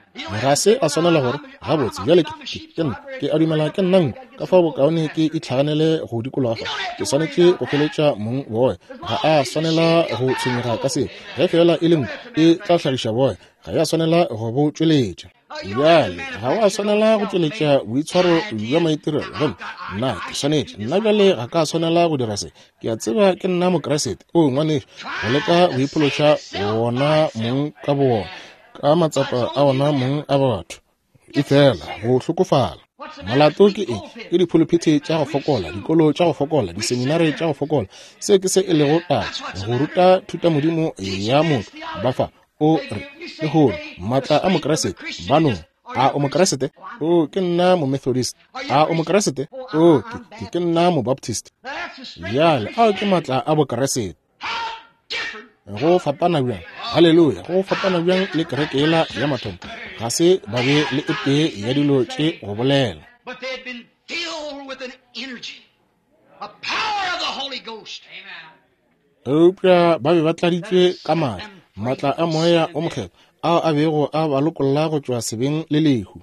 Ga se a swanela gore gabotse bjale ke ke nna, ke a dumela ke nna nku, ka fao bokaone ke itlhaganele go dikologa fa. Ke swanetše go hweletša mong boya. Ga a swanela go tshwenyega ka seo. Ge fela e le nku, e tla hlagiša boya, ga ya swanela go bo tšweletša. Bjale ga wa swanela go tšweletša boitshwaro bja maitirelo. Gomme nna ke swanetše, nna bjale ga ka swanela go dira se. Ke a tseba ke nna Mokriste. O ngwanešu, go leka go iphološa wona mong ka bowona, ka matsapa a wona mong a batho, efela go hlokofala. Molato ke eng? Ke diphuluphithi tša go fokola, dikolo tša go fokola, diseminare tša go fokola. Se ke se e lego taba, go ruta thutamodimo ya motho. Ba fa o re lehono maatla a Mokriste ba no. A o Mokriste? O, ke nna Momethodist. A o Mokriste? O, ke, ke nna Mobaptist. Bjale ao ke maatla a Bokriste. Go fapana bjang, haleluya, go fapana bjang le kereke yela ya mathomo. Ga se ba be le e tee ya dilo tše go bolela. Eupša ba be ba tladitšwe ka maatla, maatla a Moya o Mokgethwa ao a bego a ba lokolla go tšwa sebeng le lehu.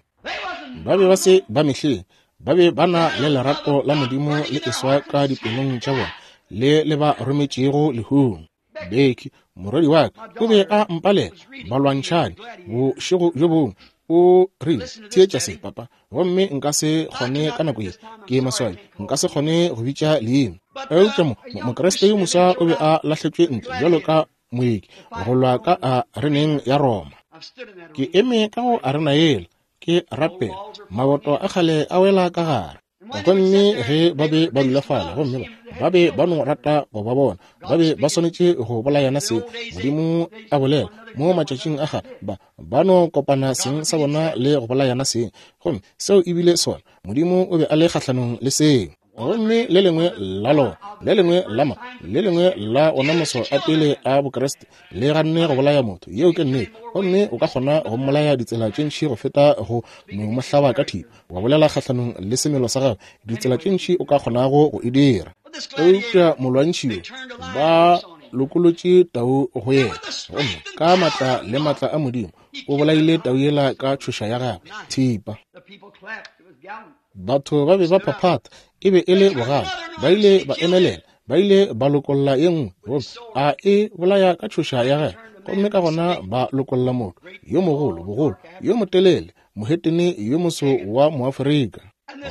Ba be ba se ba mehleng, ba be ba na le lerato la Modimo le eswa ka dipelong tša bona, le le ba rometšego lehung. Becky, morwedi wa ka, o be a mpalela balwantšhane bošego bjo bongwe. O rile, theetša se, papa, gomme nka se kgone ka nako ye, ke maswabi, nka se kgone go bitša leina. Eupša mo Mokriste yo moswa o be a lahletšwe ntle bjalo ka moeki go lwa ka areneng ya Roma. Ke eme ka go arena yela, ke rapela, maboto a kgale a wela ka gare. Gomme ge ba be ba dula fale, gomme ba be ba no rata go ba bona, ba be ba swanetše go bolayana seng. Modimo a bolela mo matšatšing a kgale, ba ba no kopana seng sa bona le go bolayana seng. Gomme seo ebile sona, Modimo o be a le kgahlanong le seo. Gomme le lengwe la lona, le lengwe la ma, le lengwe la ona maso a pele a Bokriste le ganne go bolaya motho. Yeo ke nnete. Gomme o ka kgona go mmolaya ditsela tše ntši go feta go mo hlaba ka thipa, wa bolela kgahlanong le semelo sa gagwe, ditsela tše ntši o ka kgonago go e dira. Eupša molwantšhi yo, ba lokolotše tau go yena, gomme ka maatla le maatla a Modimo o bolaile tau yela ka tšhoša ya gagwe, thipa. Batho ba be ba phaphatha, e be e le bogale. Ba ile ba emelela, ba ile ba lokolla ye nngwe, gomme a e bolaya ka tšhoša ya gagwe. Gomme ka gona ba lokolla motho yo mogolo, bogolo, yo motelele, mohetene yo moso wa Moafrika.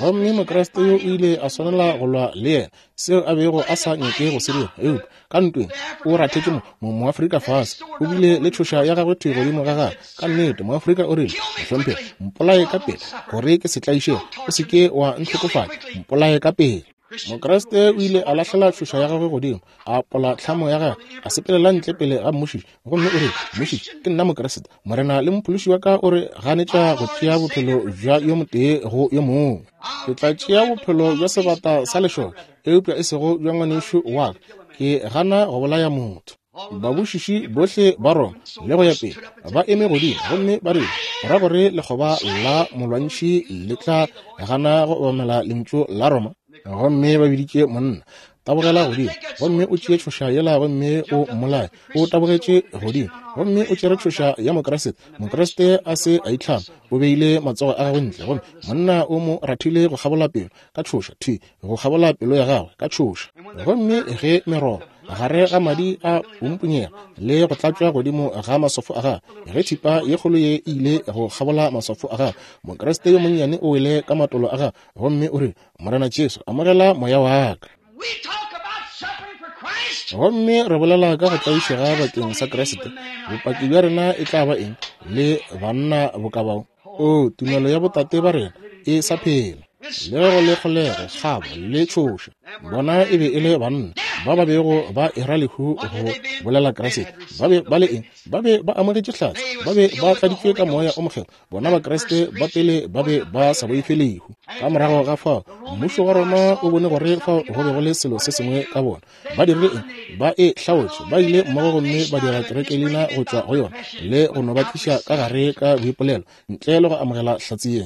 Gomme Mokriste yo o ile a swanela go lwa le yena, seo a bego a sa nyake go se dira. Eupša ka ntweng o rathetše mo Moafrika fase, o bile le tšhoša ya gagwe thwi godimo ga gagwe. Ka nnete Moafrika o rile, mohlomphegi, mpolaye ka pele gore ke se tlaišege, o se ke wa ntlhokofatša, mpolaye ka pele. Mokriste o ile a lahlela tšhoša ya gagwe godimo, a pola tlhamo ya gagwe, a sepelela ntle pele ga mmušiši, gomme o rile, mmušiši, ke nna Mokriste, Morena le mophološi wa ka o re ganetša go tšea bophelo bja yo motee go yo mongwe. Ke tla tšea bophelo bja sebata sa lešoka, eupša e sego bja ngwanešu wa ka. Ke gana go bolaya motho. Babušiši bohle ba Roma le go ya pele ba eme godimo gomme ba rile, go ra gore lekgoba la molwantšhi le tla gana go obamela lentšu la Roma. Gomme ba biditše monna, tabogela godimo gomme o tšee tšhoša yela gomme o mmolaye. O tabogetše godimo gomme o tšere tšhoša ya Mokriste. Mokriste a se a itlhama, o beile matsogo a gagwe ntle, gomme monna o mo rathile go kgabola pelo ka tšhoša, thwi go kgabola pelo ya gagwe ka tšhoša. Gomme ge meroba Gare ga madi a pumpunyega le go tlatšwa godimo ga maswafo a gagwe, ge thipa ye kgolo ye e ile go kgabola maswafo a gagwe, Mokriste yo monnyane o wele ka matolo a gagwe gomme o re, Morena Jesu, amogela moya wa ka. Gomme re bolela ka go tlaišega bakeng sa Kriste. Bopaki bja rena e tla ba eng le banna bokabao? O, tumelo ya botate ba rena e sa phela. Le go le kgolego, kgabo le tšhoša. Bona e be e le banna ba ba bego ba era lehu go bolela Kriste. Ba be ba le eng? Ba be ba amogetše hlatse. Ba be ba tladitšwe ka moya o mokgethwa. Bona Bakriste ba pele ba be ba sa boife lehu. Ka morago ga fao, mmušo wa Roma o bone gore fao go be go le selo se sengwe ka bona. Ba dirile eng? Ba e hlaotše. Ba ile mmogo gomme ba dira kerekelina go tšwa go yona le go no ba tliša ka gare ka boipolelo ntle le go amogela hlatse ye.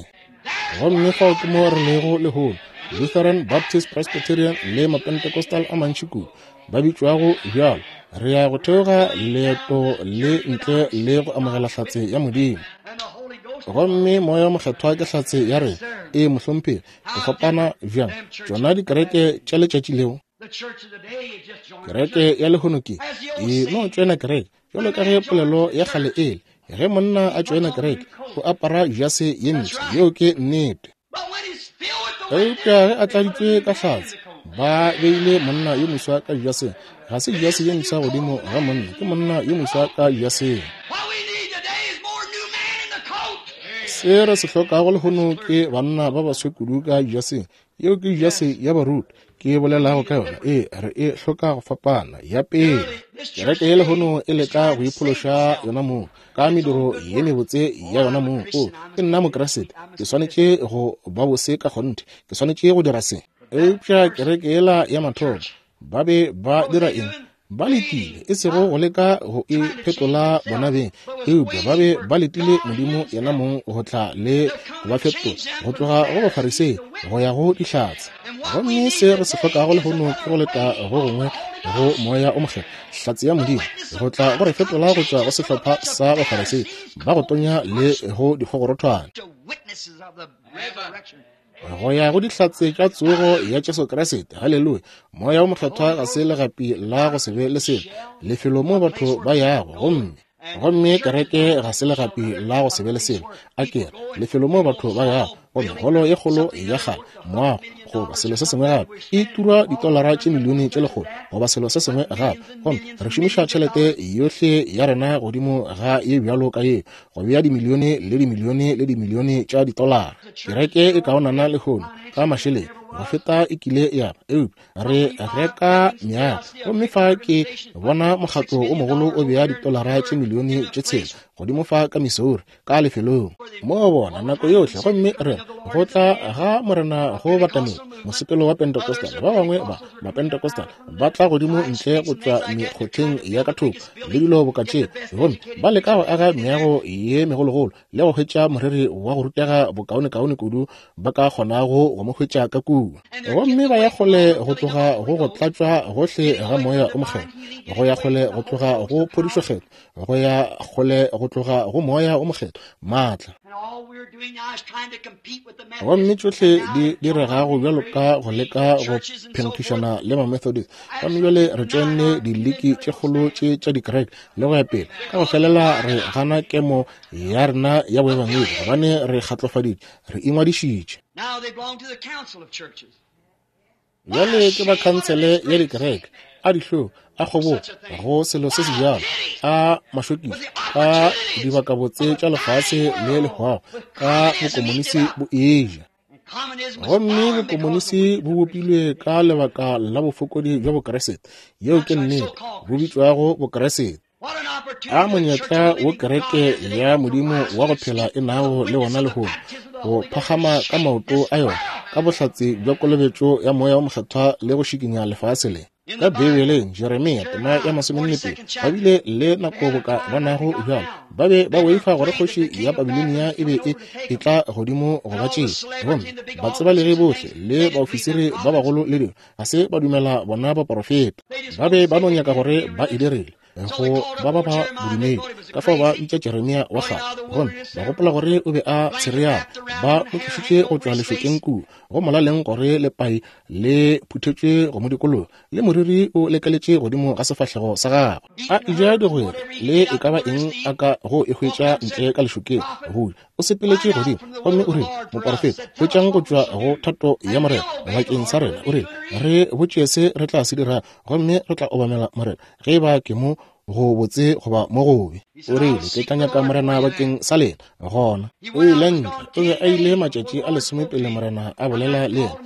Gomme fao ke mo re lego lehono. Lutheran, Baptist, Presbyterian le Mapentecostal a mantši kudu ba bitšwago bjalo. Re ya go theoga leeto le ntle le go amogela hlatse ya Modimo. Gomme moya mokgethwa ke hlatse ya rena. E mohlomphegi, go fapana bjang tšona dikereke tša letšatši leo. Kereke ya lehono ke e no tšoena kereke, jwalo ka ge polelo ya kgale ele, ge monna a tšoena kereke o apara jase ye ntsho. Yeo ke nnete. Eupša ge a tladitšwe ka hlatse, ba beile monna yo moswa ka jaseng. Ga se jase ye mpsha godimo ga monna, ke monna yo moswa ka jaseng. Se re se hlokago lehono ke banna ba baswe kudu ka jaseng. Yeo ke jase ya baruti ke bolelago ka yona. E re e hloka go fapana ya pele. Kereke ye lehono e leka go iphološa yona mong ka mediro ye mebotse ya yona mong. O, ke nna Mokriste, ke swanetše go ba bose ka kgonthe, ke swanetše go dira se. Eupša kereke yela ya mathomo ba be ba dira eng? Ba letile, e sego go leka go e phetola bona beng, eupša ba be ba letile Modimo yena mong go tla le go ba fetola go tloga go Bafarisei go ya go dihlatse. Gomme se re se hlokago lehono ke go leta go gongwe go moya o mokgethwa, hlatse ya Modimo, go tla go re fetola go tšwa go sehlopha sa Bafarisei ba go tonya le go dikgogorothwane go ya go dihlatse tša tsogo ya Jesu Kriste. Haleluya! Moya o mokgethwa ga se legapi la go se be le selo, lefelo mo batho ba yago. Gomme gomme kereke ga se legapi la go se be le selo, a kere lefelo mo batho ba yago. Gomme holo ye kgolo ya kgale, moago goba selo se sengwe gape, e turwa ditolara tše milione tše lekgolo goba selo se sengwe gape. Gomme re šomiša tšhelete yohle ya rena godimo ga ye bjalo ka ye, go bea dimilione le dimilione le dimilione tša ditolara. Kereke e kaonana lehono ka mašeleng go feta e kile ya ba, eupša re reka meago. Gomme fa ke bona mokgatlo o mogolo o bea ditolara tše milione tše tshela godimo fa ka Missouri ka lefelong mo bona nako yohle. Gomme re go tla ga Morena go batamela mosepelo wa Pentecostal. Ba bangwe ba Mapentecostal ba tla godimo ntle go tšwa mekgotheng ya ka thoko le dilo boka tše, gomme ba leka go aga meago ye megologolo le go hwetša moreri wa go rutega bokaonekaone kudu ba ka kgonago go mo hwetša ka kua. Gomme ba ya kgole go tloga go go tlatšwa gohle ga moya o mokgethwa, go ya kgole go tloga go phodišokgethwa, go ya kgole go tloga go moya o mokgethwa maatla. Gomme tšohle di diregago bjalo ka go leka go phenkgišana le Mamethodist. Gomme bjale re tšoenne diliki tše kgolo tše tša dikereke le go ya pele, ka go felela re gana kemo ya rena ya boebangedi, gobane re kgatlofaditše, re ingwadišitše. Bjale ke ba khansele ya dikereke, a dihlong, a kgobogo go selo se se bjalo, a mašokišo, ka dibakabotse tša lefase le lehwago, ka bokomonisi bo eja. Gomme bokomonisi bo bopilwe ka lebaka la bofokodi bja Bokriste. Yeo ke nnete, bo bitšwago Bokriste. A monyetla wo kereke ya Modimo wa go phela e nago le wona lehono, go phagama ka maoto a yona ka bohlatse bja kolobetšo ya moya o mokgethwa le go šikinya lefase le. Ka Bibeleng, Jeremia tema ya masomenne pedi, ba bile le nako boka ba nago bjalo. Ba be ba boifa gore kgoši ya Babilonia e be e etla godimo go ba tšea. Gomme batsebalegi bohle le baofisiri ba bagolo le dilo ga se ba dumela bona baporofeta. Ba be ba no nyaka gore ba e dirile. go ba ba ba bodumedi. Ka fao ba bitša Jeremia wa kgale, gomme ba gopola gore o be a tshereana. Ba mo tlišitše go tšwa lešokeng kua, go molaleng gore lepai le phuthetšwe go mo dikologa, le moriri o lekeletše godimo ga sefahlego sa gagwe. A eja digwere le e ka ba eng a ka go e hwetša ntle ka lešokeng. Go o sepeletše godimo gomme o rile, moporofeta, hwetšang go tšwa go thato ya Morena bakeng sa rena. O rile, re botše se re tla se dira, gomme re tla obamela Morena, ge e ba ke mo go botse goba mo gobe. O rile, ke tla nyaka Morena bakeng sa lena. Gona o ile ntle. O be a ile matšatši a lesome pele Morena a bolela le yena.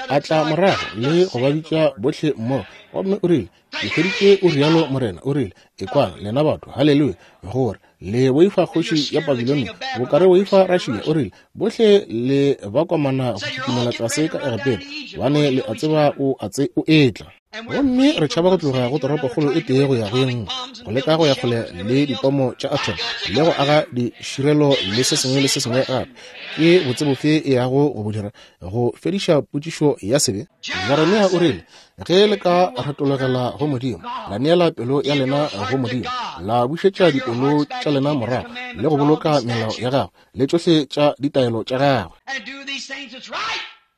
A tla morago le go ba bitša bohle mmogo, gomme o rile, ke hweditše o rialo Morena. O rile, ekwang lena batho, haleluya, gore le boifa kgoši ya Babilonia bokare boifa Russia. O rile, bohle le ba komana go kitimela tlase ka Egepeta, bane le a tseba o a tse o etla. Gomme re tšhaba go tloga go toropokgolo e tee go ya go ye nngwe, go leka go ya kgole le dipomo tša atom le go aga diširelo le se sengwe le se sengwe gape. Ke botse bofe e yago go bo dira go fediša potšišo ya sebe? Jeremia o rile, ge le ka retologela go Modimo, la neela pelo ya lena go Modimo, la bušetša dipelo tša lena morago le go boloka melao ya gagwe le tšohle tša ditaelo tša gagwe,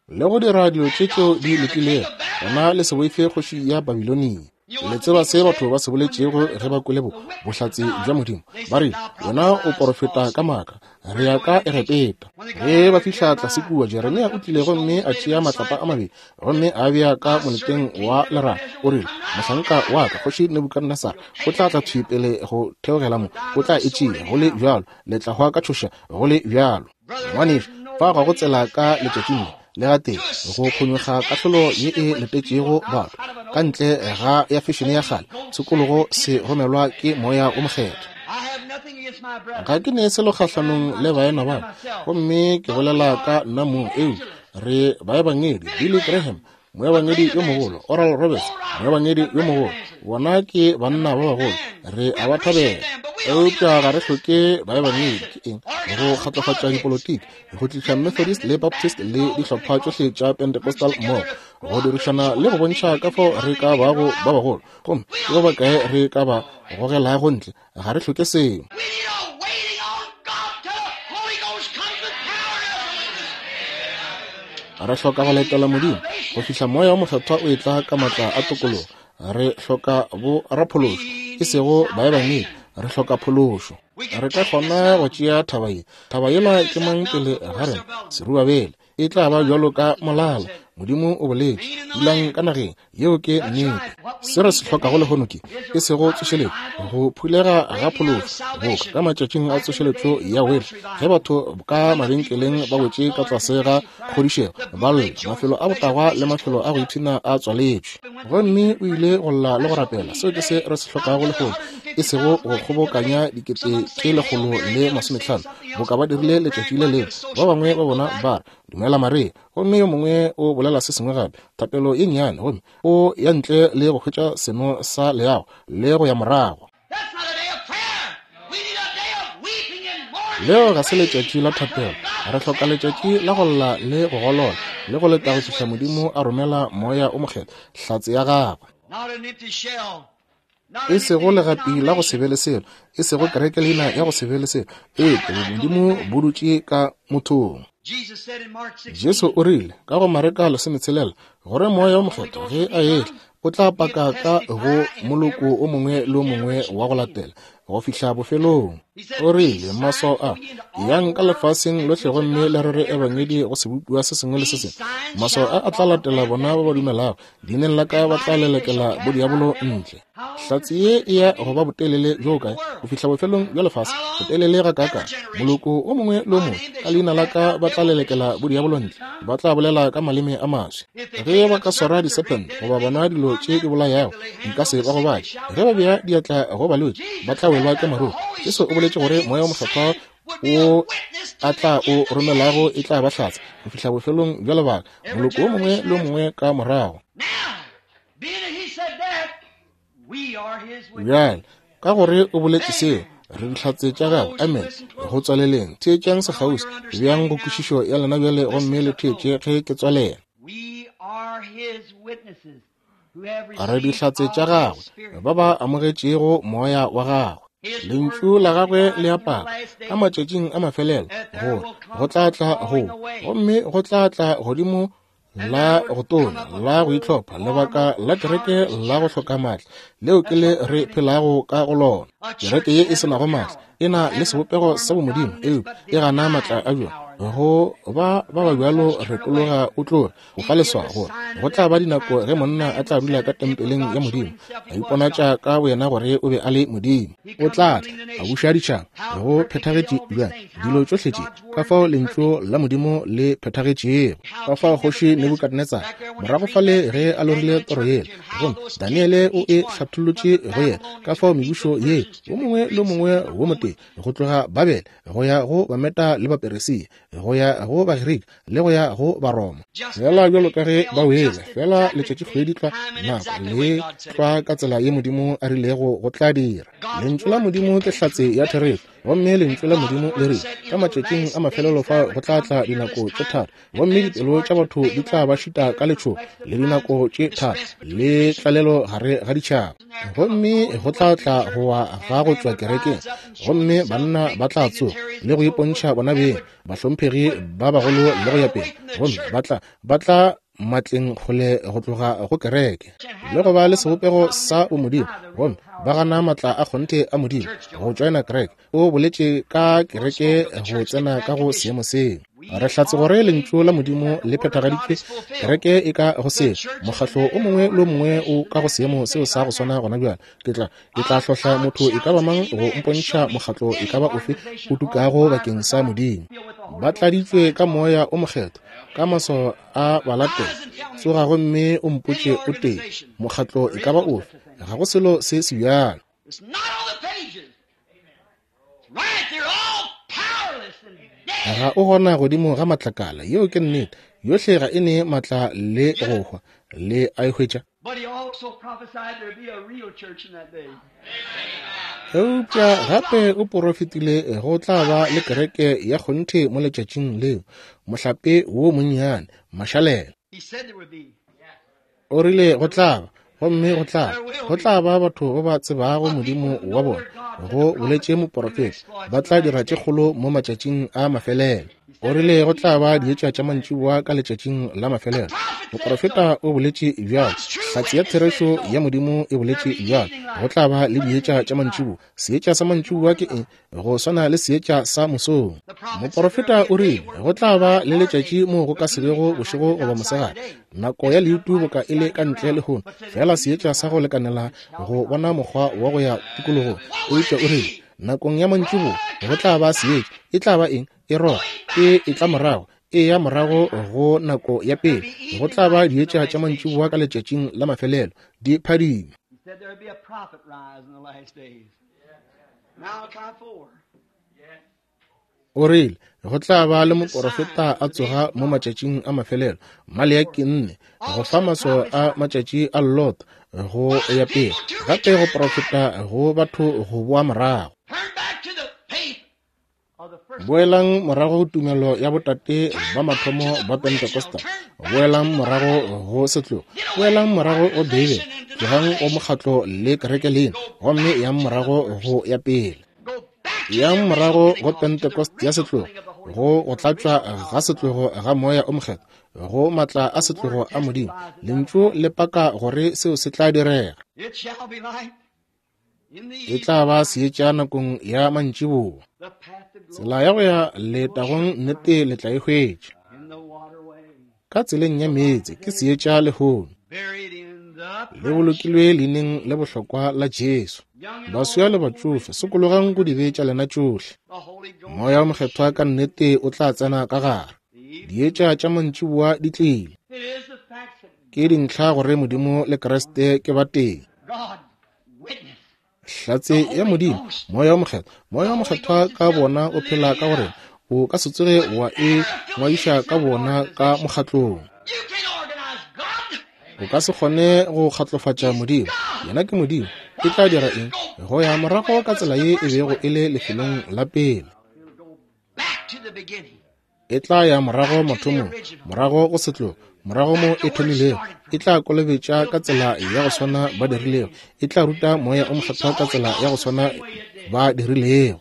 le go dira dilo tše tšeo di lokilego, gona le se boife kgoši ya Babilonia. Le tseba se batho ba se boletšego ge ba kwele bohlatse bja Modimo. Ba rile, wena o porofeta ka maaka, re ya ka Egepeta. Ge ba fihla tlase kua, Jeremia o tlile gomme a tšea matlapa a mabedi gomme a bea ka moleteng wa leraga. O rile, mohlanka wa ka kgoši Nebukadnesar o tla tla thwi pele go theogela mo, o tla e tšea go le bjalo, le tla hwa ka tšhoša go le bjalo. Ngwanešu, fa ga go tsela ka letšatšing le le gatee go phonyokga kahlolo ye e letetšego batho ka ntle ga ya fešene ya kgale. Tshokologo se romelwa ke moya o mokgethwa. Ga ke ne selo kgahlanong le baena ba, gomme ke bolela ka nna mong, eupša re baebangedi. Billy Graham, moebangedi yo mogolo, Oral Roberts, moebangedi yo mogolo, bona ke banna ba bagolo, re a ba thabela. Eupša ga re hloke baebangedi. Ke eng? Go kgatlofatša dipolotiki, go tliša Methodist le Baptist le dihlopha tšohle tša Pentecostal mmogo, go dirišana le go bontšha ka fao re ka bago ba bagolo, gomme ke ba bakae re ka ba gogelago ntle. Ga re hloke seo. Re hloka go letela Modimo go fihla moya wa mokgethwa o etla ka matla a tokologo. Re hloka bo raphološo, e sego baebangedi. Re hloka phološo. Re ka kgona go tšea thaba ye. Thaba yela ke mang pele ga rena? Serubabele. E tla ba bjalo ka molala. Modimo o boletše, dulang ka nageng. Yeo ke nnete. Se re se hlokago lehono ke e sego tsošeletšo, go phulega ga phološo, boka ka matšatšing a tsošeletšo ya Wele, ge batho ka mabenkeleng ba wetše ka tlase ga kgodišego, ba lla, mafelo a botagwa le mafelo a go ipshina a tswaletšwe. Gomme o ile go lla le go rapela. Seo ke se re se hlokago lehono, e sego go kgobokanya dikete tše lekgolo le masometlhano boka ba dirile letšatši le lengwe. Ba bangwe ba bona ba re, dumela Maria, gomme yo mongwe o bolela se sengwe gape, thapelo ye nnyane, gomme o ya ntle le go hwetša seno sa leago le go ya morago. Leo ga se letšatši la thapelo. Re hloka letšatši la go lla le go golola le go leta go fihla Modimo a romela moya o mokgethwa, hlatse ya gagwe. E sego legapi la go se be le selo, e sego kereke leina ya go se be le selo, eupša Modimo bo dutše ka mothong. Jesu o rile ka go Mareka lesometshelela gore moya o mokgethwa ge a etla o tla paka ka go moloko o mongwe le o mongwe wa go latela go fihla bofelong. O rile, maswao a, yang ka lefaseng lohle gomme le rere ebangedi go sebopiwa se sengwe le se sengwe. Maswao a a tla latela bona ba ba dumelago, leineng la ka ba tla lelekela bodiabolo ntle. Hlatse ye e ya go ba botelele bjo kae? Go fihla bofelong bja lefase. Botelele ga kaakang? Moloko o mongwe le o mongwe ka leina la ka ba tla lelekela bodiabolo ntle, ba tla bolela ka maleme a maswe. Ge ba ka swara diserpent goba bona dilo tše di bolayago, nka se ba gobatše. Ge ba bea diatla go balwetši, ba tla welwa ke maruru. Jesu o boletše gore moya o mokgethwa o a tla o romelago e tla ba hlatse go fihla bofelong bja lebaka, moloko o mongwe le o mongwe ka morago. Bjale, ka gore o boletše seo, re dihlatse tša gagwe. Amen. Go tswaleleng, theetšang sekgauswi, bjang go kwešišo ya lena bjale gomme le theetše ge ke tswalela. We are his witnesses. Re dihlatse tša gagwe ba ba amogetšego moya wa gagwe. Lentšu la gagwe le a paka ka matšatšing a mafelelo gore go tla tla go, gomme go tla tla godimo la go tonya, la go itlhopha, lebaka la kereke la go hloka maatla leo ke le re phelago ka go lona. Kereke ye e se nago maatla e na le sebopego sa bomodimo, eupša e gana maatla a bjona. Go ba ba ba bjalo re tologa o tloge go fa leswao gore go tla ba dinako ge monna a tla dula ka tempeleng ya Modimo, a iponatša ka boyena gore o be a le Modimo. O tla tla a buša ditšhaba. Go phethagetše bjang dilo tšohle tše, ka fao lentšu la Modimo le phethagetšego, ka fao kgoši Nebukadnetsara morago fale ge a lorile toro yela, gomme Daniele o e hlathollotše go yena, ka fao mebušo ye o mongwe le o mongwe wo motee go tloga Babele go ya go Bameta le Baperesia, go ya go Bagerika le go ya go Baroma, fela bjalo ka ge ba wele, fela letšatšikgwedi tlwa nako le tlwa ka tsela ye Modimo a rilego go tla dira. Lentšu la Modimo ke hlatse ya therešo, gomme lentšu la Modimo le rile ka matšatšing a mafelelo fa go tla tla dinako tše thata, gomme dipelo tša batho di tla ba šita ka letšhogo le dinako tše thata le tlalelo gare ga ditšhaba, gomme go tla tla go wa ga go tšwa kerekeng, gomme banna ba tla tsoga le go ipontšha bona beng bahlomphegi ba bagolo le go ya pele, gomme ba tla ba tla matleng kgole go tloga go kereke le go ba le sebopego sa bomodimo, gomme ba gana maatla a kgonthe a Modimo go tšoena kereke. O boletše ka kereke go tsena ka go seemo seo. Re hlatse gore lentšu la Modimo le phethagaditšwe, kereke e ka go seo, mokgatlo o mongwe le o mongwe o ka go seemo seo sa go swana gona bjale. Ke tla ke tla hlohla motho e ka ba mang go mpontšha mokgatlo e ka ba ofe o tukago bakeng sa Modimo. Ba tladitšwe ka moya o mokgethwa, ka maswao a balatela. Tsoga gomme o mpotše o tee mokgatlo e ka ba ofe, ga go selo se se bjalo. Ga o gona godimo ga matlakala, yeo ke nnete. Yohle ga e ne maatla le go hwa, le a e hwetša. Eupša gape o porofetile go tla ba le kereke ya kgonthe mo letšatšing leo, mohlape wo monnyane, mašalela. O rile go tla ba, gomme go tla go tla ba batho ba ba tsebago Modimo wa bona, go boletše moporofeta, ba tla dira tše kgolo mo matšatšing a mafelelo. O rile go tla ba dietša tša mantšiboa ka letšatšing la mafelelo. Moporofeta o boletše bjalo, hlatse ya therešo ya Modimo e boletše bjalo, go tla ba le dietša tša mantšiboa. Seetša sa mantšiboa ke eng? Go swana le seetša sa mosong. Moporofeta o rile go tla ba le letšatši moo go ka se bego bošego goba mosegare, nako ya leutu boka e le ka ntle lehono, fela seetša sa go lekanela go bona mokgwa wa go ya tikologong. Eupša o rile nakong ya mantšiboa go tla ba seetša. E tla ba eng? E roga, e e tla morago, e ya morago go nako ya pele. Go tla ba dietša tša mantšiboa ka letšatšing la mafelelo, di phadima. O rile go tla ba le moporofeta a tsoga mo matšatšing a mafelelo, Maleaki nne, go fa maswao a matšatši a Lot go ya pele, gape go porofeta go batho go boa morago. Boelang morago tumelo ya botate ba mathomo ba Pentecostal, boelang morago go setlogo, boelang morago go Beibele, tlogang go mokgatlo le kereke lena, gomme yang morago go ya pele. Yang morago go Pentecost ya setlogo, go go tlatšwa ga setlogo ga moya o mokgethwa, go matla a setlogo a Modimo. Lentšu le paka gore seo se tla direga. E tla ba seetša nakong ya mantšiboa. Tsela ya go ya letagong nnete le tla e hwetša. Ka tseleng ya meetse ke seetša lehono, le bolokilwe leineng le bohlokwa la Jesu. Baswa le batšofe, sokologang go dibe tša lena tšohle. Moya o mokgethwa ka nnete o tla tsena ka gare. Dietša tša mantšiboa di tlile. Ke dintlha gore Modimo le Kriste ke batee. Hlatse ya Modimo, moya o mokgethwa, moya o mokgethwa ka bona o phela ka gore o ka se tsoge wa e ngwadiša ka bona ka mokgatlong. O ka se kgone go kgatlofatša Modimo. Yena ke Modimo. E tla dira eng? Go ya morago ka tsela ye e bego e le lefelong la pele. E tla ya morago mathomong, morago go setlogo, morago mo e thomilego. E tla kolobetša ka tsela ya go swana ba dirilego. E tla ruta Moya o Mokgethwa ka tsela ya go swana ba dirilego.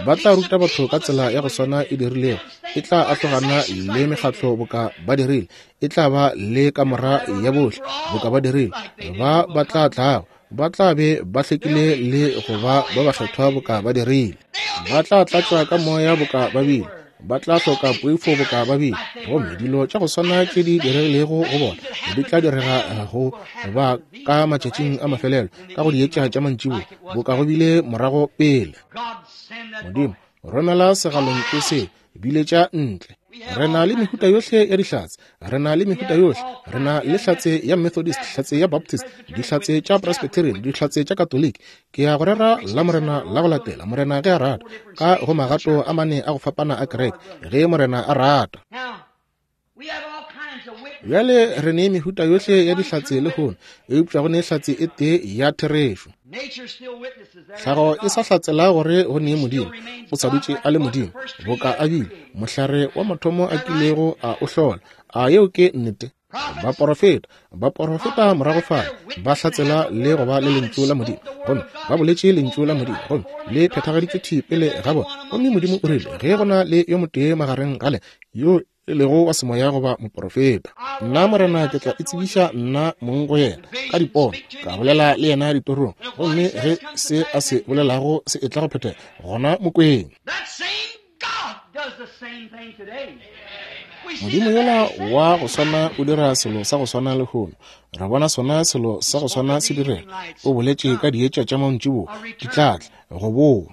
Ba tla ruta batho ka tsela ya go swana e dirilego. E tla ahlogana le mekgatlo boka ba dirile. E tla ba le kamora ya bohle boka ba dirile. Ba ba tla tlago ba tla be ba hlekile le go ba ba bakgethwa boka ba dirile. Ba tla tlatšwa ka moya boka ba bile. Ba tla hloka poifo boka ba bile. Gomme dilo tša go swana tše di diregilego go bona di tla direga go ba ka matšatšing a mafelelo, ka go dietša tša mantšiboa boka go bile morago pele. Modimo, romela segalontšu se biletša ntle. Re na le mehuta yohle ya dihlatse. Re na le mehuta yohle. Re na le hlatse ya Methodist, hlatse ya Baptist, dihlatse tša Presbyterian, dihlatse tša Katoliki. Ke ya go rera la Morena la go latela, Morena ge a rata, ka go magato a mane a go fapana a kereke, ge Morena a rata. Bjale re ne mehuta yohle ya dihlatse lehono, eupša go ne hlatse e tee ya therešo. Tlhago e sa hlatsela gore go ne Modimo, o sa dutše a le Modimo, boka a bile mohlare wa mathomo a kilego a o hlola. A yeo ke nnete? Baporofeta, baporofeta morago fale ba hlatsela le go ba le lentšu la Modimo, gomme ba boletše lentšu la Modimo, gomme le phethagaditšwe thwi pele ga bona. Gomme Modimo o rile, ge go na le yo motee magareng gale yo e lego wa semoya goba moporofeta, nna Morena ke tla itsebiša nna mong go yena ka dipono, ka bolela le yena ditorong, gomme ge se a se bolelago se etla go phethega, gona mokweng. Modimo yola wa go swana o dira selo sa go swana lehono. Re bona sona selo sa go swana se direga. O boletše ka dietša tša mantšiboa di tla tla go boa.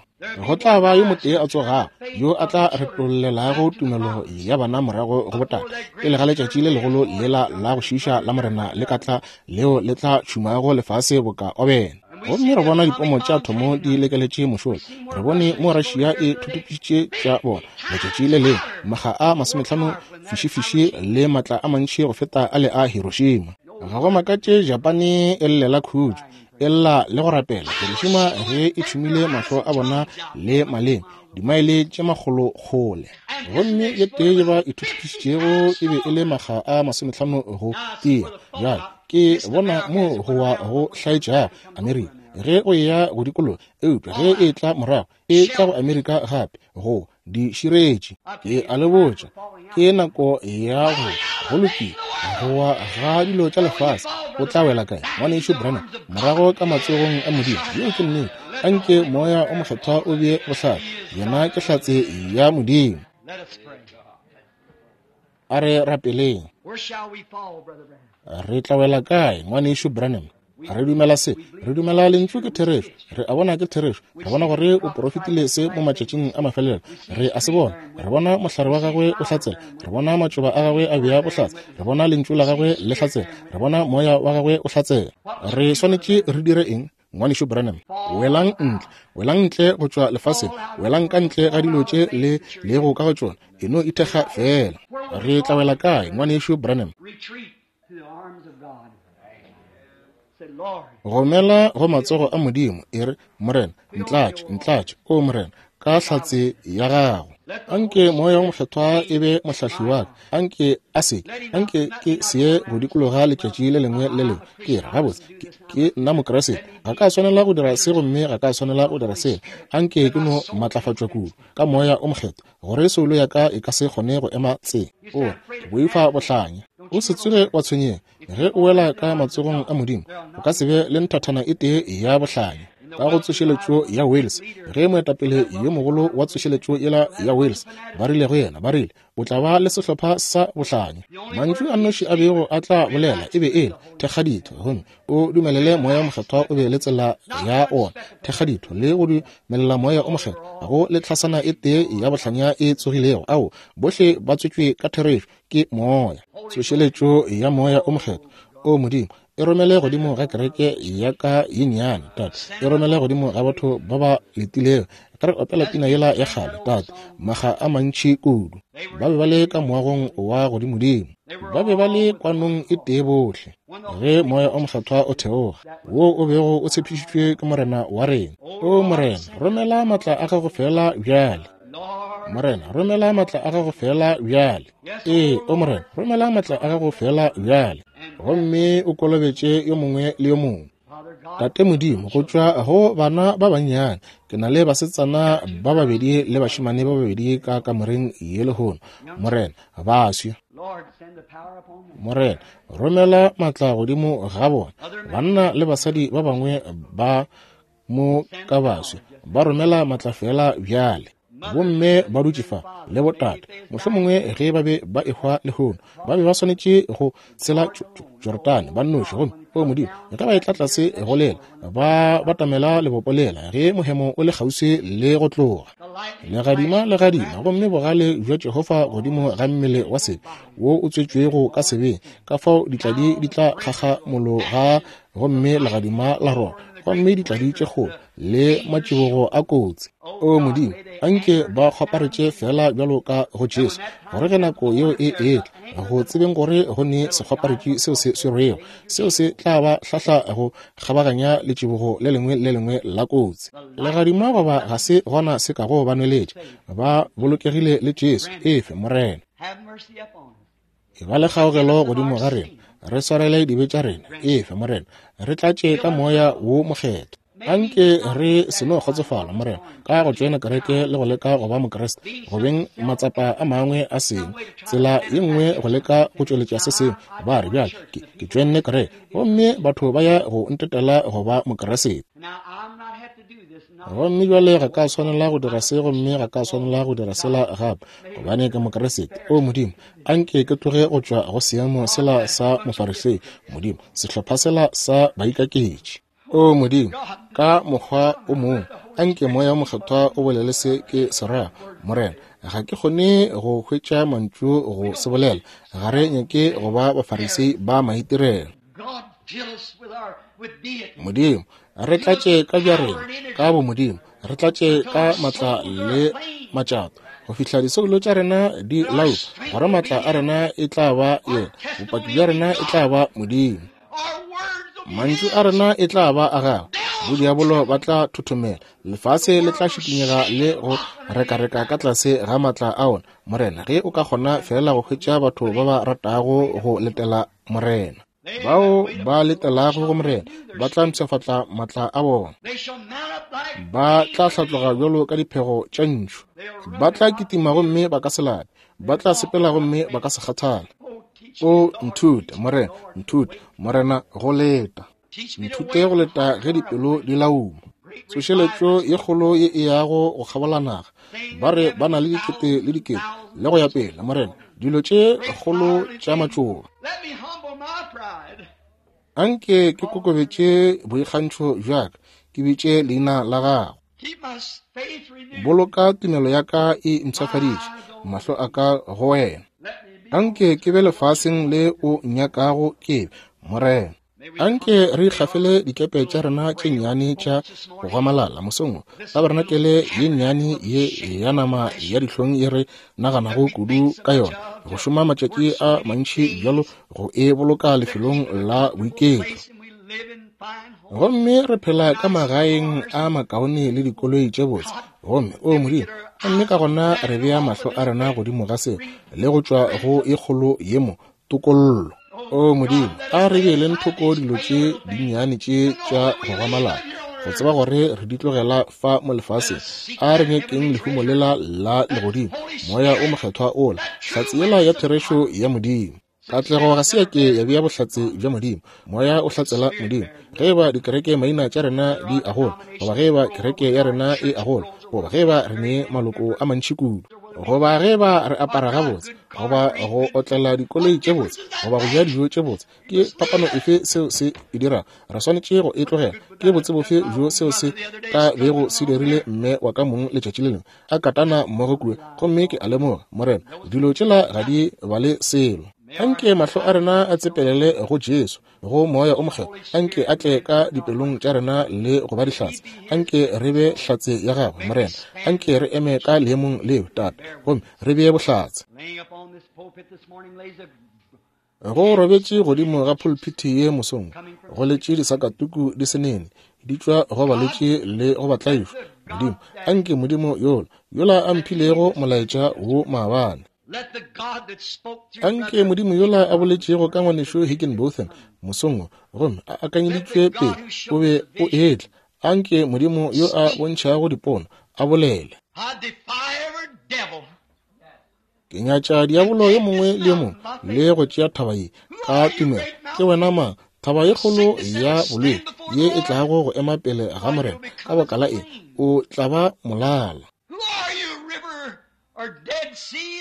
Go tla ba yo motee a tsogago yo a tla retollelago tumelo ya bana morago go botate, pele ga letšatši le legolo lela la go šiiša la Morena le ka tla, leo le tla tšhumago lefase boka obene. Gomme re bona dipomo tša thomo di lekeletše mošola. Re bone mo Russia e thuthupišitše tša bona letšatši le lengwe, makga a masomehlano fišifiši le matla a mantši go feta a le a Hiroshima. Ga go makatše Japane e llela khutšo, e lla le go rapela. Hiroshima ge e tšhumile mahlo a bona le maleme dimaele tše makgolo kgole. Gomme ye tee ye ba ithuthupišitšego e be e le makga a masomehlano go tia. Bjale ke bona mo go wa go hlaetšago Amerika ge o eya go dikologa, eupša ge e tla morago e tla go Amerika gape go di širetše. Ke a le botša, ke nako ya go go lokile go wa ga dilo tša lefase. O tla wela kae, ngwanešu Branham? Morago ka matsogong a Modimo. Yeo ke nnete. Anke Moya o Mokgethwa o be bohlatse. Yena ke hlatse ya Modimo. A re rapeleng. Re tla wela kae, ngwanešu Branham? Re dumela se, re dumela lentšu ke therešo, re a bona ke therešo, re bona gore o porofetile se mo matšatšing a mafelelo, re a se bona, re bona mohlare wa gagwe o hlatsela, re bona matšoba a gagwe a bea bohlatse, re bona lentšu la gagwe le hlatsela, re bona moya wa gagwe o hlatsela. Re swanetše re dire eng, ngwanešu Branham? Welang ntle, welang ntle go tšwa lefaseng, welang ka ntle ga dilo tše le lego ka go tšona, e no ithekga fela. Re tla wela kae, ngwanešu Branham? Gomela go matsogo a Modimo, e re, Morena, ntlatše, ntlatše, o Morena, ka hlatse ya gago. Anke Moya o Mokgethwa e be mohlahli wa ka. Anke a se, anke ke se ye go dikologa letšatši le lengwe le lengwe ke re, gabotse, ke, ke nna Mokriste, ga ka swanela go dira se gomme ga ka swanela go dira sela. Anke ke no matlafatšwa kudu ka Moya o Mokgethwa gore soulo ya ka e ka se kgone go ema tse. O re, ke boifa bohlanya. O se tsoge wa tshwenyega ge o wela ka matsogong a Modimo, o ka se be le nthathana e tee ya bohlanya. Ka go tsošeletšo ya Wales, ge moetapele yo mogolo wa tsošeletšo yela ya Wales ba rile go yena, ba rile, o tla ba le sehlopha sa bohlanya. Mantšu a nnoši a bego a tla bolela e be e le thekgaditho, gomme o dumelele Moya o Mokgethwa o be le tsela ya ona. Thekgaditho le go dumelela Moya o Mokgethwa go le tlhasana e tee ya bohlanya e tsogilego. Ao bohle ba tswetšwe ka therešo ke Moya. Tsošeletšo ya Moya o Mokgethwa, o Modimo, e romele godimo ga kereke ya ka ye nnyane, Tate. E romele godimo ga batho ba ba letilego. Ka re opela pina yela ya kgale, Tate, maga a mantši kudu. Ba be ba le ka moagong wa godimodimo, ba be ba le kwanong e tee bohle, ge Moya o Mokgethwa o theoga, wo o bego o tshepišitšwe ke Morena wa rena. O Morena, romela matla a gago fela bjale. Morena, romela matla a gago fela bjale. Ee, o Morena, romela matla a gago fela bjale, gomme o kolobetše yo mongwe le yo mongwe. Tate Modimo, go tšwa go bana ba bannyane, ke na le basetsana ba babedi le bašemane ba babedi ka kamoreng ye lehono. Morena, baswi. Morena, romela matla godimo ga bona. Banna le basadi ba bangwe ba mo ka baswi, ba romela matla fela bjale. Bomme ba dutše fa le botate, mohlomongwe ge ba be ba ehwa lehono, ba be ba swanetše go tshela Jorodane ba nnoši. Gomme o Modimo, ge ba etla tlase go lela, ba batamela lebopo lela ge mohemo o le kgauswi le go tloga. Legadima le gadima, gomme bogale bja Jehofa godimo ga mmele wa sebe wo o tswetšwego ka sebeng, ka fao ditladi di tla kgakgamologa gomme legadima la roba, gomme ditladi tše kgolo le matšibogo a kotsi. O Modimo, anke ba kgwaparetše fela bjalo ka go Jesu, gore ge nako yeo e etla, go tsebeng gore go ne sekgwaparetši seo se swerwego, seo se tla ba hlahla go kgabaganya letšibogo le lengwe le lengwe la kotsi. Legadima goba ga se gona se kago ba nweletša, ba bolokegile le Jesu. Efe, Morena, e ba le kgaogelo godimo ga rena, re swarele dibe tša rena. Efe, Morena, re tlatše ka moya wo mokgethwa. Anke re se no kgotsofala, Morena, ka go tšoena kereke le go leka go ba Mokriste, go beng matsapa a mangwe a sengwe, tsela ye nngwe go leka go tšweletša se sengwe. Ba re bjale ke, ke tšoenne kereke, gomme batho ba ya go ntetela go ba Mokriste. Gomme bjale ga ka swanela go dira se, gomme ga ka swanela go dira sela gape, gobane ke Mokriste. O Modimo, anke ke tloge go tšwa go seemo sela sa Mofarisei, Modimo, sehlopha sela sa baikaketši. O Modimo, ka mokgwa o mongwe, anke moya o mokgethwa o bolele se ke se ra. Morena, ga ke kgone go hwetša mantšu go se bolela. Ga re nyake go ba Bafarisei ba maitirelo. Modimo, re tlatše ka bja rena, ka bomodimo, re tlatše ka matla le matšato, go fihla disoulo tša rena di laupa, gore matla a rena e tla ba yena, bopaki bja rena e tla ba Modimo, mantšu a rena e tla ba a gagwe. Bodiabolo ba tla thothomela, lefase le tla šikinyega le go rekareka ka tlase ga matla a ona. Morena, ge o ka kgona fela go hwetša batho ba ba ratago go letela Morena, bao ba letelago go Morena ba tla mpshafatla matla a bona, ba tla hlatloga bjalo ka diphego tša ntšhu, ba tla kitima gomme ba ka se lape, ba tla sepela gomme ba ka se kgathale. O nthute, Morena, nthute, Morena, go leta. Nthute go leta ge dipelo di lauma. Tsošeletšo ye kgolo ye e yago go kgabola naga, ba re ba na le dikete le dikete le go ya pele. Morena, dilo tše kgolo tša matšoba. Anke ke kokobetše boikgantšho bja ka, ke bitše leina la gago. Boloka tumelo ya ka e mpshafaditše, mahlo a ka go wena. Anke ke be lefaseng le o nyakago ke be, Morena. Anke re ikgafele dikepe tša rena tše nnyane tša go gwamalala mosong wo, tabarenakele ye nnyane ye ya nama ya dihlong ye re naganago kudu ka yona, go šoma matšatši a mantši bjalo go e boloka lefelong la boiketlo. Gomme re phela ka magaeng a makaone le dikoloi tše botse. Gomme o Modimo, gomme ka gona re bea mahlo a rena godimo ga seo le go tšwa go e kgolo ye mo tokollo. O Modimo, a re beeleng thoko dilo tše dinnyane tše tša go gwamalala, go tseba gore re di tlogela fa mo lefaseng. A re nyakeng lehumo lela la legodimo, moya o mokgethwa ola, hlatse yela ya therešo ya Modimo. Katlego ga se ya ke ya bea bohlatse bja Modimo. Moya o hlatsela Modimo. Ge eba dikereke maina tša rena di a gola, goba ge eba kereke ya rena e a gola, goba ge eba re ne maloko a mantši kudu, goba ge eba re apara gabotse, goba go otlela dikoloi tše botse, goba go ja dijo tše botse, ke phapano efe seo se e dirago? Re swanetše go e tlogela. Ke botse bofe bjo seo se ka bego se dirile mme wa ka mong letšatši le lengwe a katana mmogo kua? Gomme ke a lemoga, Morena, dilo tšela ga di bale selo. Anke mahlo a rena a tsepelele go Jesu, go moya o mokgethwa. Anke a tle ka dipelong tša rena le go ba dihlatse. Anke re be hlatse ya gagwe, Morena. Anke re eme ka leemong leo, Tate, gomme re bee bohlatse. Go robetše godimo ga pulpiti ye mosong, go letše disakatuku di se nene, di tšwa go balwetši le go batlaišwa. Modimo, anke Modimo yola, yola a mphilego molaetša wo maabane. Anke Modimo yola a boletšego ka ngwanešu Higginbotham mosong wo, gomme a akanyeditšwe pele o be o etla. Anke Modimo yo a bontšhago dipono a bolele. Ke nyatša diabolo yo mongwe le yo mongwe le go tšea thaba ye ka tumelo. Ke wena mang, thaba ye kgolo ya bolwetši ye e tlago go ema pele ga Morena? Ka baka la eng, o tla ba molala.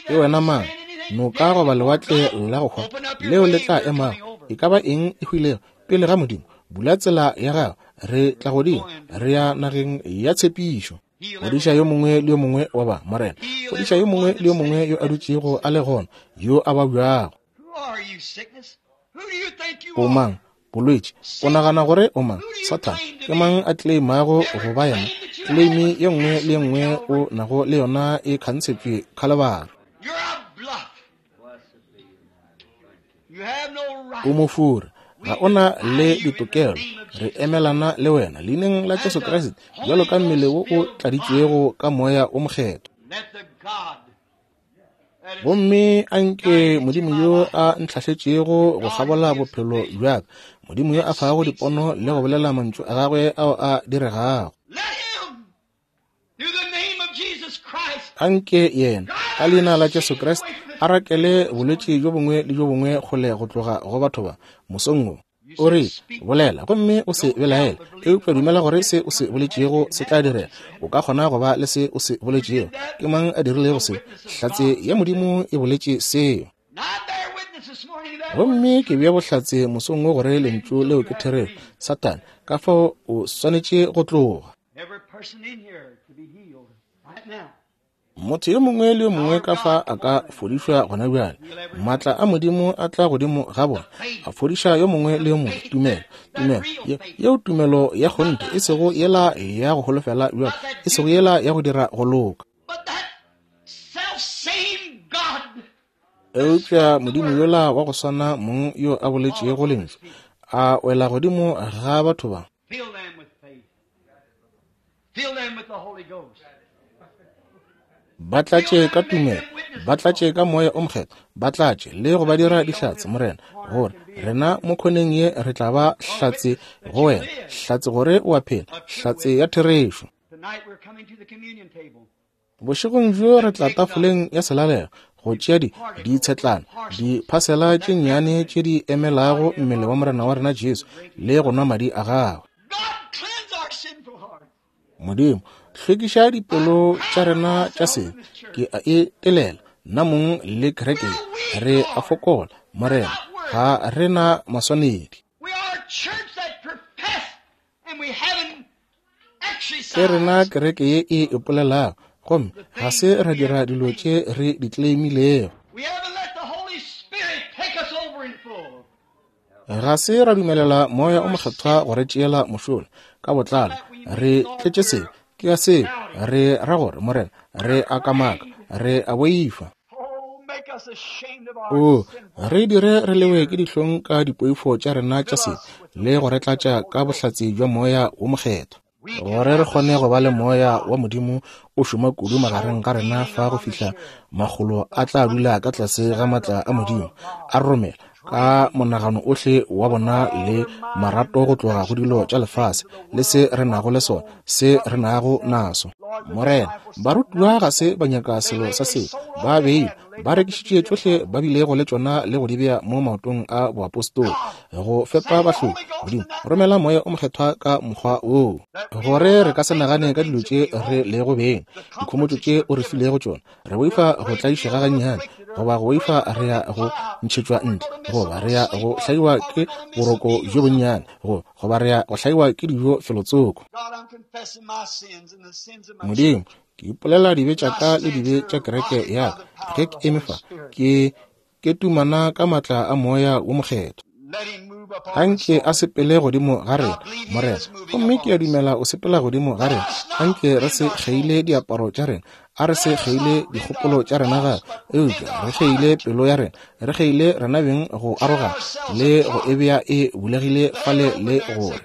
Ke wena mang, noka goba lewatle la go hwa leo le tla emago, e ka ba eng e hwilego pele ga Modimo? Bula tsela ya gago, re tla godimo, re ya nageng ya tshepišo. Fodiša yo mongwe le yo mongwe wa ba, Morena. Fodiša yo mongwe le yo mongwe yo a dutšego a le gona, yo a babjago. O mang, bolwetši? O nagana gore o mang, Sathane? Ke mang a claimago go ba yena? Claim ye nngwe le ye nngwe o nago le yona e khansetšwe Khalibari. O mofura, ga o na le ditokelo. Re emelana le wena leineng la Jesu Kriste, bjalo ka mmele wo o tladitšwego ka moya o mokgethwa. Gomme anke Modimo yo a ntlhahletšego go kgabola bophelo bja ka, Modimo yo a fago dipono le go bolela mantšu a gagwe ao a diregago, anke yena ka leina la Jesu Kriste a rakele bolwetši bjo bongwe le bjo bongwe kgole go tloga go batho ba mosong wo. O re, bolela gomme o se belaele, eupša dumela gore se o se boletšego se tla direga. O ka kgona go ba le se o se boletšego. Ke mang a dirilego se? Hlatse ya Modimo e boletše seo. Gomme ke bea bohlatse mosong wo gore lentšu leo ke therešo. Satane, ka fao o swanetše go tloga. Motho yo mongwe le yo mongwe ka fa a ka fodišwa gona bjale. Maatla a Modimo a tla godimo ga bona, a fodiša yo mongwe le yo mongwe. Tumelo, tumelo yeo, tumelo ya kgonthe, e sego yela ya go holofela bjalo, e sego yela ya go dira go loka. Eupša Modimo yola wa go swana mong yo a boletšego lentšu a wela godimo ga batho ba. Ba tlatše ka tumelo, ba tlatše ka moya o mokgethwa, ba tlatše le go ba dira dihlatse, Morena, gore rena mo khoneng ye re tla ba hlatse go wena, hlatse gore o a phela, hlatse ya therešo. Bošegong bjo re tla tafoleng ya selalelo go tšea di ditshetlana, diphasela tše nnyane tše di emelago mmele wa Morena wa rena Jesu le go nwa madi a gagwe. Modimo, hlwekiša dipelo tša rena tša sebe. Ke a e telela nna mong le kereke, re a fokola, Morena, ga re na maswanedi. Ke rena kereke ye e ipolelago, gomme ga se ra dira dilo tše re di claimilego. Ga se ra dumelela moya o mokgethwa go re tšeela mošola ka botlalo. Re tletše sebe, ke ya seo re ra gore, Morena, re a kamaka, re a boifa. O re dire re lewe ke dihlong ka dipoifo tša rena tša sebe le go re tlatša ka bohlatse bja moya wo mokgethwa, gore re kgone go ba le moya wa Modimo o šoma kudu magareng ga rena fa go fihla makgolo a tla dula ka tlase ga maatla a Modimo, a romela ka monagano ohle wa bona le marato go tloga go dilo tša lefase le se re nago le sona, se re nago naso. Morena, barutiwa ga se ba nyaka selo sa seo, ba beile, ba rekišitše tšohle ba bilego le tšona le go di bea mo maotong a boapostola go fepa bahloki. Modimo, romela moya o mokgethwa ka mokgwa woo, gore re ka se nagane ka dilo tše re lego beng, dikhomotšo tše o re filego tšona. Re boifa go tlaišega gannyane, goba go boifa re ya go ntšhetšwa ntle, goba re ya go hlaiwa ke boroko bjo bonnyane, goba re ya go hlaiwa ke dijo felotsoko. Modimo, ke ipolela dibe tša ka le dibe tša kereke ya ka. Ge ke eme fa, ke ke tumana ka maatla a moya wo mokgethwa. Anke a sepele godimo ga rena, Morena, gomme ke a dumela o sepela godimo ga rena. Anke re se kgeile diaparo tša rena, a re se kgeile dikgopolo tša rena gape, eupša re kgeile pelo ya rena, re kgeile rena beng go arogana le go e bea e bulegile fale le gore.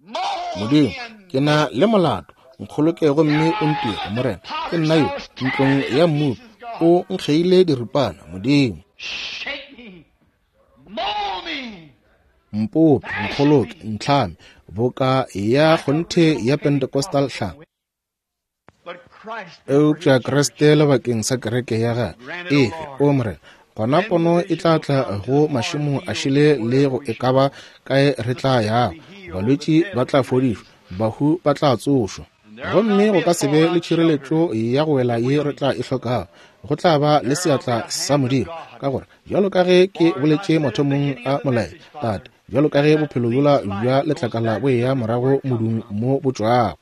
Modimo, ke na le molato, nkgoloke gomme o ntire, Morena. Ke nna yo, ntlong ya mmopi, o nkgeile diripana, Modimo. Mpope, nkgoloke, ntlhame, boka ya kgonthe ya Pentecostal hlama. Eupša Kriste lebakeng sa kereke ya gagwe, efe, o Morena, gona pono e tla tla go mašemo a šele le go e ka ba kae re tla yago. Balwetši ba tla fodišwa, bahu ba tla tsošwa. Gomme go ka se be le tšhireletšo ya go wela ye re tla e hlokago. Go tla ba le seatla sa Modimo, ka gore bjalo ka ge ke boletše mathomong a molaetša, Tate, bjalo ka ge bophelo bjola bja letlakala bo eya morago modung mo bo tšwago,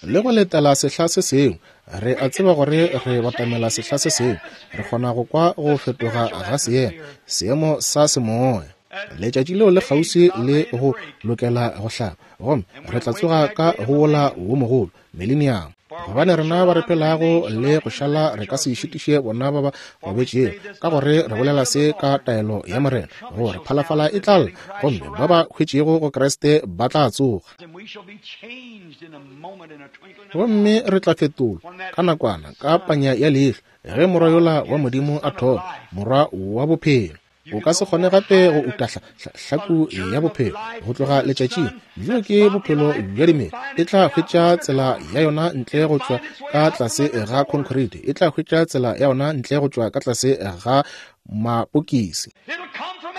le go letela sehla se sengwe, re a tseba gore re batamela sehla se sengwe. Re kgona go kwa go fetoga ga seemo, seemo sa semoya. Letšatši leo le kgauswi le go lokela go hlaba, gomme re tla tsoga ka go wola wo mogolo, millennium. Gobane rena ba re phelago le go šala re ka se šitiše bona ba ba robetšego, ka gore re bolela se ka taelo ya Morena, gore phalafala e tla lla, gomme ba ba hwetšego go Kriste ba tla tsoga. Gomme re tla fetolwa ka nakwana, ka panya ya leihlo, ge morwa yola wa Modimo a thoma, morwa wa bophelo. O ka se kgone gape go uta hlaku ya bophelo go tloga letšatšing. Bjo ke bophelo bja dimela. E tla hwetša tsela ya yona ntle go tšwa ka tlase ga concrete. E tla hwetša tsela ya yona ntle go tšwa ka tlase ga mapokisi.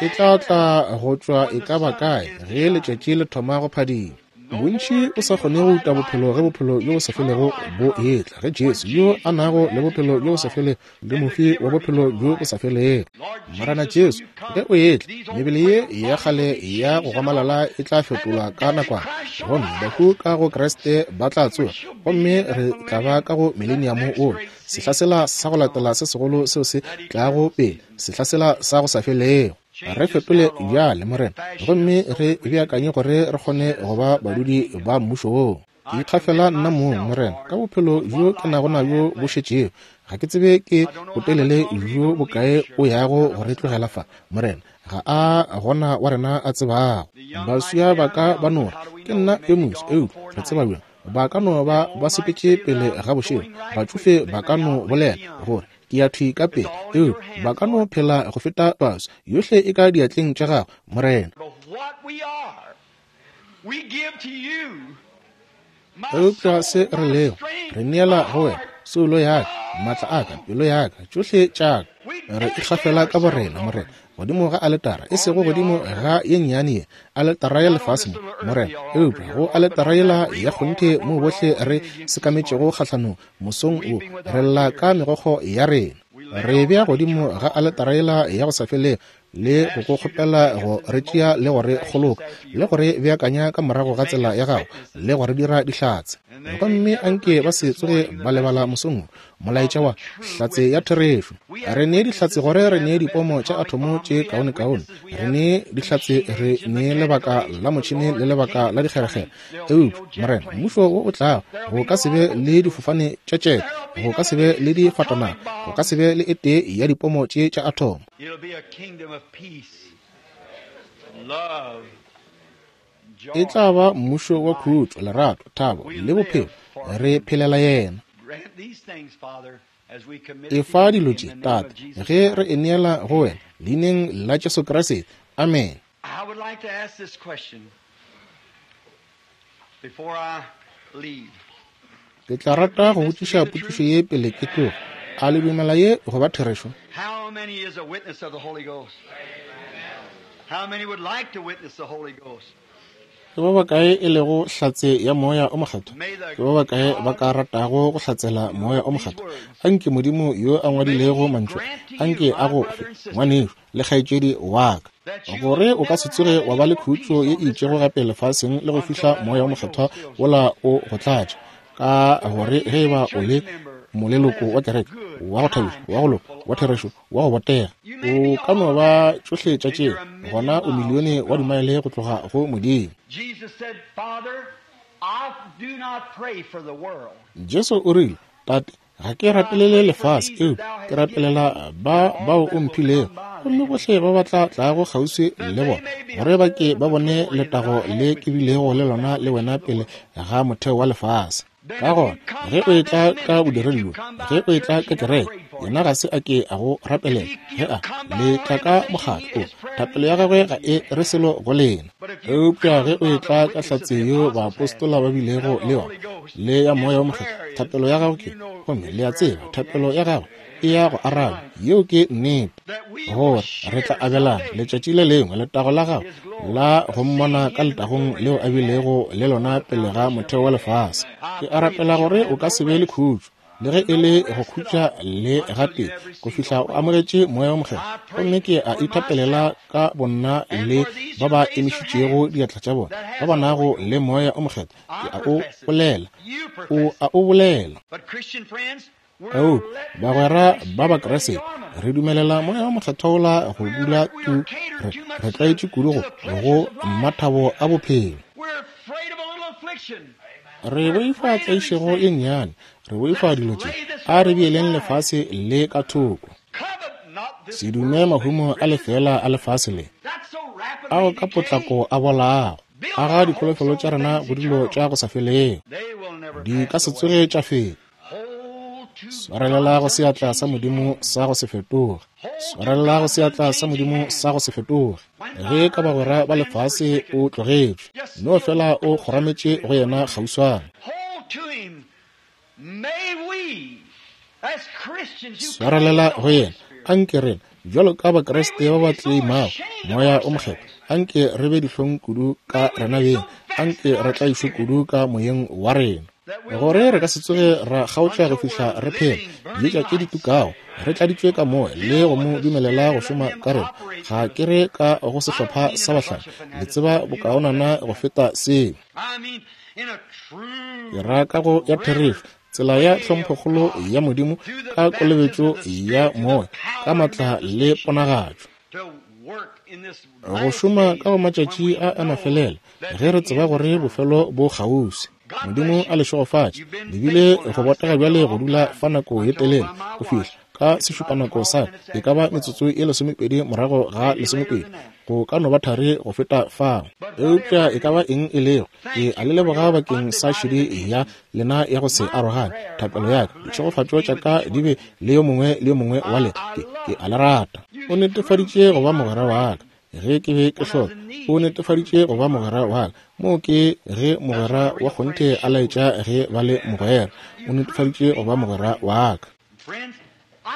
E tla tla go tšwa e ka ba kae ge letšatši le thoma go phadima. Bontši o sa kgone go uta bophelo ge bophelo bjo bo sa felego bo etla, ge Jesu yo a nago le bophelo bjo bo sa felego le mofi wa bophelo bjo bo sa felego. Morena Jesu, ge o etla, mebele ye ya kgale ya go gomalala e tla fetolwa ka nakwana, gomme bahu ka go Kriste ba tla tsoga, gomme re tla ba ka go millennium o, sehla sela sa go latela se segolo seo se tlago pele, sehla sela sa go sa felego. Re fetole bjale, Morena, gomme re beakanye gore re kgone go ba badudi ba mmušo woo. Ke ikgafela nna mong, Morena, ka bophelo bjo ke nago nabjo bo šetšego. Ga ke tsebe ke botelele bjo bokae o yago go re tlogela fa, Morena. Ga a gona wa rena a tsebago. Baswa ba ka ba no re, ke nna yo moswa, eupša re tseba bjang? Ba ka no ba ba sepetše pele ga bošego. Batšofe ba ka no bolela gore ke ya thwi ka pele, eupša ba ka no phela go feta baswa. Yohle e ka diatleng tša gago, Morena. Eupša se re lego, re neela go wena, soulo ya ka, maatla a ka, pelo ya ka, tšohle tša ka. Re ikgafela ka borena, Morena, godimo ga aletara, e sego godimo ga ye nnyane ye, aletara ya lefase mo, Morena, eupša go aletara yela ya kgonthe moo bohle re sekametšego kgahlanong mosong wo, re lla ka megokgo ya rena. Re bea godimo ga aletara yela ya go sa felego le go go kgopela go re tšea le go re kgoloka le go re beakanya ka morago ga tsela ya gago le go re dira dihlatse. Gomme anke ba se tsoge ba lebala mosong wo molaetša wa hlatse ya therešo. Re nee dihlatse gore re nee dipomo tša athomo tše kaonekaone. Re nee dihlatse, re nee lebaka la motšhene le lebaka la dikgerekgere. Eupša, Morena, mmušo wo o tlago go ka se be le difofane tša tšete, go ka se be le difatanaga, go ka se be le e tee ya dipomo tše tša athomo. E tla ba mmušo wa khutšo, lerato, thabo le bophelo. Re phelela yena. Efa dilo tše, Tate, ge re e neela go wena, leineng la Jesu Kriste. Amen. Ke tla rata go botšiša potšišo ye pele ke tloga. A le dumela ye go ba therešo? How many is a witness of the Holy Ghost? How many would like to witness the Holy Ghost? Ke ba bakae e lego hlatse ya moya o mokgethwa? Ke ba bakae ba ka ratago go hlatsela moya o mokgethwa? Anke Modimo yo a ngwadilego mantšu, anke a go fe, ngwanešu le kgaetšedi wa ka, gore o ka se tsoge wa ba le khutšo ye e itšego gape lefaseng le go fihla moya o mokgethwa wola o go tlatša. Ka gore ge e ba o le moleloko wa kereke, wa go thabiša, wa go loka, wa therešo, wa go botega, o ka no ba tšohle tša tšeo, gona o milione wa dimaele go tloga go Modimo. Jesu o rile, Tate, Ga ke rapelele lefase, eupša ke rapelela ba bao o mphilego, gomme bohle ba ba tla tlago kgauswi le bona, gore ba ke ba bone letago le ke bilego le lona le wena pele ga motheo wa lefase. Ka gona ge o etla ka bodiredi bjo, ge o etla ka kereke, yena ga se a ke a go rapelela. Ge a le tla ka mokgatlo, thapelo ya gagwe ga e re selo go lena. Eupša ge o etla ka hlatse yeo baapostola ba bilego le yona, le ya Moya wo Mokgethwa, thapelo ya gago ke, gomme le a tseba, thapelo ya gagwe e ya go araba. Yeo ke nnete, gore re tla abelana letšatši le lengwe letago la gagwe la go mmona ka letagong leo a bilego le lona pele ga motheo wa lefase. Ke a rapela gore o ka se be le khutšo, le ge e le go khutša le gatee, go fihla o amogetše Moya wo Mokgethwa. Gomme ke a ithapelela ka bonna le ba ba emišitšego diatla tša bona, ba ba nago le Moya o Mokgethwa. Ke a o bolela, o a o bolela. Eupša bagwera ba Bakriste, re dumelela Moya wo Mokgethwa wola go dula tu, re, re tlwaetše kudu go, go mathabo a bophelo. Re boifa tlaišego e nnyane, re boifa dilo tše. A re beeleng lefase le ka thoko. Se dume mahumo a lefela a lefase le, ao ka potlako a bolago. Aga dikholofelo tša rena go dilo tša go sa felego, di ka se tsoge tša feta. Swarelela go seatla sa Modimo sa go se fetoge. Swarelela go seatla sa Modimo sa go se fetoge. Ge ka bagwera ba lefase o tlogetšwe, no fela o kgorametše go yena kgauswana. Swarelela go yena. Anke rena bjalo ka Bakriste ba ba tleimago Moya o Mokgethwa, anke re be dihlong kudu ka rena beng, anke re tlaišwe kudu ka moyeng wa rena, gore re ka se tsoge ra kgaotša go fihla re phela dietša tše di tukago, re tladitšwe ka moya le go mo dumelela go šoma ka rena. Ga ke re ka go sehlopha sa bahlano, le tseba bokaonana go feta seo. Ke ra ka go ya therešo, tsela ya tlhomphokgolo ya Modimo ka kolobetšo ya moya, ka matla le ponagatšo, go šoma ka go matšatši a a mafelelo, ge re tseba gore bofelo bo kgauswi. Modimo a le šegofatše. Le bile go botega bjale go dula fa nako ye telele go fihla ka sešupanako sa e ka ba metsotso ye lesomepedi morago ga lesomepedi, go ka no ba thari go feta fao. Eupša e ka ba eng e lego, ke a le leboga bakeng sa šedi ya lena ya go se arogane. Thapelo ya ka, ditšhegofatšo tša ka di be le yo mongwe le yo mongwe wa lena. Ke, ke a le rata. O netefaditše go ba mogwera wa ka ge ke be ke hloka. O netefaditše go ba mogwera wa ka. Moo ke ge mogwera wa kgonthe a laetša ge ba le mogwera. O netefaditše go ba mogwera wa ka.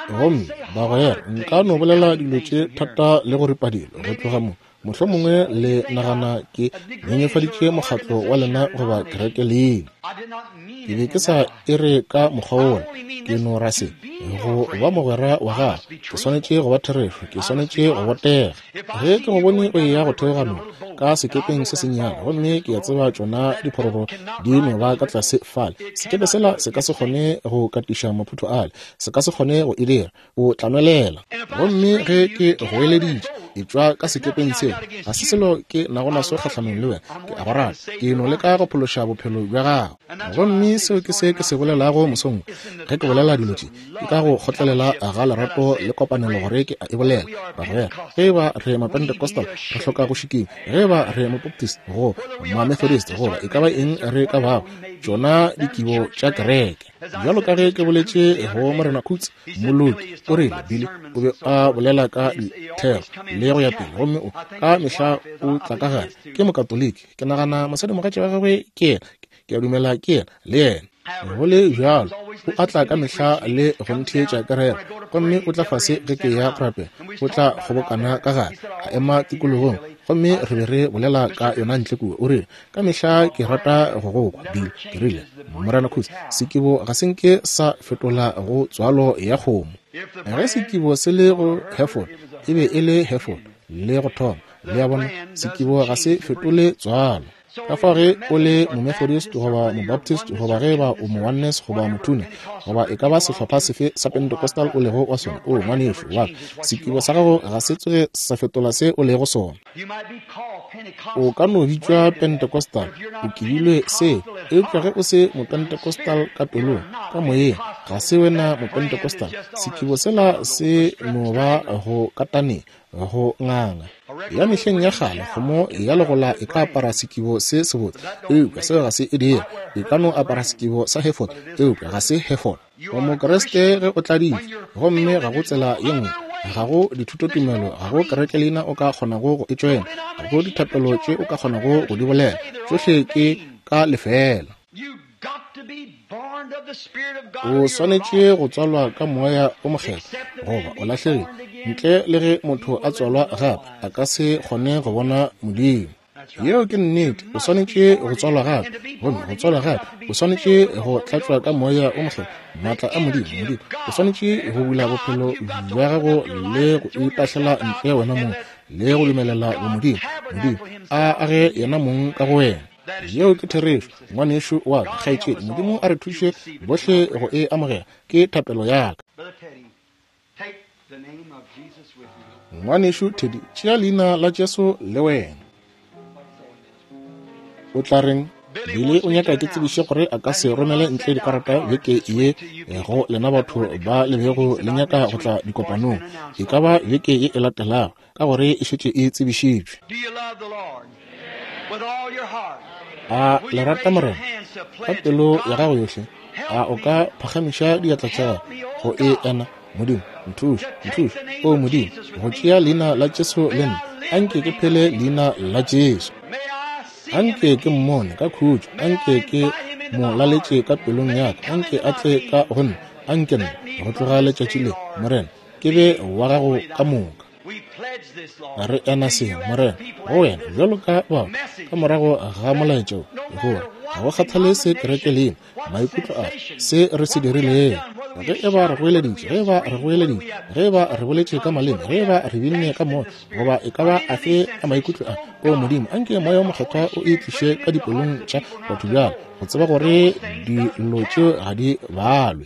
Gomme bagwera, nka no bolela dilo tše thata le go ripa dilo go tloga mo. Mohlomongwe le nagana ke nyenyefaditše mokgatlo wa lena goba kereke leina. Ke be ke sa e re ka mokgwa wola, ke no ra se. Go ba mogwera wa gago, ke swanetše go ba therešo, ke swanetše go botega. Ge ke go bone o eya go theoga noka ka sekepeng se sennyane, gomme ke a tseba tšona diphororo di no ba ka tlase fale, sekepe sela se ka se kgone go katiša maphutho ale, se ka se kgone go e dira, o tla nwelela. Gomme ge ke goeleditše etšwa ka sekepeng seo, ga se selo ke nago naso kgahlanong le wena, ke a go rata, ke no leka go phološa bophelo bja gago. Gomme seo ke se ke se bolelago mosong. Ge ke bolela dilo tše, ke ka go kgotlelela ga lerato le kopanelo gore ke a e bolela. Bagwera, ge e ba re Mapentecostal, re hloka go šikinya. Ge e ba re Mabaptist goba Mamethodist goba e ka ba eng re ka bago, tšona dikibo tša kereke. Bjalo ka ge ke boletše go Morena Coots, moloki, o rile Billy o be a bolela ka dithero le go ya pele, gomme o ka mehla o tla ka gare. Ke Mokatoliki, ke nagana mosadimogatša wa gagwe ke yena, ke a dumela ke yena le yena. Go le bjalo, o atla ka mehla le go ntheetša ka rera, gomme o tla fase ge ke ya go rapela, o tla kgobokana ka gare, a ema tikologong, gomme re be re bolela ka yona ntle kua. O rile, ka mehla ke rata go go kwa, Bill. Ke rile, Morena Coots, sekibo ga se nke sa fetola go tswalo ya kgomo. Ge sekibo se le go Hereford, e be e le Hereford le go thoma. Le a bona, sekibo ga se fetole tswalo. Ka fao ge o le Momethodist goba Mobaptist goba ge ba o Mo-Oneness goba Motuna goba e ka ba sehlopha sefe sa Pentecostal o lego wa sona, o ngwanešu wa ka, sekibo sa gago ga se tsoge sa fetola se o lego sona. O ka no bitšwa Pentecostal, o kibilwe seo, eupša ge o se Mopentecostal ka pelong, ka moyeng, ga se wena Mopentecostal. Sekibo sela se no ba go katane, go nganga. Ya mehleng ya kgale kgomo ya legola e ka apara sekibo se sebotse, eupša seo ga se e dire. E ka no apara sekibo sa Hereford, eupša ga se Hereford. O Mokriste ge o tladitšwe, gomme ga go tsela ye nngwe, ga go dithutotumelo, ga go kerekelina o ka kgonago go e tšwena, ga go dithapelo tše o ka kgonago go di bolela, tšohle ke ka lefeela. O swanetše go tswalwa ka moya o mokgethwa goba o lahlegile. Ntle le ge motho a tswalwa gape, a ka se kgone go bona Modimo. Yeo ke nnete. O swanetše go tswalwa gape, gomme go tswalwa gape o swanetše go tlatšwa ka moya o mokgethwa, maatla a Modimo. Modimo o swanetše go bula bophelo bja gago le go itahlela ntle wena mong le go dumelela bomodimo Modimo a age yena mong ka go wena. Yeo ke therešo, ngwanešu wa ka, kgaetšedi. Modimo a re thuše bohle go e amogela, ke thapelo ya ka. Ngwanešu Teddy, tšea leina la Jesu le wena. O tla reng? Billy o nyaka ke tsebiše gore a ka se romele ntle dikarata beke ye go lena batho ba le bego le nyaka go tla dikopanong. E ka ba beke ye e latelago, ka gore e šetše e tsebišitšwe. A le rata Morena ka pelo ya gago yohle? A o ka phagamiša diatla tša gago go e ena? Modimo, nthuše, nthuše, o Modimo, go tšea leina la Jesu le nna. Anke ke phele leina la Jesu. Anke ke mmone ka khutšo, anke ke mo laletše ka pelong ya ka, anke a tle ka go nna, anke nna go tloga letšatši le, Morena, ke be wa gago ka moka. Re ena se, Morena, go wena bjalo ka batho ka morago ga molaetša wo, gore ga go kgathale se kereke leina, maikutlo a se re se dirilego, ge e ba re goeleditše, ge e ba re goeleditše, ge e ba re boletše ka maleme, ge e ba re binne ka moya, goba e ka ba afe a maikutlo a, o Modimo, anke moya o mokgethwa o e tliše ka dipelong tša batho bjalo, go tseba gore dilo tšeo ga di balwe,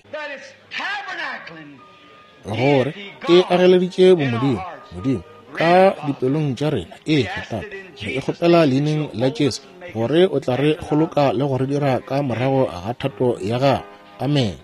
gore e ageleditše bomodimo Modimo ka dipelong tša rena. Ee, Tate, re e kgopela leineng la Jesu, gore o tla re kgoloka le go re dira ka morago ga thato ya gago. Amen.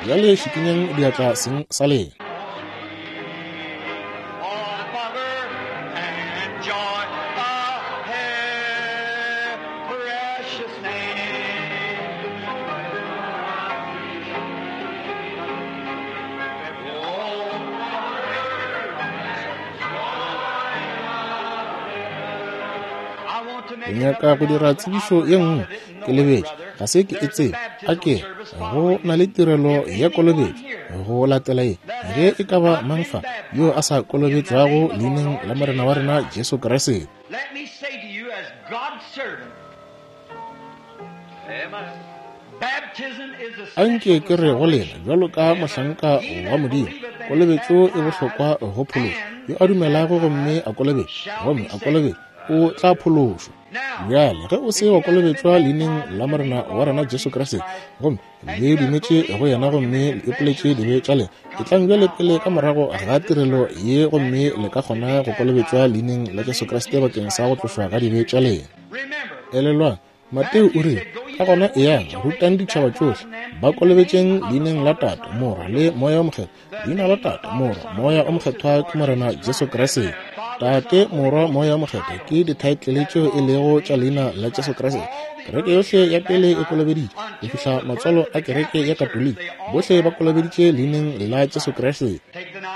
Bjale šikinyang diatla seng sa lena. Ke nyaka go dira tsebišo ye nngwe, ke lebetše, ga se ke e tsebe. A ke go na le tirelo ya kolobetšo go latela ye, ge e ka ba mang fa yo a sa kolobetšwago leineng la Morena wa rena Jesu Kriste. Anke ke re go lena bjalo ka mohlanka wa Modimo, kolobetšo e bohlokwa go phološo. Yo a dumelago gomme a kolobetšwa, gomme a kolobetšwa, o tla phološwa. Bjale ge o se wa kolobetšwa leineng la Morena wa rena Jesu Kriste, gomme le dumetše go yena gomme le ipoletše dibe tša lena, etlang bjale pele ka morago ga tirelo ye gomme le ka kgona go kolobetšwa leineng la Jesu Kriste bakeng sa go tlošwa ga dibe tša lena. Elelwang, Mateo o rile, ka gona eyang, rutang ditšhaba tšohle, ba kolobetšeng leineng la Tate, Morwa le Moya o Mokgethwa. Leina la Tate, Morwa, Moya o Mokgethwa ke Morena Jesu Kriste. Tate, Morwa, Moya o Mokgethwa ke dithaetlele tšeo e lego tša leina la Jesu Kriste. Kereke yohle ya pele e kolobeditše go fihla matswalo a kereke ya Katoliki, bohle ba kolobeditše leineng la Jesu Kriste.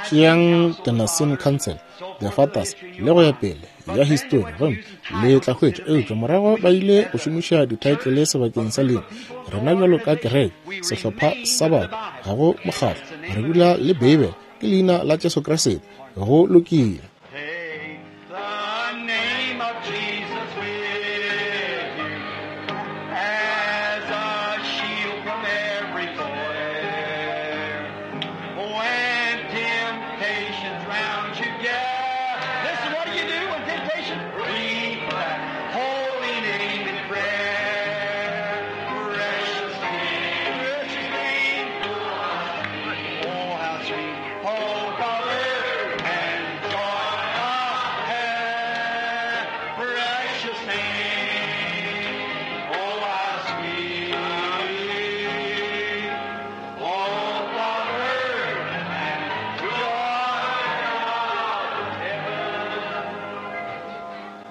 Tšeang the Nicene Council The Fathers, le go ya pele ya histori, gomme le tla hwetša. Eupša morago ba ile go šomiša dithaetlele sebakeng sa leina. Rena bjalo ka kereke, sehlopha sa batho, ga go mokgatlo, re dula le Beibele, ke leina la Jesu Kriste. Go lokile. Take the name of Jesus with you as a shield from every foe. When temptations round you gather, listen, what do you do when temptations? Read that holy name in prayer. Precious name, precious name. Oh, how sweet, oh, comfort and joy of heaven. Precious name, oh, how sweet, oh, comfort and joy of heaven.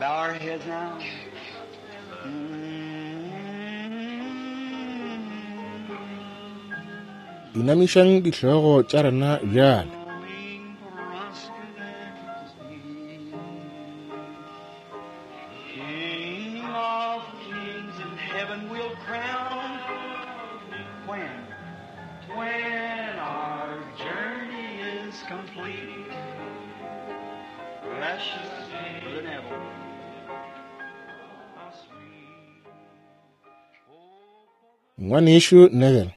Bow our heads now. Mm. Inamišang dihlogo tša rena bjale. King of kings in heaven will crown when, when our journey is complete. Precious Brother Neville. How sweet. Ngwanešu Neville,